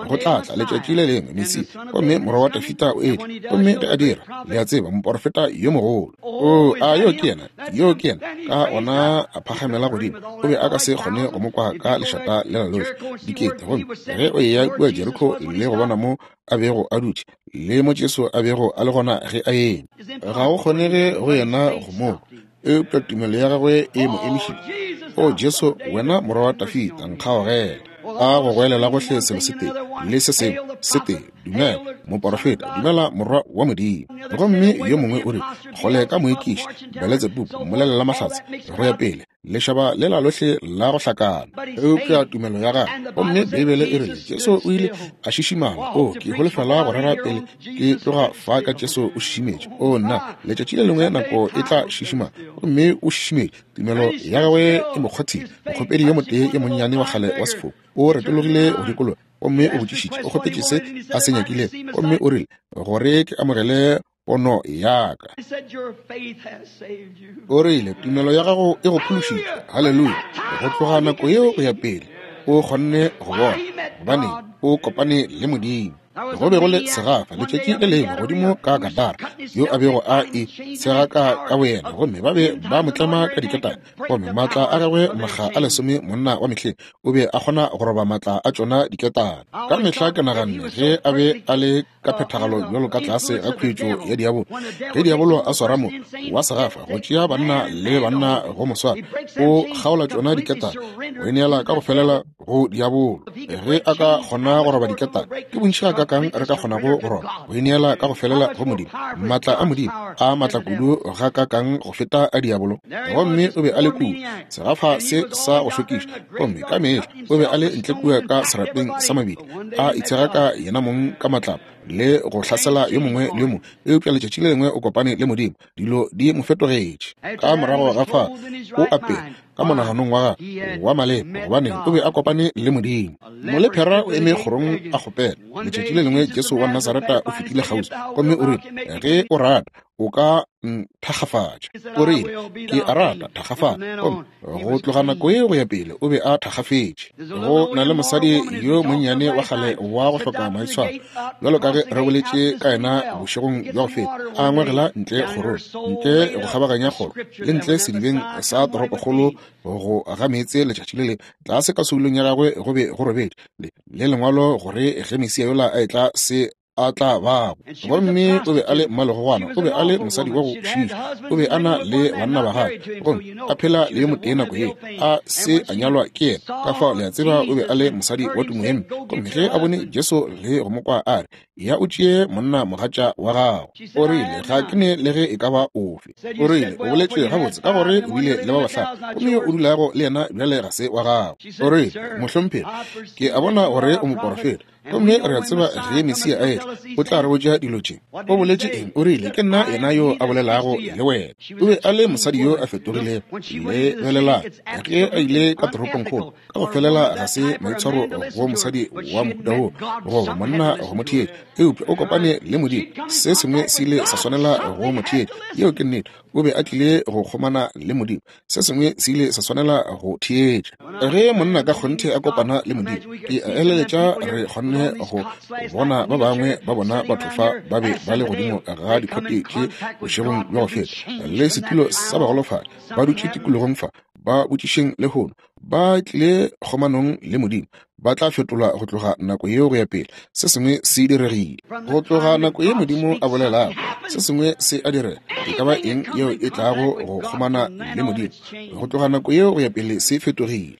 go tla tla letšatši le lengwe Mesia, gomme morwa wa Dafida o etla, gomme ge a dira, le a tseba, moporofeta yo mogolo. O, a yo ke yena, yo ke yena. Ka gona a phagamela godimo, o be a ka se kgone go mo kwa ka lešata lela lohle, dikete. Gomme ge o eya kua Jeriko le go bona mo a bego a dutše, le mo Jesu a bego a le gona ge a eme, ga go kgonege go yena go mo kwa, eupša tumelo ya gagwe e mo emišitše. O Jesu, wena morwa wa Dafida, nkgaogele. A go goelela gohle selo se tee le se sengwe se tee, dumela moporofeta, dumela morwa wa Modimo. Gomme yo mongwe o rile, kgole ka moekiši, Beletsebubu, mmolelela mahlatse, go ya pele, lešaba lela lohle la go hlakana. Eupša tumelo ya gagwe, gomme Beibele e rile Jesu o ile a šišimala. O, ke holofela go rera pele ke tloga fa ka Jesu o šišimetše. O, nna, letšatši le lengwe nako e tla šišimala, gomme o šišimetše. Tumelo ya gagwe e mo kgwathile. Mokgopedi yo motee yo monnyane wa kgale wa sefofu o retologile go dikologa gomme o botšišitše, o kgopetše se a se nyakilego, gomme o rile, Gore ke amogele pono ya ka. O rile, Tumelo ya gago e go phološitše. Haleluya! Go tloga nako yeo go ya pele, o kgonne go bona, gobane o kopane le Modimo. Go be go le segafa letšatši le lengwe godimo ka Gadara, yo a bego a e tshegaka ka boyena, gomme ba be ba mo tlema ka diketane, gomme maatla a gagwe makga a lesome monna wa mehleng o be a kgona go roba maatla a tšona diketane. Ka mehla ke naganne ge a be a le ka phethagalo bjalo ka tlase ga khuetšo ya diabolo, ge diabolo a swara mo wa segafa go tšea banna le banna go mo swara, o kgaola tšona diketane, o ineela ka go felela go diabolo. Ge a ka kgona go roba diketane, ke bontši ga ka gakakang re ka kgonago go roba, go ineela ka go felela go Modimo. Maatla a Modimo a maatla kudu gakakang go feta a diabolo. Gomme o be a le kua, segafa se sa go šokiša, gomme ka mehla o be a le ntle kua ka serapeng sa mabidi, a itshegaka yenamong ka matlapa le go hlasela yo mongwe le yo mongwe. Eupša letšatši le lengwe o kopane le Modimo, dilo di mo fetogetše. Ka morago ga fa o apere ka monaganong wa gagwe wa maleba, gobane o be a kopane le Modimo. Molephera o eme kgorong a kgopela. Letšatši le lengwe Jesu wa Nasareta o fetile kgauswi, gomme o rile, Ge o rata, o ka nthakgafatša. O rile, Ke a rata, thakgafala. Gomme go tloga nako ye go ya pele o be a thakgafetše. Go na le mosadi yo monnyane wa kgale wa go hloka maitshwaro, bjalo ka ge re boletše ka yena bošegong bja go feta, a ngwegela ntle kgorong, ntle go kgabaganya kgoro, le ntle sedibeng sa toropokgolo go ga meetse letšatši le le tlase ka soulong ya gagwe go be go robetše le lengwalo gore ge Mesia yola a etla se a tla bago. Gomme o be a le mmalegogwana, o be a le mosadi wa go šiiša, o be a na le banna ba gagwe, gomme a phela le yo motee nako ye a se a nyalwa ke yena. Ka fao le a tseba o be a le mosadi wa tumo ye mpe. Gomme ge a bone Jesu le go mo kwa a re, Ya o tšee monna mogatša wa gago. O rile, Ga ke ne le ge e ka ba ofe. O rile, O boletše gabotse, ka gore o bile le ba bahlano, gomme yo o dulago le yena bjale ga se wa gago. O rile, Mohlomphegi, ke a bona gore o moporofeta. Gomme re a tseba ge Mesia a etla, o tla re botša dilo tše. O boletše eng? O rile, Ke nna yena yo a bolelago le wena. O be a le mosadi yo a fetogilego. Lebelelang, ge a ile ka toropongkgolo, ka go felela ga se maitshwaro go mosadi wa mohuta wo, goba monna go mo theetša, eupša o kopane le Modimo. Se sengwe se ile sa swanela go mo theetša. Yeo ke nnete. O be a tlile go kgomana le Modimo. Se sengwe se ile sa swanela go theetša. Ge monna ka kgonthe a kopana le Modimo, ke a eleletša re kgonne go bona ba bangwe ba bona batho fa ba be ba le godimo ga dikhote tše bošegong bja go feta, le setulo sa bagolofadi, ba dutše tikologong fa, ba botšišeng lehono, ba tlile kgomanong le Modimo, ba tla fetolwa go tloga nako yeo go ya pele. Se sengwe se diregile. Go tloga nako ye Modimo a bolelago, se sengwe se a direga. E ka ba eng yeo e tlago go kgomana le Modimo, go tloga nako yeo go ya pele se fetogile.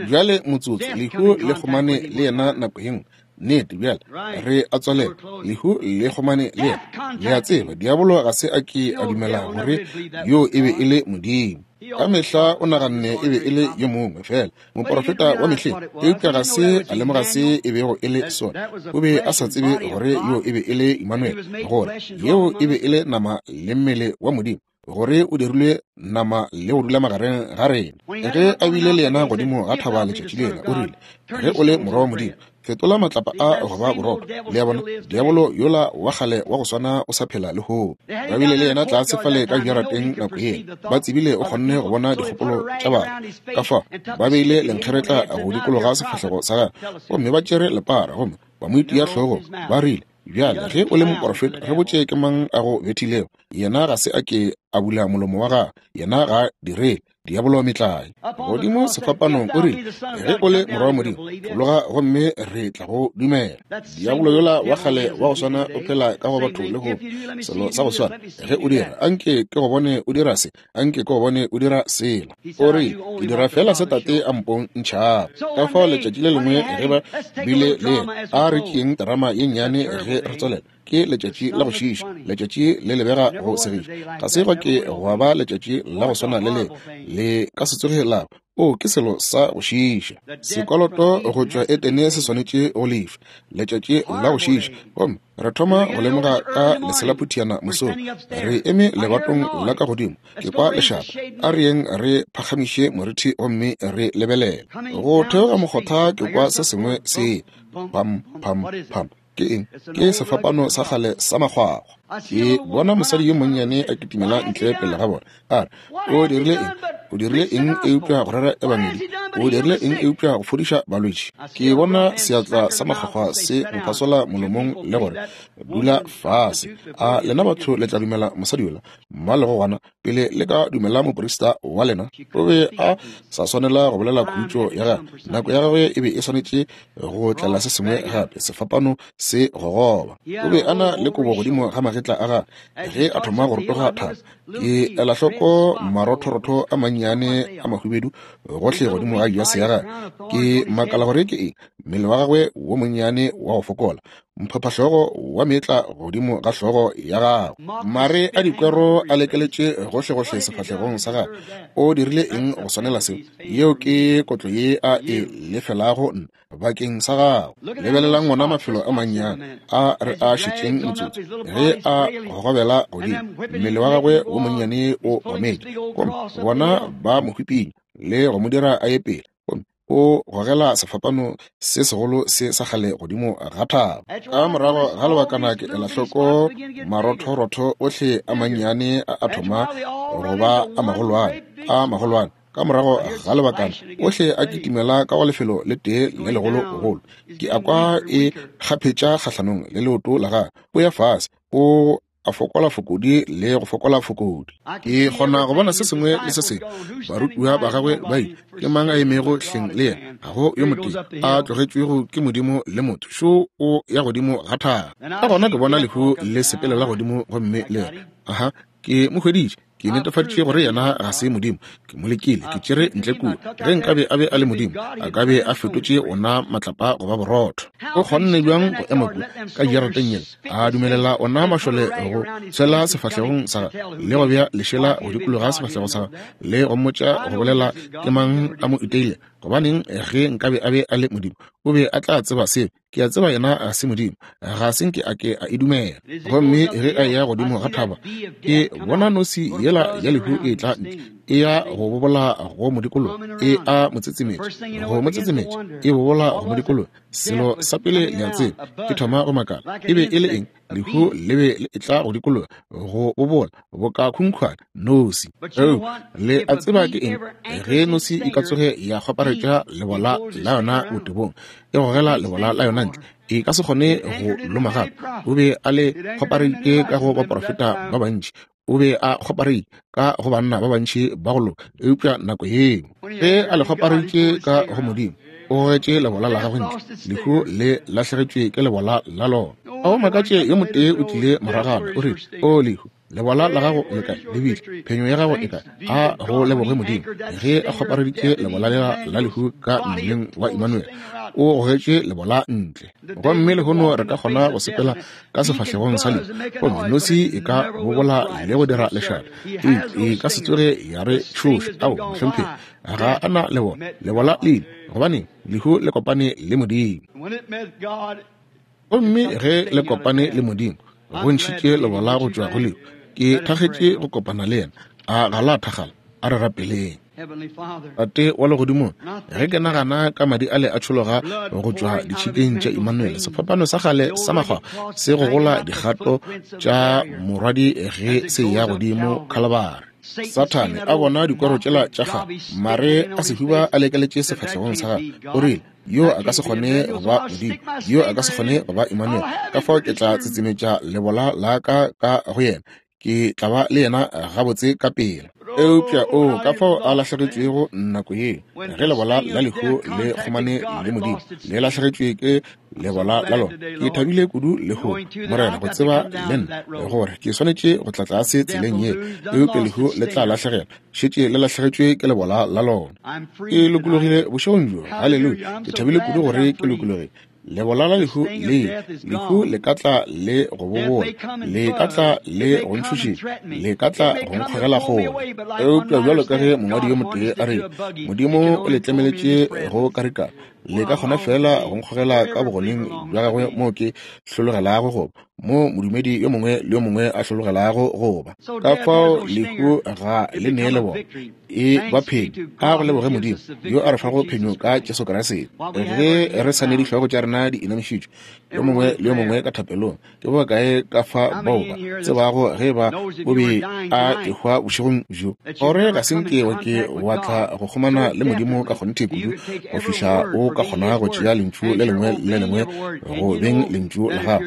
Bjale motsotso, lehu le kgomane le yena nako ye nngwe. Nnete, bjale re a tswalela. Lehu le kgomane le yena. Le a tseba, diabolo ga se a ke a dumela gore yoo e be e le Modimo. Ka mehla o naganne e be e le yo mongwe fela moporofeta wa mehleng, eupša ga se a lemoga se e bego e le sona. O be a sa tsebe gore yoo e be e le Emmanuel, gore yeo e be e le nama le mmele wa Modimo, gore o dirilwe nama le go dula magareng ga rena. Ge a bile le yena godimo ga thaba letšatši lela, o rile, Ge o le morwa wa Modimo, fetola matlapa a go ba borotho. Le a bona, diabolo yola wa kgale wa go swana o sa phela lehono. Ba bile le yena tlase fale ka jarateng nako yela. Ba tsebile o kgonne go bona dikgopolo tša batho. Ka fao ba beile lenkgeretla go dikologa sefahlego sa gagwe, gomme ba tšere lepara gomme ba mo itia hlogong. Ba rile, Bjale, ge o le moporofeta, re botše ke mang a go bethilego. Yena ga se a ke a bula molomo wa gagwe. Yena ga a direle diabolo metlae. Godimo sefapanong o rile, Ge o le morwa wa Modimo, fologa gomme re tla go dumela. Diabolo yola wa kgale wa go swana o phela ka go batho lehono, selo sa go swana. Ge o dira, anke ke go bone o dira se, anke ke go bone o dira sela. O rile, Ke dira feela se Tate a mpontšhago. Ka fao letšatši le lengwe ge ba bile le yena, a re tšeeng terama ye nnyane ge re tswelela. Ke letšatši la go šiiša, letšatši le lebega go segiša. Ga se gwa ke gwa ba letšatši la go swana le le, le ka se tsoge la ba. O, ke selo sa go šiiša. Sekoloto go tšwa Etene se swanetše go lefa. Letšatši la go šiiša. Gomme re thoma go lemoga ka leselaphutiana mosong. Re eme lebatong la ka godimo. Ke kwa lešata. A re yeng re phagamiše morithi gomme re lebelele. Go theoga mokgotha ke kwa se sengwe se pam, pam, pam. Ke eng? Ke sefapano sa kgale sa makgwakgwa. Ke bona mosadi yo monnyane a kitimela ntle pele ga bona. A re, O dirile eng? O dirile eng eupša go rera ebangedi? O dirile eng eupša go fodiša balwetši? Ke bona seatla sa makgwakgwa se mo phasola molomong le gore, Dula fase. A lena batho le tla dumela mosadi yola? Mmalegogwana, pele le ka dumela moprista wa lena? O be a sa swanela go bolela khutšo ya gagwe. Nako ya gagwe e be e swanetše go tlela se sengwe gape, sefapano se gogoba. O be a na le kobo godimo ga magetla a gagwe ge a thoma go rotoga thaba. Ke ela hloko marothorotho a mannyane a mahubedu gohle godimo ga jase ya gagwe. Ke makala gore ke eng. Mmele wa gagwe wo monnyane wa go fokola. Mphaphahlogo wa meetla godimo ga hlogo ya gagwe, mare a dikwero a lekeletše gohlegohle sefahlegong sa gagwe. O dirile eng go swanela seo? Yeo ke kotlo ye a e lefelago nna bakeng sa gago. Lebelelang wona mafelo a mannyane a re a šetšeng motsotso ge a gogobela godimo, mmele wa gagwe wo monnyane o ometše, gomme bona ba mo hwipinya le go mo dira a ye pele, gomme o gogela sefapano se segolo se sa kgale godimo ga thaba. Ka morago ga lebakana ke ela hloko marothorotho ohle a mannyane a a thoma go ba a magolwane, a magolwane. Ka morago ga lebakana ohle a kitimela ka go lefelo le tee le legologolo. Ke a kwa e kgaphetša kgahlanong le leoto la gagwe. O ya fase, o a fokola fokodi le go fokola fokodi. Ke kgona go bona se sengwe le se sengwe. Barutiwa ba gagwe ba ile, ke mang a emego hleng le yena? Ga go yo motee a tlogetšwego ke Modimo le motho. Šo o ya godimo ga thaba. Ka gona ke bona lehu le sepelela godimo gomme le re, Aha, ke mo hweditše. Ke netefaditše gore yena ga se Modimo. Ke mo lekile, ke tšere ntle kua. Ge nkabe a be a le Modimo, a ka be a fetotše ona matlapa go ba borotho. O kgonne bjang go ema kua ka jarateng yela, a dumelela ona mašole go tshwela sefahlegong sa gagwe le go bea lešela go dikologa sefahlego sa gagwe le go mmotša go bolela ke mang a mo iteile? Gobaneng, ge nkabe a be a le Modimo, o be a tla tseba seo. Ke a tseba yena ga se Modimo, ga se nke a ke a e dumela. Gomme ge a eya godimo ga thaba, ke bona nosi yela ya lehu e tla ntle, e ya go bobola go modikologa, e a mo tsetsemetša, go mo tsetsemetša, e bobola go modikologa. Selo sa pele le a tseba, ke thoma go makala, e be e le eng? Lehu le be le etla go dikologa, go bobola boka khunkhwane, nosi. Eupša le a tseba ke eng? Ge nosi e ka tsoge ya kgwaparetša lebola la yona botebong, e gogela lebola la yona ntle, e ka se kgone go loma gape. O be a le kgwapareditše ka go baprofeta ba bantši, o be a kgwapareditše ka go banna ba bantši ba go loka, eupša nako yeo ge a le kgwapareditše ka go Modimo, o gogetše lebola la gagwe ntle. Lehu le lahlegetšwe ke lebola la lona. A o makatše yo motee o tlile moragana, o rile, O lehu, lebola la gago le kae? Le bile phenyo ya gago e kae? A go leboge Modimo, ge a kgwapareditše lebola lela la lehu ka mmeleng wa Emmanuel, o gogetše lebola ntle. Gomme lehono re ka kgona go sepela ka sefahlegong sa lehu, gomme nosi e ka bobola le go dira lešata, e ka se tsoge ya re tšhoša. Ao, mohlomphegi, ga a na lebola. Lebola le ile, gobane lehu le kopane le Modimo. Gomme ge le kopane le Modimo, go ntšhitše lebola go tšwa go lehu. Ke thakgetše go kopana le yena. A ga la thakgala? A re rapeleng. Tate wa Legodimong, ge ke nagana ka madi ale a tšhologa go tšwa ditšhikeng tša Emmanuel, sefapano sa kgale sa makgwakgwa se gogola dikgato tša morwadi ge se eya godimo Khalabari. Sathane a bona dikwero tšela tša kgale, mare a sehuba a lekeletše sefahlegong sa gagwe, o rile, Yo a ka se kgone go ba Modimo, yo a ka se kgone go ba Emmanuel, ka fao ke tla tsetsemetša lebola la ka ka go yena, ke tla ba le yena gabotse ka pela. Eupša o ka fao a lahlegetšwego nako yeo, ge lebola la lehu le kgomane le Modimo, le lahlegetšwe ke lebola la lona. Ke thabile kudu lehono, Morena, go tseba le nna gore ke swanetše go tla tlase tseleng ye, eupša lehu le tla lahlegelwa, šetše le lahlegetšwe ke lebola la lona. Ke lokologile bošegong bjo. Haleluya! Ke thabile kudu gore ke lokologile. Lebola la lehu le lehu le ka tla le go bobola, le ka tla le go ntšhošetša, le ka tla go nkgogela kgole. Eupša bjalo ka ge mongwadi yo motee a re, Modimo o le tlemeletše go karikana, le ka kgona feela go nkgogela ka bogoneng bja gagwe moo ke hlologelago go ba, moo modumedi yo mongwe le yo mongwe a hlologelago go ba. Ka fao lehu ga le nee le bona. E ba phenyo. A go leboge Modimo yo a re fago phenyo ka Jesu Kriste. Ge re sa ne dihlogo tša rena di inamišitšwe, yo mongwe le yo mongwe ka thapelong, ke ba bakae ka fa bao ba tsebago ge ba o be a ehwa bošegong bjo, gore ga se nke wa ke wa tla go kgomana le Modimo ka kgonthe kudu go fihla o ka kgona go tšea lentšu le lengwe le le lengwe go beng lentšu la gago,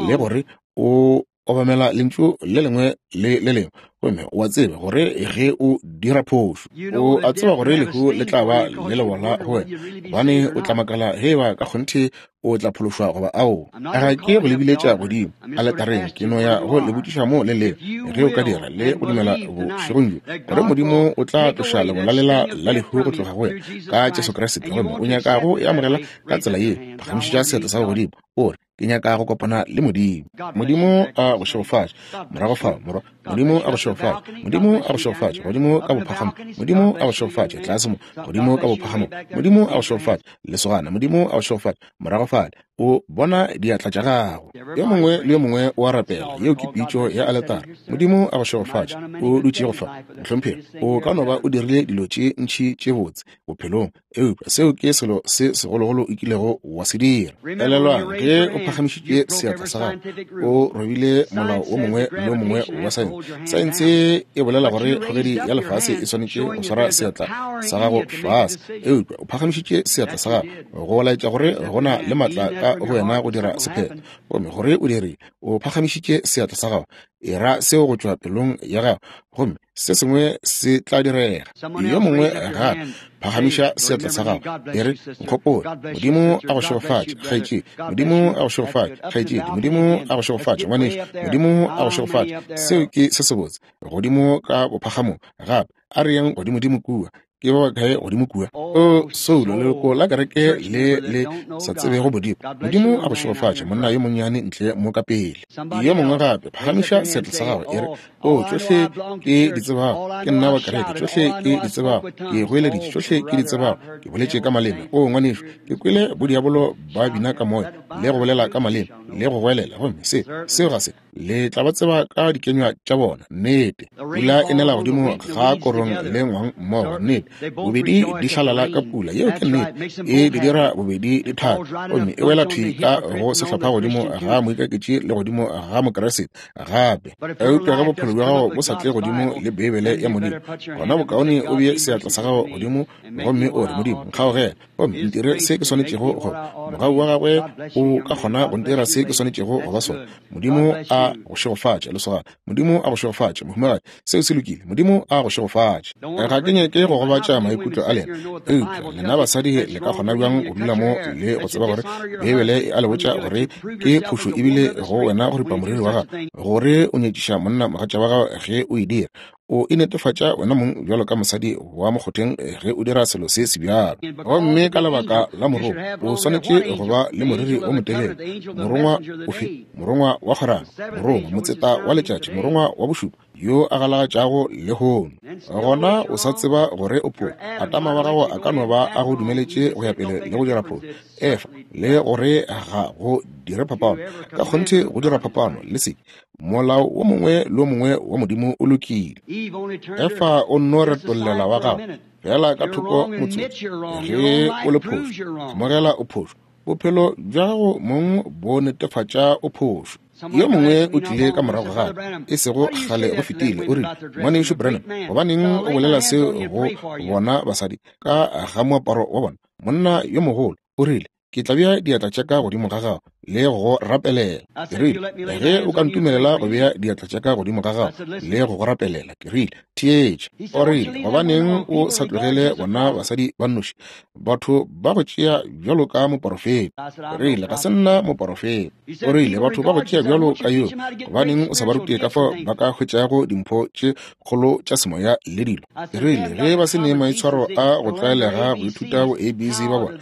le gore o obamela lentšu le lengwe le le lengwe, gomme o a tseba gore ge o dira phošo, o a tseba gore lehu le tla ba le lebola go wena, gobane o tla makala ge eba ka kgonthe o tla phološwa goba ao. Ga ke go le biletša godimo aletareng, ke no ya go le botšiša mo le leo, ge o ka dira le go dumela bošegong bjo gore Modimo o tla tloša lebola lela la lehu go tloga go wena ka Jesu Kriste, gomme o nyaka go e amogela ka tsela ye, phagamišetša seatla sa gago godimo, o re, Ke nyaka go kopana le Modimo. Modimo a go šegofatše. Morago fao, morwa. Modimo a go šegofatše. Modimo a go šegofatše. Godimo ka bophagamo. Modimo a go šegofatše. Tlase mo. Godimo ka bophagamo. Modimo a go šegofatše. Lesogana. Modimo a go šegofatše. Morago fale. O bona diatla tša gago. Yo mongwe le yo mongwe o a rapela. Yeo ke pitšo ya aletara. Modimo a go šegofatše. O dutšego fa, mohlomphegi. O ka no ba o dirile dilo tše ntši tše botse bophelong, eupša seo ke selo se segologolo o kilego wa se dira. Elelwang, ge o phagamišitše seatla sa gago, o robile molao wo mongwe le wo mongwe wa saense. Saense e bolela gore kgogedi ya lefase e swanetše go swara seatla sa gago fase, eupša o phagamišitše seatla sa gago go laetša gore go na le matla ka go wena go dira sephetho. Gomme gore o dirile, o phagamišitše seatla sa gago, e ra seo go tšwa pelong ya gago, gomme se sengwe se tla direga. Yo mongwe gape, phagamiša seatla sa gago, e re, Nkgopole. Modimo a go šegofatše, kgaetšedi. Modimo a go šegofatše, kgaetšedi. Modimo a go šegofatše, ngwanešu. Modimo a go šegofatše. Seo ke se sebotse. Godimo ka bophagamong gape, a re yeng godimodimo kua. Ke ba bakae godimo kua? O soulo, leloko la kereke le le sa tsebego Modimo. Modimo a go šegofatše, monna yo monnyane ntle mo ka pele. Yo mongwe gape, phagamiša seatla sa gago, e re, O, tšohle ke di tsebago, ke nna wa kereke, tšohle ke di tsebago, ke goeleditše, tšohle ke di tsebago, ke boletše ka maleme. O, ngwanešu, ke kwele bodiabolo ba bina ka moya, le go bolela ka maleme, le go goelela, gomme se, seo ga se. Le tla ba tseba ka dikenywa tša bona. Nnete. Pula e nela godimo ga korong le ngwang mmogo. Nnete. Bobedi di hlalala ka pula. Yeo ke nnete. E di dira bobedi di thabe. Gomme e wela thwi ka go sehlopha godimo ga moikaketši le godimo ga Mokeresete gape. Eupša ge bophelo bja gago bo sa tle godimo le Beibele ya Modimo, gona bokaone o bee seatla sa gago godimo gomme o re, Modimo, nkgaogele. Gomme ntire se ke swanetšego go. Mogau wa gagwe o ka kgona go ntira se ke swanetšego go ba sona. Modimo a go šegofatše, lesogana. Modimo a go šegofatše, mohumagadi. Seo se lokile. Modimo a go šegofatše. Ga ke nyake go gobatša maikutlo a lena, eupša lena basadi le ka kgona bjang go dula mo le go tseba gore Beibele e a le botša gore ke phošo ebile go wena go ripa moriri wa gago, gore o nyetšiša monna mogatša wa gago ge o e dira. O inetefatša wena mong bjalo ka mosadi wa mokgotheng ge o dira selo se se bjalo. Gomme ka lebaka la morongwa, o swanetše go ba le moriri o motelele. Morongwa ofe? Morongwa wa kgwerano, morongwa, motseta wa letšatši, morongwa wa bošupa, yo a galagatšago lehono. Gona o sa tseba gore o phošo. Atama wa gago a ka no ba a go dumeletše go ya pele le go dira phošo. Efa, le gore ga go dire phapano. Ka kgonthe go dira phapano, le se. Molao wo mongwe le wo mongwe wa Modimo o lokile. Efa o nno retollela wa gago fela ka thoko motsotso. Ge o le phošo, amogela o phošo. Bophelo bja gago mong bo netefatša o phošo. Yo mongwe o tlile ka morago ga ka, e sego kgale go fetile, o rile, Ngwanešu Branham, gobaneng o bolela seo go bona basadi ka ga moaparo wa bona? Monna yo mogolo, o rile, Ke tla bea diatla tša ka godimo ga gago le go go rapelela. Ke rile, Ge o ka ntumelela go bea diatla tša ka godimo ga gago le go go rapelela. Ke rile, Theetša. O rile, Gobaneng o sa tlogele bona basadi ba nnoši? Batho ba go tšea bjalo ka moporofeta. Ke rile, Ga se nna moporofeta. O rile, Batho ba go tšea bjalo ka yo. Gobaneng o sa ba rute ka fao ba ka hwetšago dimpho tše kgolo tša semoya le dilo? Ke rile, Ge ba se ne maitshwaro a go tlwaelega go ithuta bo ABC ba bona,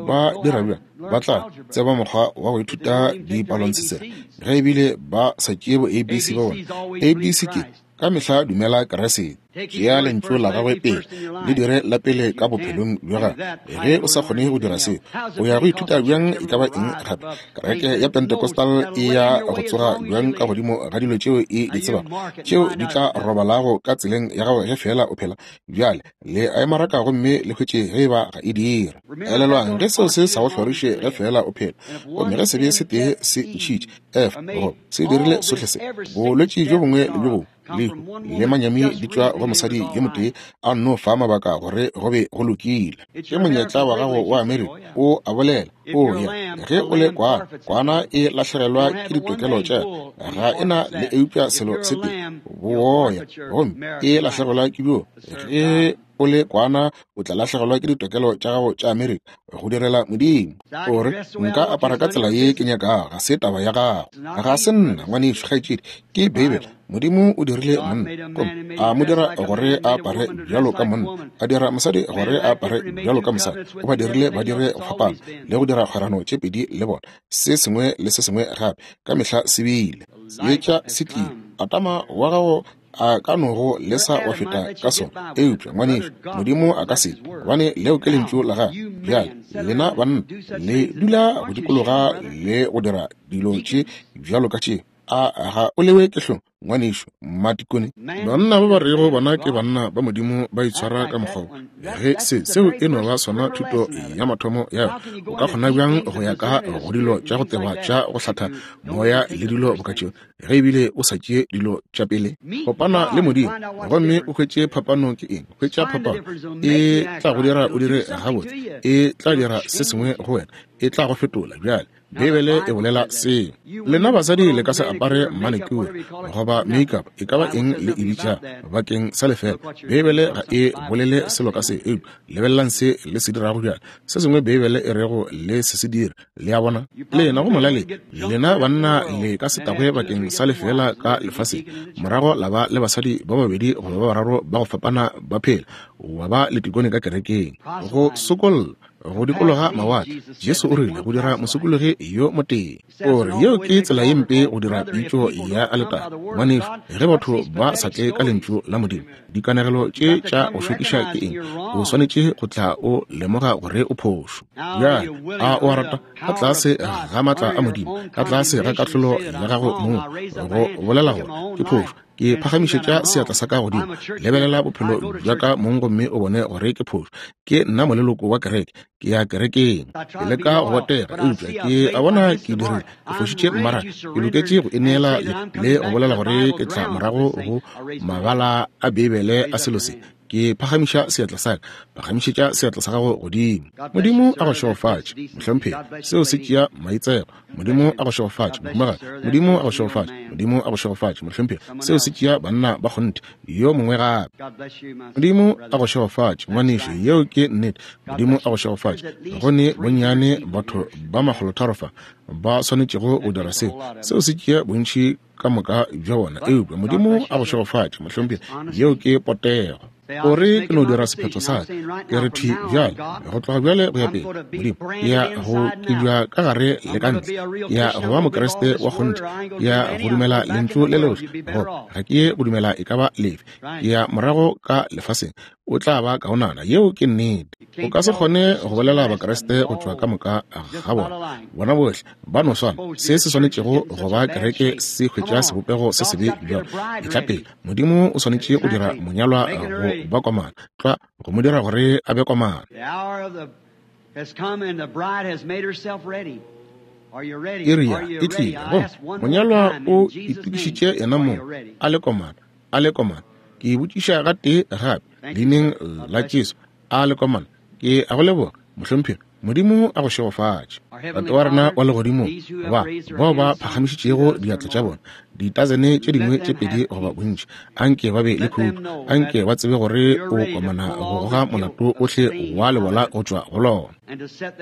ba dira bjang? Ba tla tseba mokgwa wa go ithuta dipalontshetsere ge ebile ba sa tšee bo ABC ba bona. ABC ke, ka mehla dumela Keresete. Tšea lentšu la gagwe pele, le dire la pele ka bophelong bja gago. Ge o sa kgone go dira seo, o ya go ithuta bjang e ka ba eng gape? Kereke ya Pentecostal e ya go tsoga bjang ka godimo ga dilo tšeo e di tsebago, tšeo di tla robalago ka tseleng ya gago ge feela o phela bjale? Le a e maraka gomme le hwetše ge e ba ga e dira. Elelwang, ge seo se sa go hloriše ge feela o phela, gomme ge sebe se tee se ntšhitše F, go se dirile sohle se, bolwetši bjo bongwe le bjo bongwe, lehu le manyami di tšwa go mosadi yo motee, a nno fa mabaka gore go be go lokile. Ke monyetla wa gago wa Amerika, o a bolela. O ya, ge o le kwana, kwana e lahlegelwa ke ditokelo tša yona, ga e na le eupša selo se tee, boya, gomme e lahlegelwa ke bjo. Ge o le kwana, o tla lahlegelwa ke ditokelo tša gago tša Amerika go direla Modimo. O re, Nka apara ka tsela ye ke nyakago. Ga se taba ya gago. Ga se nna, ngwanešu, kgaetšedi. Ke Beibele. Modimo o dirile monna, gomme a mo dira gore a apare bjalo ka monna, a dira mosadi gore a apare bjalo ka mosadi. O ba dirile ba dire go fapana le go dira. dira kgwerano tše pedi le bona, se sengwe le se sengwe gape, ka mehla se bile. Seetša se tlile. Atama wa gago a ka no go lesa wa feta ka sona, eupša, ngwanešu, Modimo a ka se, gobane leo ke Lentšu la Gagwe. Bjale, lena banna le dula go dikologa le go dira dilo tše bjalo ka tše. A ga o lewe ke hlong, ngwanešu Matikone? Banna ba ba rego bona ke banna ba Modimo ba itshwara ka mokgwa wo. Ge se, seo e no ba sona thuto ya mathomo ya yona, o ka kgona bjang go ya ka go dilo tša go teba tša go hlatha moya le dilo boka tšeo, ge ebile o sa tšee dilo tša pele? Kopana le Modimo gomme o hwetše phapano ke eng. Hwetša phapano, e tla go dira o dire gabotse, e tla dira se sengwe go wena, e tla go fetola. Bjale Beibele e bolela seo. Lena basadi le ka se apare manicure goba makeup, e ka ba eng le e bitša, bakeng sa lefela. Beibele ga e bolele selo ka se, eupša lebelelang se le se dirago bjale. Se sengwe Beibele e rego le se se dire. Le a bona? Lena go molaleng, lena banna le ka se tagwe bakeng sa lefela ka lefaseng, morago la ba le basadi ba babedi goba ba bararo ba go fapana ba phela, wa ba le tikone ka kerekeng. Go sokolla go dikologa mawatle, Jesu o rile, go dira mosokologi yo motee. O re yeo ke tsela ye mpe go dira pitšo ya aletare. Ngwanešu, ge batho ba sa tle ka Lentšu la Modimo, dikanegelo tše tša go šokiša ke eng? O swanetše go tla o lemoga gore o phošo. Bjale, a o a rata? Ka tlase ga maatla a Modimo, ka tlase ga kahlolo ya gago mong, go bolela gore ke phošo, Ke phagamišetša seatla sa ka godimo. Lebelela bophelo bja ka mong gomme o bone gore ke phošo. Ke nna moleloko wa kereke. Ke ya kerekeng. Ke leka go botega, eupša ke a bona ke dirile. Ke fošitše mmaraka. Ke loketše go ineela le go bolela gore ke tla morago go mabala a Beibele a selo se. Ke phagamiša seatla sa ka. Phagamišetša seatla sa gago godimo. Modimo a go šegofatše, mohlomphegi. Seo se tšea maitsego. Modimo a go šegofatše, mohumagadi. Modimo a go šegofatše. Modimo a go šegofatše, mohlomphegi. Seo se tšea banna ba kgonthe. Yo mongwe gape. Modimo a go šegofatše, ngwanešu. Yeo ke nnete. Modimo a go šegofatše. Go ne bonnyane batho ba makgolotharo fa ba swanetšego go dira seo. Seo se tšea bontši ka moka bja bona. Eupša Modimo a go šegofatše, mohlomphegi. Yeo ke potego. O re ke no dira sephetho sa ka. Ke re thwi bjale, go tloga bjale go ya pele, Modimo, ke ya go kibja ka gare le ka ntle. Ke ya go ba Mokriste wa kgonthe. Ke ya go dumela Lentšu le lohle, goba ga ke ye go dumela e ka ba lefe. Ke ya morago ka lefaseng. O tla ba kaonana. Yeo ke nnete. O ka se kgone go bolela Bakriste go tšwa ka moka ga bona. Bona bohle ba no swana. Se se swanetšego go ba kereke se hwetša sebopego se sebe bjalo. Etla pele. Modimo o swanetše go dira monyalwa go ba komana, tlwa, go mo dira gore a be komana. Iri ya e tlile, gomme monyalwa o itokišitše yena mong a le komana, a le komana. Ke botšiša gatee gape, Leineng la Jesu, a le komana? Ke a go leboga, mohlomphegi. Modimo a go šegofatše. Tate wa rena wa Legodimong, ba bao ba phagamišitšego diatla tša bona, ditasene tše dingwe tše pedi goba bontši, anke ba be le khutšo, anke ba tsebe gore o komana go goga molato ohle wa lebola go tšwa go lona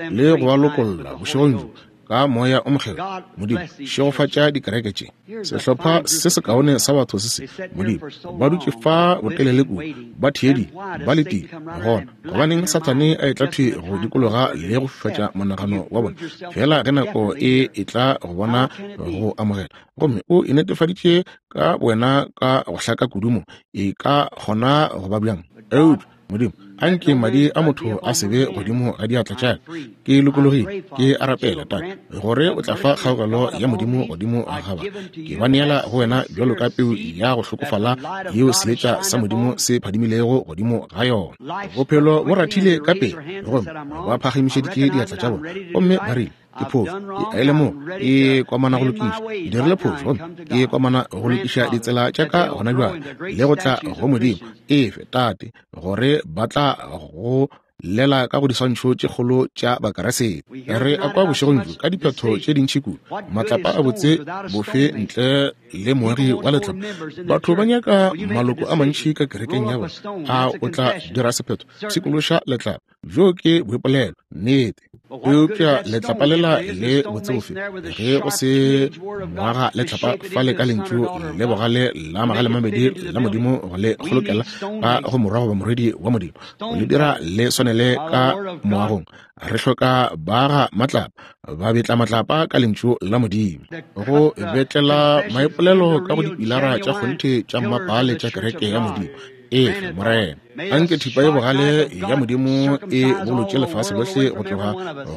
le go ba lokolla bošegong bjo ka Moya o Mokgethwa. Modimo, šegofatša dikereke tše. Sehlopha se sekaone sa batho se se, Modimo, ba dutše fa botelele kudu, ba theeditše, ba letile. Gona, gobaneng Sathane a etla thwi go dikologa le go fifatša monagano wa bona, feela ge nako e etla go bona go amogela? Gomme o inetefaditše ka wena ka go hlaka kudu mo e ka kgona go ba bjang. Eupša Modimo, anke madi a motho a se be godimo ga diatla tša ka. Ke lokologile, ke a rapela, Tate, gore o tla fa kgaogelo ya Modimo godimo ga ba. Ke ba neela go wena bjalo ka peu ya go hlokofala yeo seetša sa Modimo se phadimilego godimo ga yona. Bophelo bo rathile ka pele, gomme ba phagamišeditše diatla tša bona, gomme ba rile, Ke phošo, ke a e lemoga, ke kwamana go lokiša. Ke dirile phošo, gomme ke kwamana go lokiša ditsela tša ka gona bjale, le go tla go Modimo. Efe, Tate, gore ba tla go llela ka go diswantšho tše kgolo tša Bakeresete. Re a kwa bošegong bjo ka diphetho tše dintši kudu, matlapa a botse bofe ntle le moagi wa letlapa. Batho ba nyaka maloko a mantši ka kerekeng ya bona. A o tla dira sephetho? Pshikološa letlapa. Bjo ke boipolelo, nnete. Eupša letlapa lela le botsebofe, ge go se ngwaga letlapa fale ka lentšu le bogale la magalemabedi la Modimo go le kgolokela ka go morwa goba morwedi wa Modimo, go le dira le swanele ka moagong. Re hloka baga matlapa, ba betla matlapa ka lentšu la Modimo, go betlela maipolelo ka go dipilara tša kgonthe tša mmapaale tša kereke ya Modimo. Efe, Morena, anke thipa ye bogale ya Modimo e bolotše lefase lohle go tloga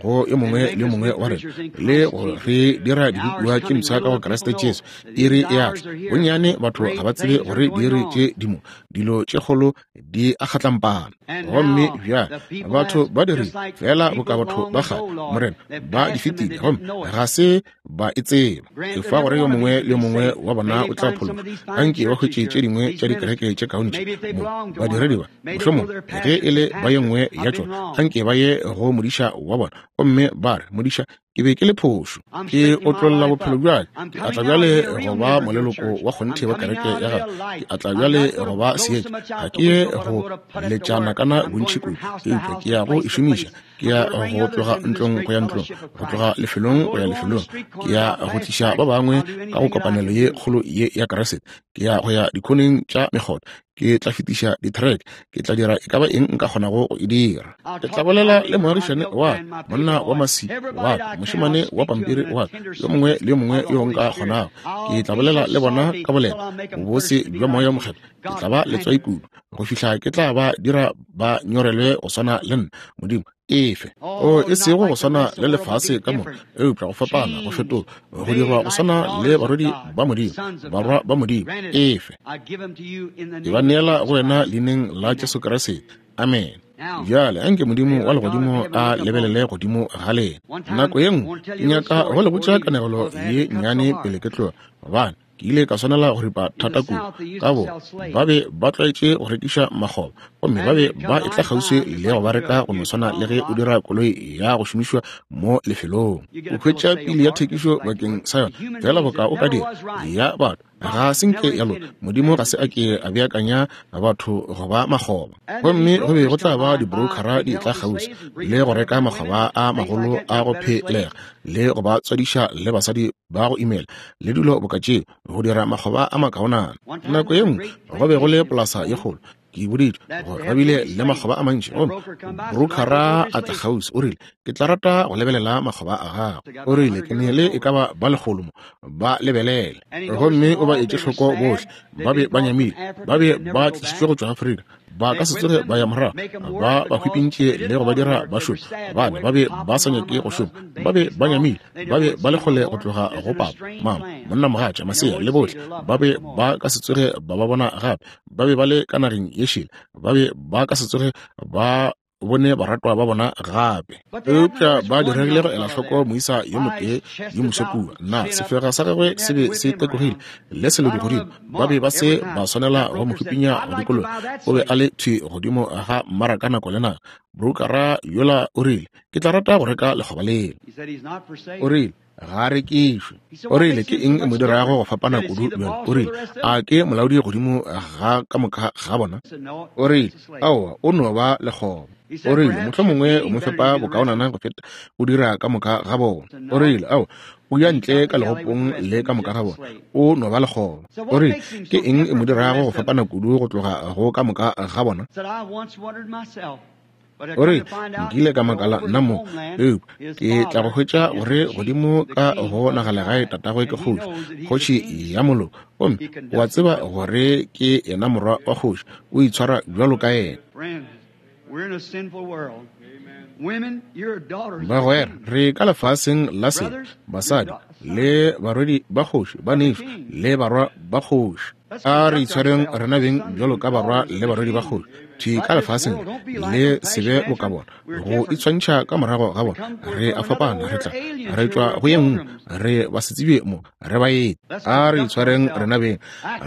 go yo mongwe le yo mongwe wa rena, le go re dira dibopiwa tše mpsha ka go Kriste Jesu. Iri e a tla. Bonnyane batho ga ba tsebe gore diiri tše di mo, dilo tše kgolo di a kgatlampana. Gomme bjale batho ba dirile feela boka batho ba kgale, Morena, ba di fetile gomme ga se ba e tseba. Efa gore yo mongwe le yo mongwe wa bona o tla phologa. Anke ba hwetše tše dingwe tša dikereke tše kaone tše mo, badiredi ba, mohlomongwe ge e le ba ye nngwe ya tšona, anke ba ye go modiša wa bona gomme ba re, Modiša, ke be ke le phošo. Ke otlolla bophelo bja ka. Ke atla bjale go ba moleloko wa kgonthe wa kereke ya gago. Ke atla bjale go ba seetša. Ga ke ye go letša nakana bontši kudu, eupša ke ya go e šomiša. Ke ya go tloga ntlong go ya ntlong, go tloga lefelong go ya lefelong. Ke ya go tliša ba bangwe ka go kopanelo ye kgolo ye ya Kriste. Ke ya go ya dikhoneng tša mekgotha. Ke tla fetiša di-track. Ke tla dira e ka ba eng nka kgonago go e dira. Ke tla bolela le moagišane wa ka, monna wa masi wa ka, mošemane wa pampiri wa ka, yo mongwe le yo mongwe yo nka kgonago. Ke tla bolela le bona ka boleta, bobose bja Moya wo Mokgethwa. Ke tla ba letswai kudu go fihla ke tla ba dira ba nyorelwe go swana le nna. Modimo, efe. O, e sego go swana le lefase ka moka, eupša go fapana, go fetola, go dirwa go swana le barwedi ba Modimo, barwa ba Modimo. Efe. Ke ba neela go wena leineng la Jesu Kriste. Amen. Bjale anke Modimo wa legodimo a lebelele godimo ga lena. Nako ye nngwe ke nyaka go le botša kanegelo ye nnyane pele ke tloga, gobane ke ile ka swanela go ripa thata kudu. Ka bo ba be ba tlwaetše go rekiša makgoba, gomme ba be ba etla kgauswi le go ba reka go no swana le ge o dira koloi ya go šomišwa mo lefelong. O hwetša pili ya thekišo bakeng sa yona, feela boka o ka dira ya batho. Ga se nke ya loka. Modimo ga se a ke a beakanya batho go ba makgoba. Gomme go be go tla ba dibrokara di etla kgauswi le go reka makgoba a magolo a go phelega, le go ba tswadiša le basadi ba go imela le dilo boka tšeo, go dira makgoba a makaonana. Nako ye nngwe go be go le polasa ye kgolo, ke boditšwe gore ba bile le makgoba a mantši, gomme brokara a tla kgauswi, o rile, Ke tla rata go lebelela makgoba a gago. O rile, Ke ne le e ka ba ba lekgolo mo, ba lebelele. Gomme o ba etše hloko bohle, ba be ba nyamile, ba be ba tlišitšwe go tšwa Afrika, ba ka se tsoge ba ya morago. Ba ba hwipintše le go ba dira ba šome, gobane ba be ba sa nyake go šoma. Ba be ba nyamile, ba be ba le kgole go tloga go papa, mama, monnamogatša, masea le bohle. Ba be ba ka se tsoge ba ba bona gape. Ba be ba le ka nageng ye šele, ba be ba ka se tsoge ba bone baratwa ba bona gape. Eupša ba diregile go ela hloko moisa yo motee yo moswa kua. Na sefega sa gagwe se be se tekogile le selodi godimo? Ba be ba se ba swanela go mo hupinya go dikologa. O be a le thwi godimo ga mmaraka nako le nako. Broukara yola o rile, Ke tla rata go reka lekgoba lela. O rile, Ga a rekišwe. O rile, Ke eng e mo dirago go fapana kudu bjalo? O rile, A ke molaodi godimo ga ka moka ga bona? O rile, Aowa, o no ba lekgoba. O rile, Mohlomongwe o mo fepa bokaonana go feta o dira ka moka ga bona. O rile, Aowa, o ya ntle ka legopong le ka moka ga bona. O no ba lekgoba. O rile, Ke eng e mo dirago go fapana kudu go tloga go ka moka ga bona? O re, Nkile ka makala nna mo, eupša ke tla go hwetša gore godimo ka go nagalegae tatagwe ke kgoši, kgoši ya moloko, gomme o a tseba gore ke yena morwa wa kgoši, o itshwara bjalo ka yena. Bagwera, re ka lefaseng la sebe, basadi le barwedi ba kgoši, banešu le barwa ba kgoši. A re itshwareng rena beng bjalo ka barwa le barwedi ba kgoši thwi ka lefaseng le se be boka bona, go itshwantšha ka morago ga bona. Re a fapana, re tla re tšwa go ye nngwe, re basetsebje mo, re baeti. A re itshwareng rena beng,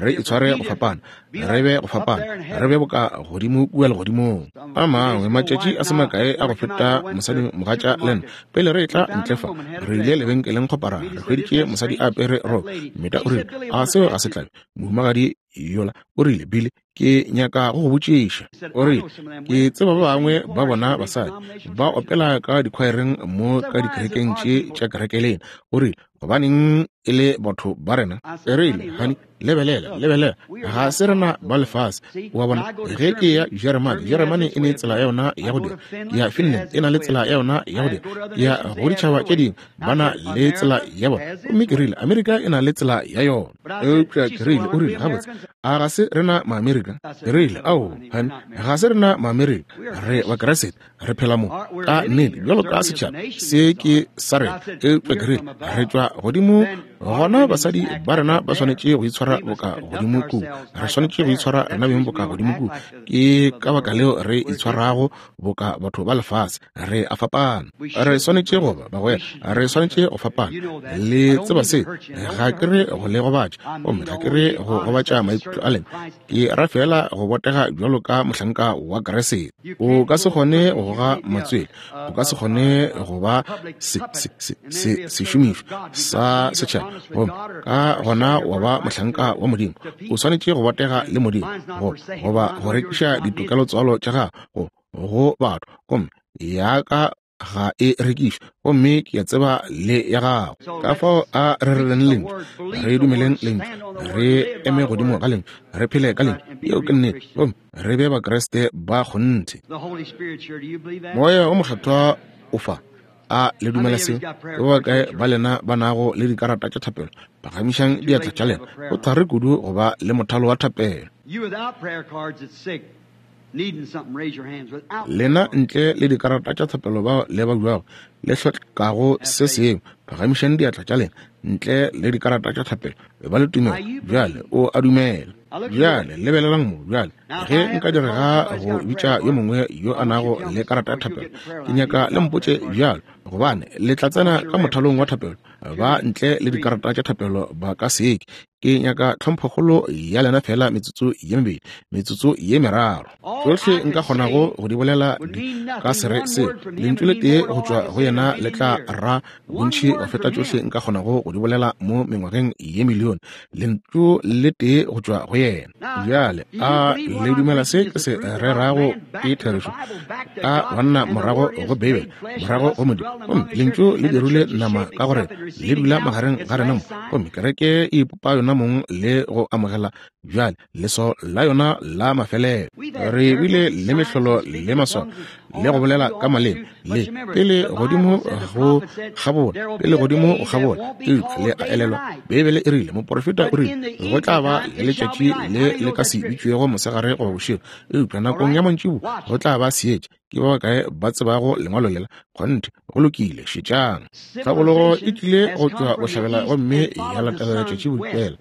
re itshware go fapana, re be go fapana, re be boka godimo kua legodimong. A mangwe matšatši a se makae a go feta, mosadi mogatša le nna, pele re etla ntle fa, re ile lebenkeleng kgopara, re hweditše mosadi a apere roko. Meta o rile, A seo ga se tlabe, mohumagadi? yola o rile, Billy, ke nyaka go go botšiša. O rile, ke tseba ba bangwe ba bona basadi ba opela ka dikhwaereng mo ka dikerekeng tše tša kereke lena. O rile, gobaneng e le batho ba rena? E rile, honey, lebelela, lebelela, ga se rena ba lefase. Wa bona, ge ke ya Jeremane, Jeremane e ne tsela ya yona ya go dira. Ke ya Finland, e na le tsela ya yona ya go dira. Ke ya go ditšhaba tše dingwe, ba na le tsela ya bona. Gomme ke rile, Amerika e na le tsela ya yona. Eupša ke rile, o rile, gabotse, a ga se rena Maamerika? Ke rile, ao, honey, ga se rena Maamerika, re Bakeresete, re phela mo ka nnete bjalo ka setšhaba se ke sa rena. Eupša ke rile, re tšwa godimo gona, basadi ba rena ba swanetše go itshwara boka godimo kua, re swanetše go itshwara rena beng boka godimo kua. Ke ka baka leo re itshwarago boka batho ba lefase. Re a fapana, re swanetše go ba bagwera, re swanetše go fapana. Le tseba se, ga ke re go le gobatša, gomme ga ke re go gobatša maikutlo a lena. Ke ra fela go botega bjalo ka mohlanka wa Kriste. O ka se kgone go goga matswele, o ka se kgone go ba sešomišwa sa setšhaba, gomme ka gona wa ba mohlanka wa Modimo. O swanetše go botega le Modimo, goba go rekiša ditokelotswalo tša gago go batho, gomme ya ka ga e rekišwe, gomme ke a tseba le ya gago. Ka fao a re rereng lentšu, re dumeleng lentšu, re eme godimo ga lentšu, re phele ka lentšu. Yeo ke nnete, gomme re be Bakriste ba kgonthe. Moya o Mokgethwa o fa. A le dumela seo? Ke ba bakae ba lena ba nago le dikarata tša thapelo? Phagamišang diatla tša lena. Go thari kudu go ba le mothalo wa thapelo. Lena ntle le dikarata tša thapelo bao le ba buago le hlokago se sengwe, phagamišang diatla tša lena. Ntle le dikarata tša thapelo, ba le tumelo bjale, o a dumela bjale. Lebelelang mo bjale, ge nka direga go bitša yo mongwe yo a nago le karata ya thapelo, ke nyaka le mpotše bjalo, gobane le tla tsena ka mothalong wa thapelo. Ba ntle le dikarata tša thapelo ba ka seke. Ke nyaka tlhomphokgolo ya lena fela metsotso ye mebedi, metsotso ye meraro. Tšohle nka kgonago go di bolela di ka se re se. Lentšu le tee go tšwa go yena le tla ra bontši go feta tšohle nka kgonago go di bolela mo mengwageng ye milione. Lentšu le tee go tšwa go yena. Bjale, a le dumela se ke se rerago ke therešo? Ka banna morago go Beibele, morago go Modimo. Gomme lentšu le dirile nama ka gore le dula magareng ga rena mo, gomme kereke e ipopa yona mong le go amogela bjale leswao la yona la mafelelo. Re bile le mehlolo le maswao le go bolela ka maleme le pele godimo go kgabola, pele godimo go kgabola. Eupša le a elelwa, Beibele e rile, moporofeta o rile, go tla ba le letšatši le le ka se bitšwego mosegare goba bošego, eupša nakong ya mantšiboa go tla ba seetša. Ke ba bakae ba tsebago lengwalo lela? Kgonthe, go lokile, šetšang. Tlhabologo e tlile go tšwa bohlabela gomme ya latela letšatši bodikela.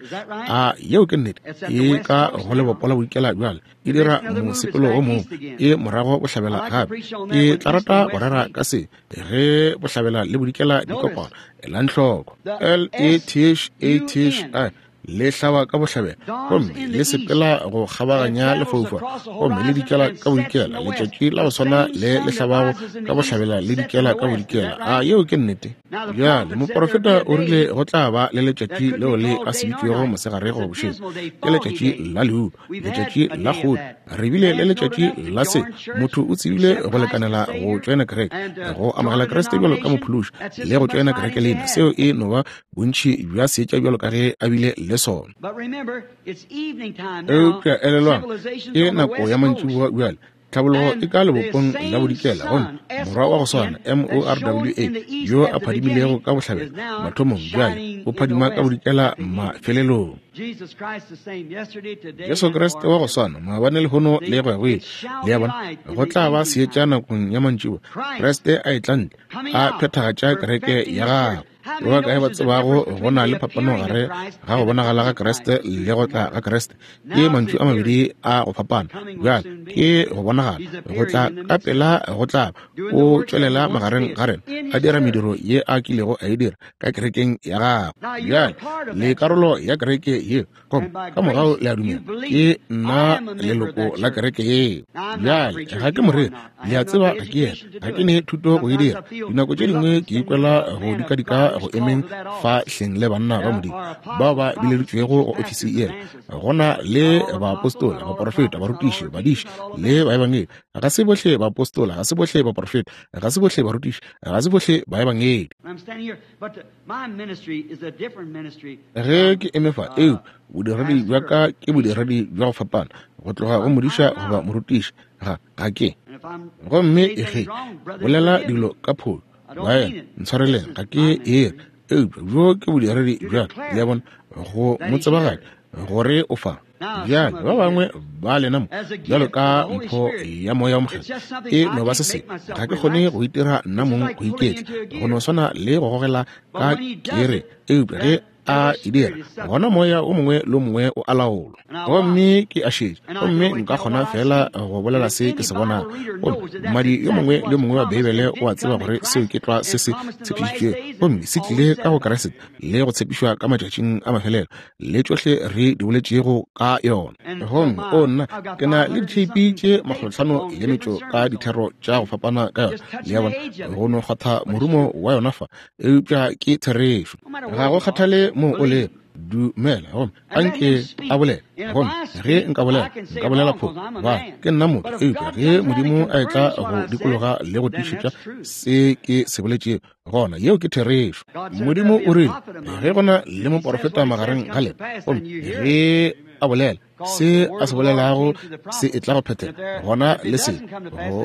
A yeo ke nnete? E ka go lebopo la bodikela bjale, e dira mosepelo o mongwe, e morago bohlabela gape. Ke tla rata go rera ka se ge bohlabela le bodikela di kopana. Elang hloko, L E T H A T H I le hlaba ka bohlabela gomme le sepela go kgabaganya lefaufau gomme le dikela ka bodikela. Letšatši la go swana le le hlabago ka bohlabela le dikela ka bodikela. A yeo ke nnete? Bjale moporofeta o rile go tla ba le letšatši leo le ka se bitšwego mosegare goba bošego. Ke letšatši la leuba, letšatši la kgodi. Re bile le letšatši la se. Motho o tsebile go lekanela go tšoena kereke, go amogela Kriste bjalo ka mophološi le go tšoena kereke lena. Seo e no ba bontši bja seetša bjalo ka ge a bile le sona. Eupša elelwang, ke nako ya mantšiboa bjale. Tlhabologo e ka lebopong la bodikela, gomme morwa wa go swana M-O-R-W-A yo a phadimilego ka bohlabela mathomong bjale o phadima ka bodikela mafelelong. Jesu Kriste wa go swana maabane, lehono le go ya go ile. Le a bona, go tla ba seetša nakong ya mantšiboa. Kriste a etla ntle, a phethagatša kereke ya gagwe. Ba bakae ba tsebago go na le phapano gare ga go bonagala ga Kriste le go tla ga Kriste? Ke mantšu a mabedi a go fapana. Bjale ke go bonagala, go tla ka pela go tla o tšwelela magareng ga rena, a dira mediro ye a kilego a e dira ka kerekeng ya gagwe. Bjale le karolo ya kereke yeo, gomme ka morago le a dumela ke nna leloko la kereke yeo. Bjale ga ke moreri, le a tseba ga ke yena, ga ke ne thuto go e dira. Dinako tše dingwe ke ikwela go dikadika tšwa go emeng fa hleng le banna ba Modimo bao ba bileditšwego go ofisi yela. Go na le baapostola, baporofeta, barutiši, badiši le baebangedi. Ga se bohle baapostola, ga se bohle baporofeta, ga se bohle barutiši, ga se bohle baebangedi. Ge ke eme fa, eupša bodiredi bja ka ke bodiredi bja go fapana go tloga go modiša goba morutiši. Ga ke. Gomme ge bolela dilo ka pholo, baena, ntshwareleng, ga ke ere, eupša bjo ke bodiredi bja ka, le a bona, go mo tsebagatša gore o fa. Bjale ba bangwe ba lena mo bjalo ka mpho ya Moya wo Mokgethwa e no ba se sengwe. Ga ke kgone go itira nna mong go iketla, go no swana le go gogela ka kere, eupša ge a e dira, gona moya o mongwe le o mongwe o a laolwa. Gomme ke a šetša, gomme nka kgona feela go bolela se ke se bonago. Gomme mmadi yo mongwe le yo mongwe wa Beibele o a tseba gore seo ke tlwa se se tshepišitšwego, gomme se tlile ka go Kriste le go tshepišwa ka matšatšing a mafelelo, le tšohle re di boletšego ka yona. Gomme o nna, ke na le ditheipi tše 500 ka dithero tša go fapana ka yona, le a bona, go no kgwatha morumo wa yona fa, eupša ke therešo. Ga go kgathale moo o lego, dumela gomme a nke a bolele. Gomme ge nka bolela, nka bolela phošo, gobane ke nna motho, eupša ge Modimo a etla go dikologa le go tiišetša se ke se boletšego, gona yeo ke therešo. Modimo o rile, ge go na le moporofeta magareng ga lena, gomme ge a bolela se a se bolelago se etla go phethega, gona le se,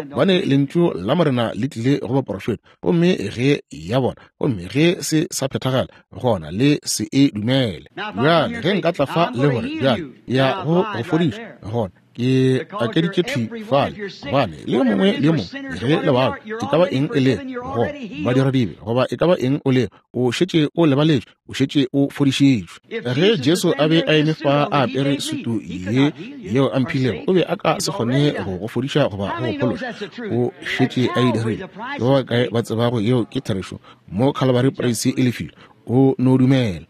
gobane lentšu la Morena le tlile go baporofeta, gomme ge ya bona, gomme ge se sa phethagala, gona le se e dumele. Bjale ge nka tla fa le gore bjale ya go go fodiša, gona ke akeditše thwi fale, gobane le yo mongwe le yo mongwe ge le bao, e ka ba eng e le go badiradibe goba e ka ba eng o le, o šetše o lebaletšwe, o šetše o fodišitšwe. Ge Jesu a be a eme fa a apere sutu ye yeo a mphilego, o be a ka se kgone go go fodiša goba go go phološa. O šetše a e dirile. Ke ba bakae ba tsebago yeo ke therešo? Mo Calvary price e lefile. O no dumela.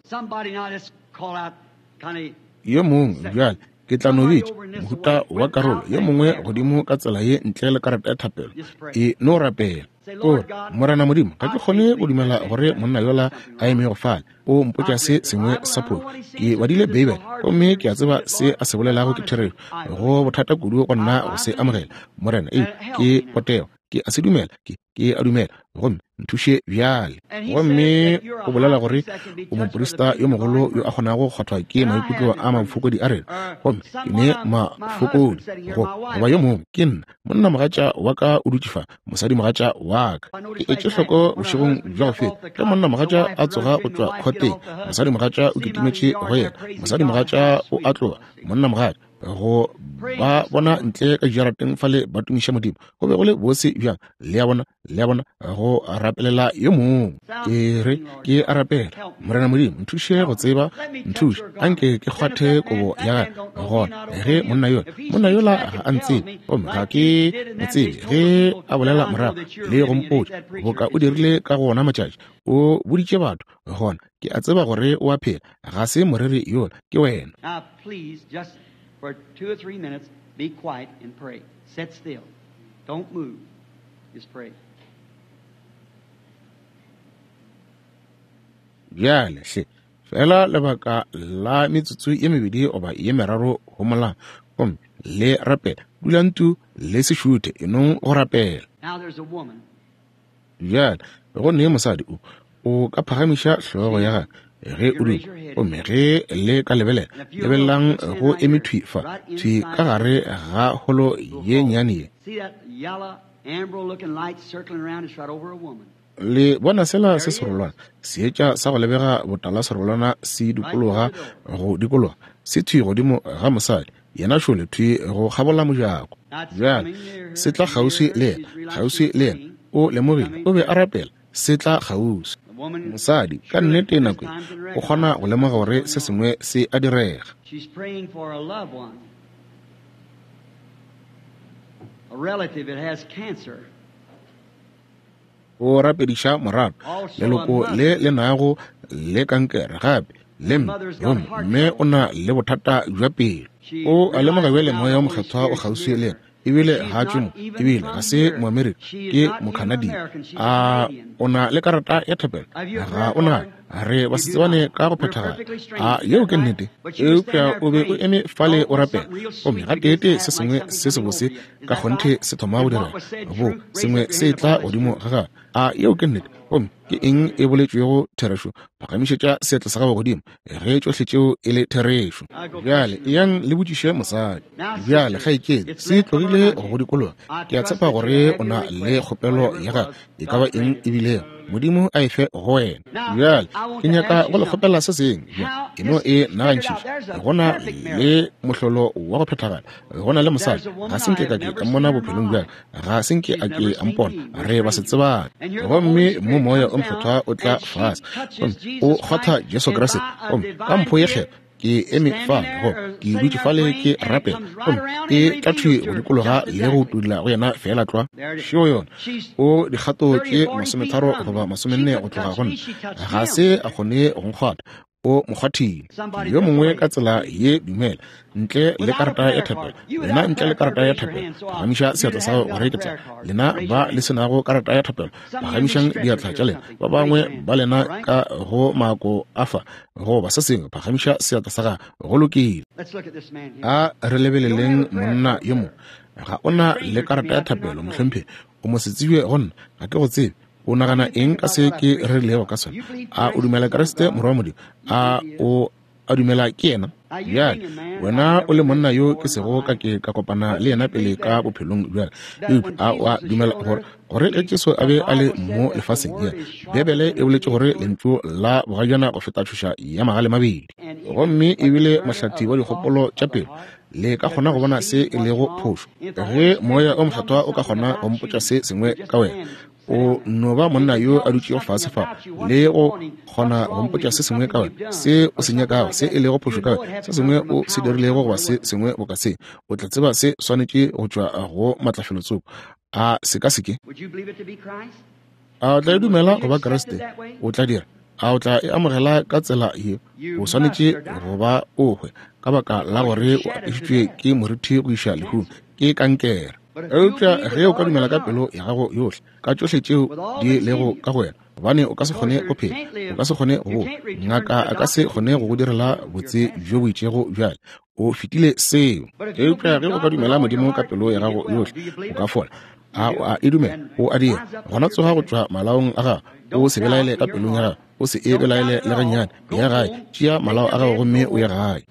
Yo mongwe bjale, ke tla no bitša mohuta wa karolo yo mongwe godimo ka tsela ye ntle le karata ya thapelo. E no rapela. O re, Morena Modimo, ga ke kgone go dumela gore monna yola a emego fale o mpotša se sengwe sa phošo. Ke badile Beibele gomme ke a tseba se a se bolelago ke therešo. Go bothata kudu go nna go se amogela, Morena. Ee, ke potego. Ke a se dumela. Ke a dumela. Gomme nthuše bjale. Gomme o bolela gore o moprista yo mogolo yo a kgonago go kgwathwa ke maikutlo a mafokodi a rena. Gomme ke ne mafokodi goba yo mongwe ke nna. Monna mogatša wa ka o dutše fa, mosadi mogatša wa ka. Ke etše hloko bošegong bja go feta ge monna mogatša a tsoga go tšwa khoteng, mosadi mogatša o kitimetše go yena, mosadi mogatša o a tloga, monna mogatša go ba bona ntle ka dijarateng fale ba tumiša Modimo. Go be go le bose bjang, le a bona, le a bona, go rapelela yo mongwe. Ke re ke a rapela, Morena Modimo, nthuše go tseba, nthuše, anke ke kgwathe kobo ya gagwe. Gona ge monna yola, monna yola ga a ntsebe, gomme ga ke mo tsebe, ge a bolela morago le go mpotša boka o dirile ka go ona matšatši, o boditše batho, gona ke a tseba gore o a phela, ga se moreri yola, ke wena. Now, please, just for 2 or 3 minutes, be quiet and pray. Sit still. Don't move. Just pray. Bjale hle, fela lebaka la metsotso ye mebedi goba ye meraro homolang, gomme le rapela. Dulang tu, le se šuthe, enong go rapela. Now there's a woman. Bjale go ne mosadi o ka phagamiša hlogo ya gagwe ge o duma, gomme ge le ka lebelela, lebelelang go eme thwi fa, thwi ka gare ga holo ye nnyane ye. See that yellow, amber-looking light circling around? It's right over a woman. Le bona sela se serolwana, seetša sa go lebega botala serolwana se dikologa go dikologa, se thwi godimo ga mosadi, yena šole thwi go kgabola mojako. Bjale se tla kgauswi le yena, kgauswi le yena. O lemogile o be a rapela, se tla kgauswi. Mosadi ka nnete nako ye o kgona go lemoga gore se sengwe se a direga. She's praying for a loved one, a relative that has cancer. O rapediša morato, leloko le le nago le kankere, gape le mme, gomme mme o na le bothata bja pelo. O a lemoga bjale Moya wo Mokgethwa o kgauswi le yena. Ebile ga a tšwe mo, ebile ga se Moamerika, ke Mocanadian. A o na le karata ya thapelo? Ga o nayo. Re ba se tsebane ka go phethagala. A yeo ke nnete? Eupša o be o eme fale o rapela, gomme gateetee se sengwe se sebose ka kgonthe se thoma go direga, bo sengwe se etla godimo ga gago. A yeo ke nnete? Gomme ke eng e boletšwego therešo? Phagamišetša seatla sa gago godimo ge tšohle tšeo e le therešo. Bjale eyang le botšiše mosadi. Bjale kgaetšedi, se tlogile go dikologa. Ke a tshepa gore o na le kgopelo ya gago, e ka ba eng e bilego, Modimo a e fe go wena. Bjale ke nyaka go le kgopela se sengwe. Bjale ke no e nagantšhiša. Go na le mohlolo wa go phethagala. Go na le mosadi, ga se nke ka ke ka mmona bophelong bja ka, ga se nke a ke a mpona, re ba se tsebane. Gomme mo Moya o Mokgethwa o tla fase gomme o kgwatha Jesu Kriste, gomme ka mpho ye kgethwa ke eme fale, go ke dutše fale ke rapela, gomme e tla thwi go dikologa le go tudula go yena feela tlwa. Šeo yona, o dikgato tše 30 goba 40 go tloga go nna, ga se a kgone go nkgwatha, o mo kgwathile. Yo mongwe ka tsela ye, dumela, ntle le karata ya thapelo, lena ntle le karata ya thapelo, phagamiša seatla sa gago gore ke tla. Lena ba le se nago karata ya thapelo, phagamišang diatla tša lena. Ba bangwe ba lena ka go maako a fa goba se sengwe, phagamiša seatla sa gago. Go lokile. A re lebeleleng monna yo mongwe. Ga o na le karata ya thapelo, mohlomphegi. O mo se tsebje go nna, ga ke go tsebe. O nagana eng ka se ke rerilego ka sona? A o dumela Kriste Morwa wa Modimo? A o a dumela ke yena? Bjale wena o le monna yo ke sego ka ke ka kopana le yena pele ka bophelong bjale, eupša a o a dumela gore gore ge Jesu a be a le mo lefaseng ye, Bibele e boletše gore lentšu la bogajana go feta tšhoša ya magale mabedi, gomme ebile mohlathi wa dikgopolo tša pelo, le ka kgona go bona se e lego phošo. Ge Moya o Mokgethwa o ka kgona go mpotša se sengwe ka wena, o no ba monna yo a dutšego fase fa le go kgona go mpotša se sengwe ka wena, se o se nyakago, se e lego phošo ka wena, se sengwe o se dirilego goba se sengwe boka se, o tla tseba se swanetše go tšwa go matlafelotsoko. A se ka se ke? A o tla e dumela go ba Kriste? O tla dira. A o tla e amogela ka tsela ye? O swanetše go ba o hwe ka baka la gore o apešitšwe ke morithi go iša lehung, ke kankere. Eupša ge o ka dumela ka pelo ya gago yohle, ka tšohle tšeo di lego ka go wena, gobane o ka se kgone go phela, o ka se kgone go boa, ngaka a ka se kgone go go direla botse bjo bo itšego bjale, o fetile seo. Eupša ge o ka dumela Modimo ka pelo ya gago yohle, o ka fola. A o a e dumela? O a dira. Gona tsoga go tšwa malaong a gago, o se belaele ka pelong ya gago, o se e belaele le gannyane. Ya gae, tšea malao a gago gomme o ye gae.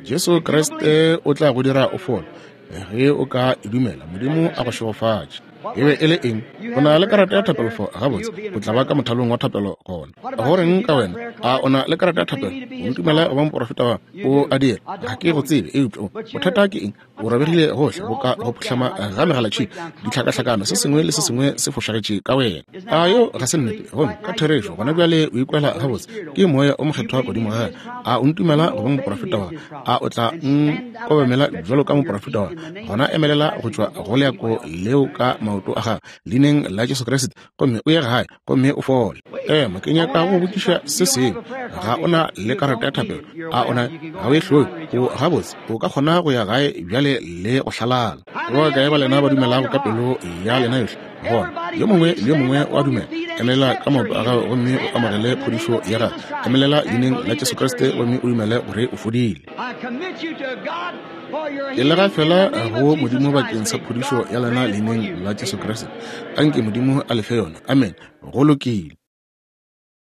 Jesu Kriste o tla go dira o fole ge o ka e dumela. Modimo a go šegofatše. E be e le eng? O na le karata ya thapelo fo? Gabotse, o tla ba ka mothalong wa thapelo gona. Go reng ka wena? A o na le karata ya thapelo? O ntumela go ba moporofeta wa? O a dira. Ga ke go tsebe, eupša o bothata ke eng? O robegile gohle boka go phuhlama ga megalatšhika, ditlhakahlakano, se sengwe le se sengwe se fošagetše ka wena. A yo ga se nnete? Gomme ka therešo gona bjale o ikwela gabotse, ke Moya o Mokgethwa godimo ga gago. A o ntumela go ba moporofeta wa? A o tla nkobamela bjalo ka moporofeta wa? Gona emelela go tšwa go leako leo ka maoto a gago, leineng la Jesu Kriste, gomme o ye gae gomme o fole. Ema, ke nyaka go botšiša se sengwe. Ga o na le karata ya thapelo? A o na? Ga o e hloke. O gabotse, o ka kgona go ya gae bjale le go hlalala. Ba bakae ba lena ba dumelago ka pelo ya lena yohle? Gona yo mongwe le yo mongwe o a dumela. Emelela ka maoto a gago gomme o amogele phodišo ya gago. Emelela leineng la Jesu Kriste gomme o dumele gore o fodile. Ke le gafela go Modimo bakeng sa phodišo ya lena leineng la Jesu Kriste. Anke Modimo a le fe yona. Amen. Go lokile.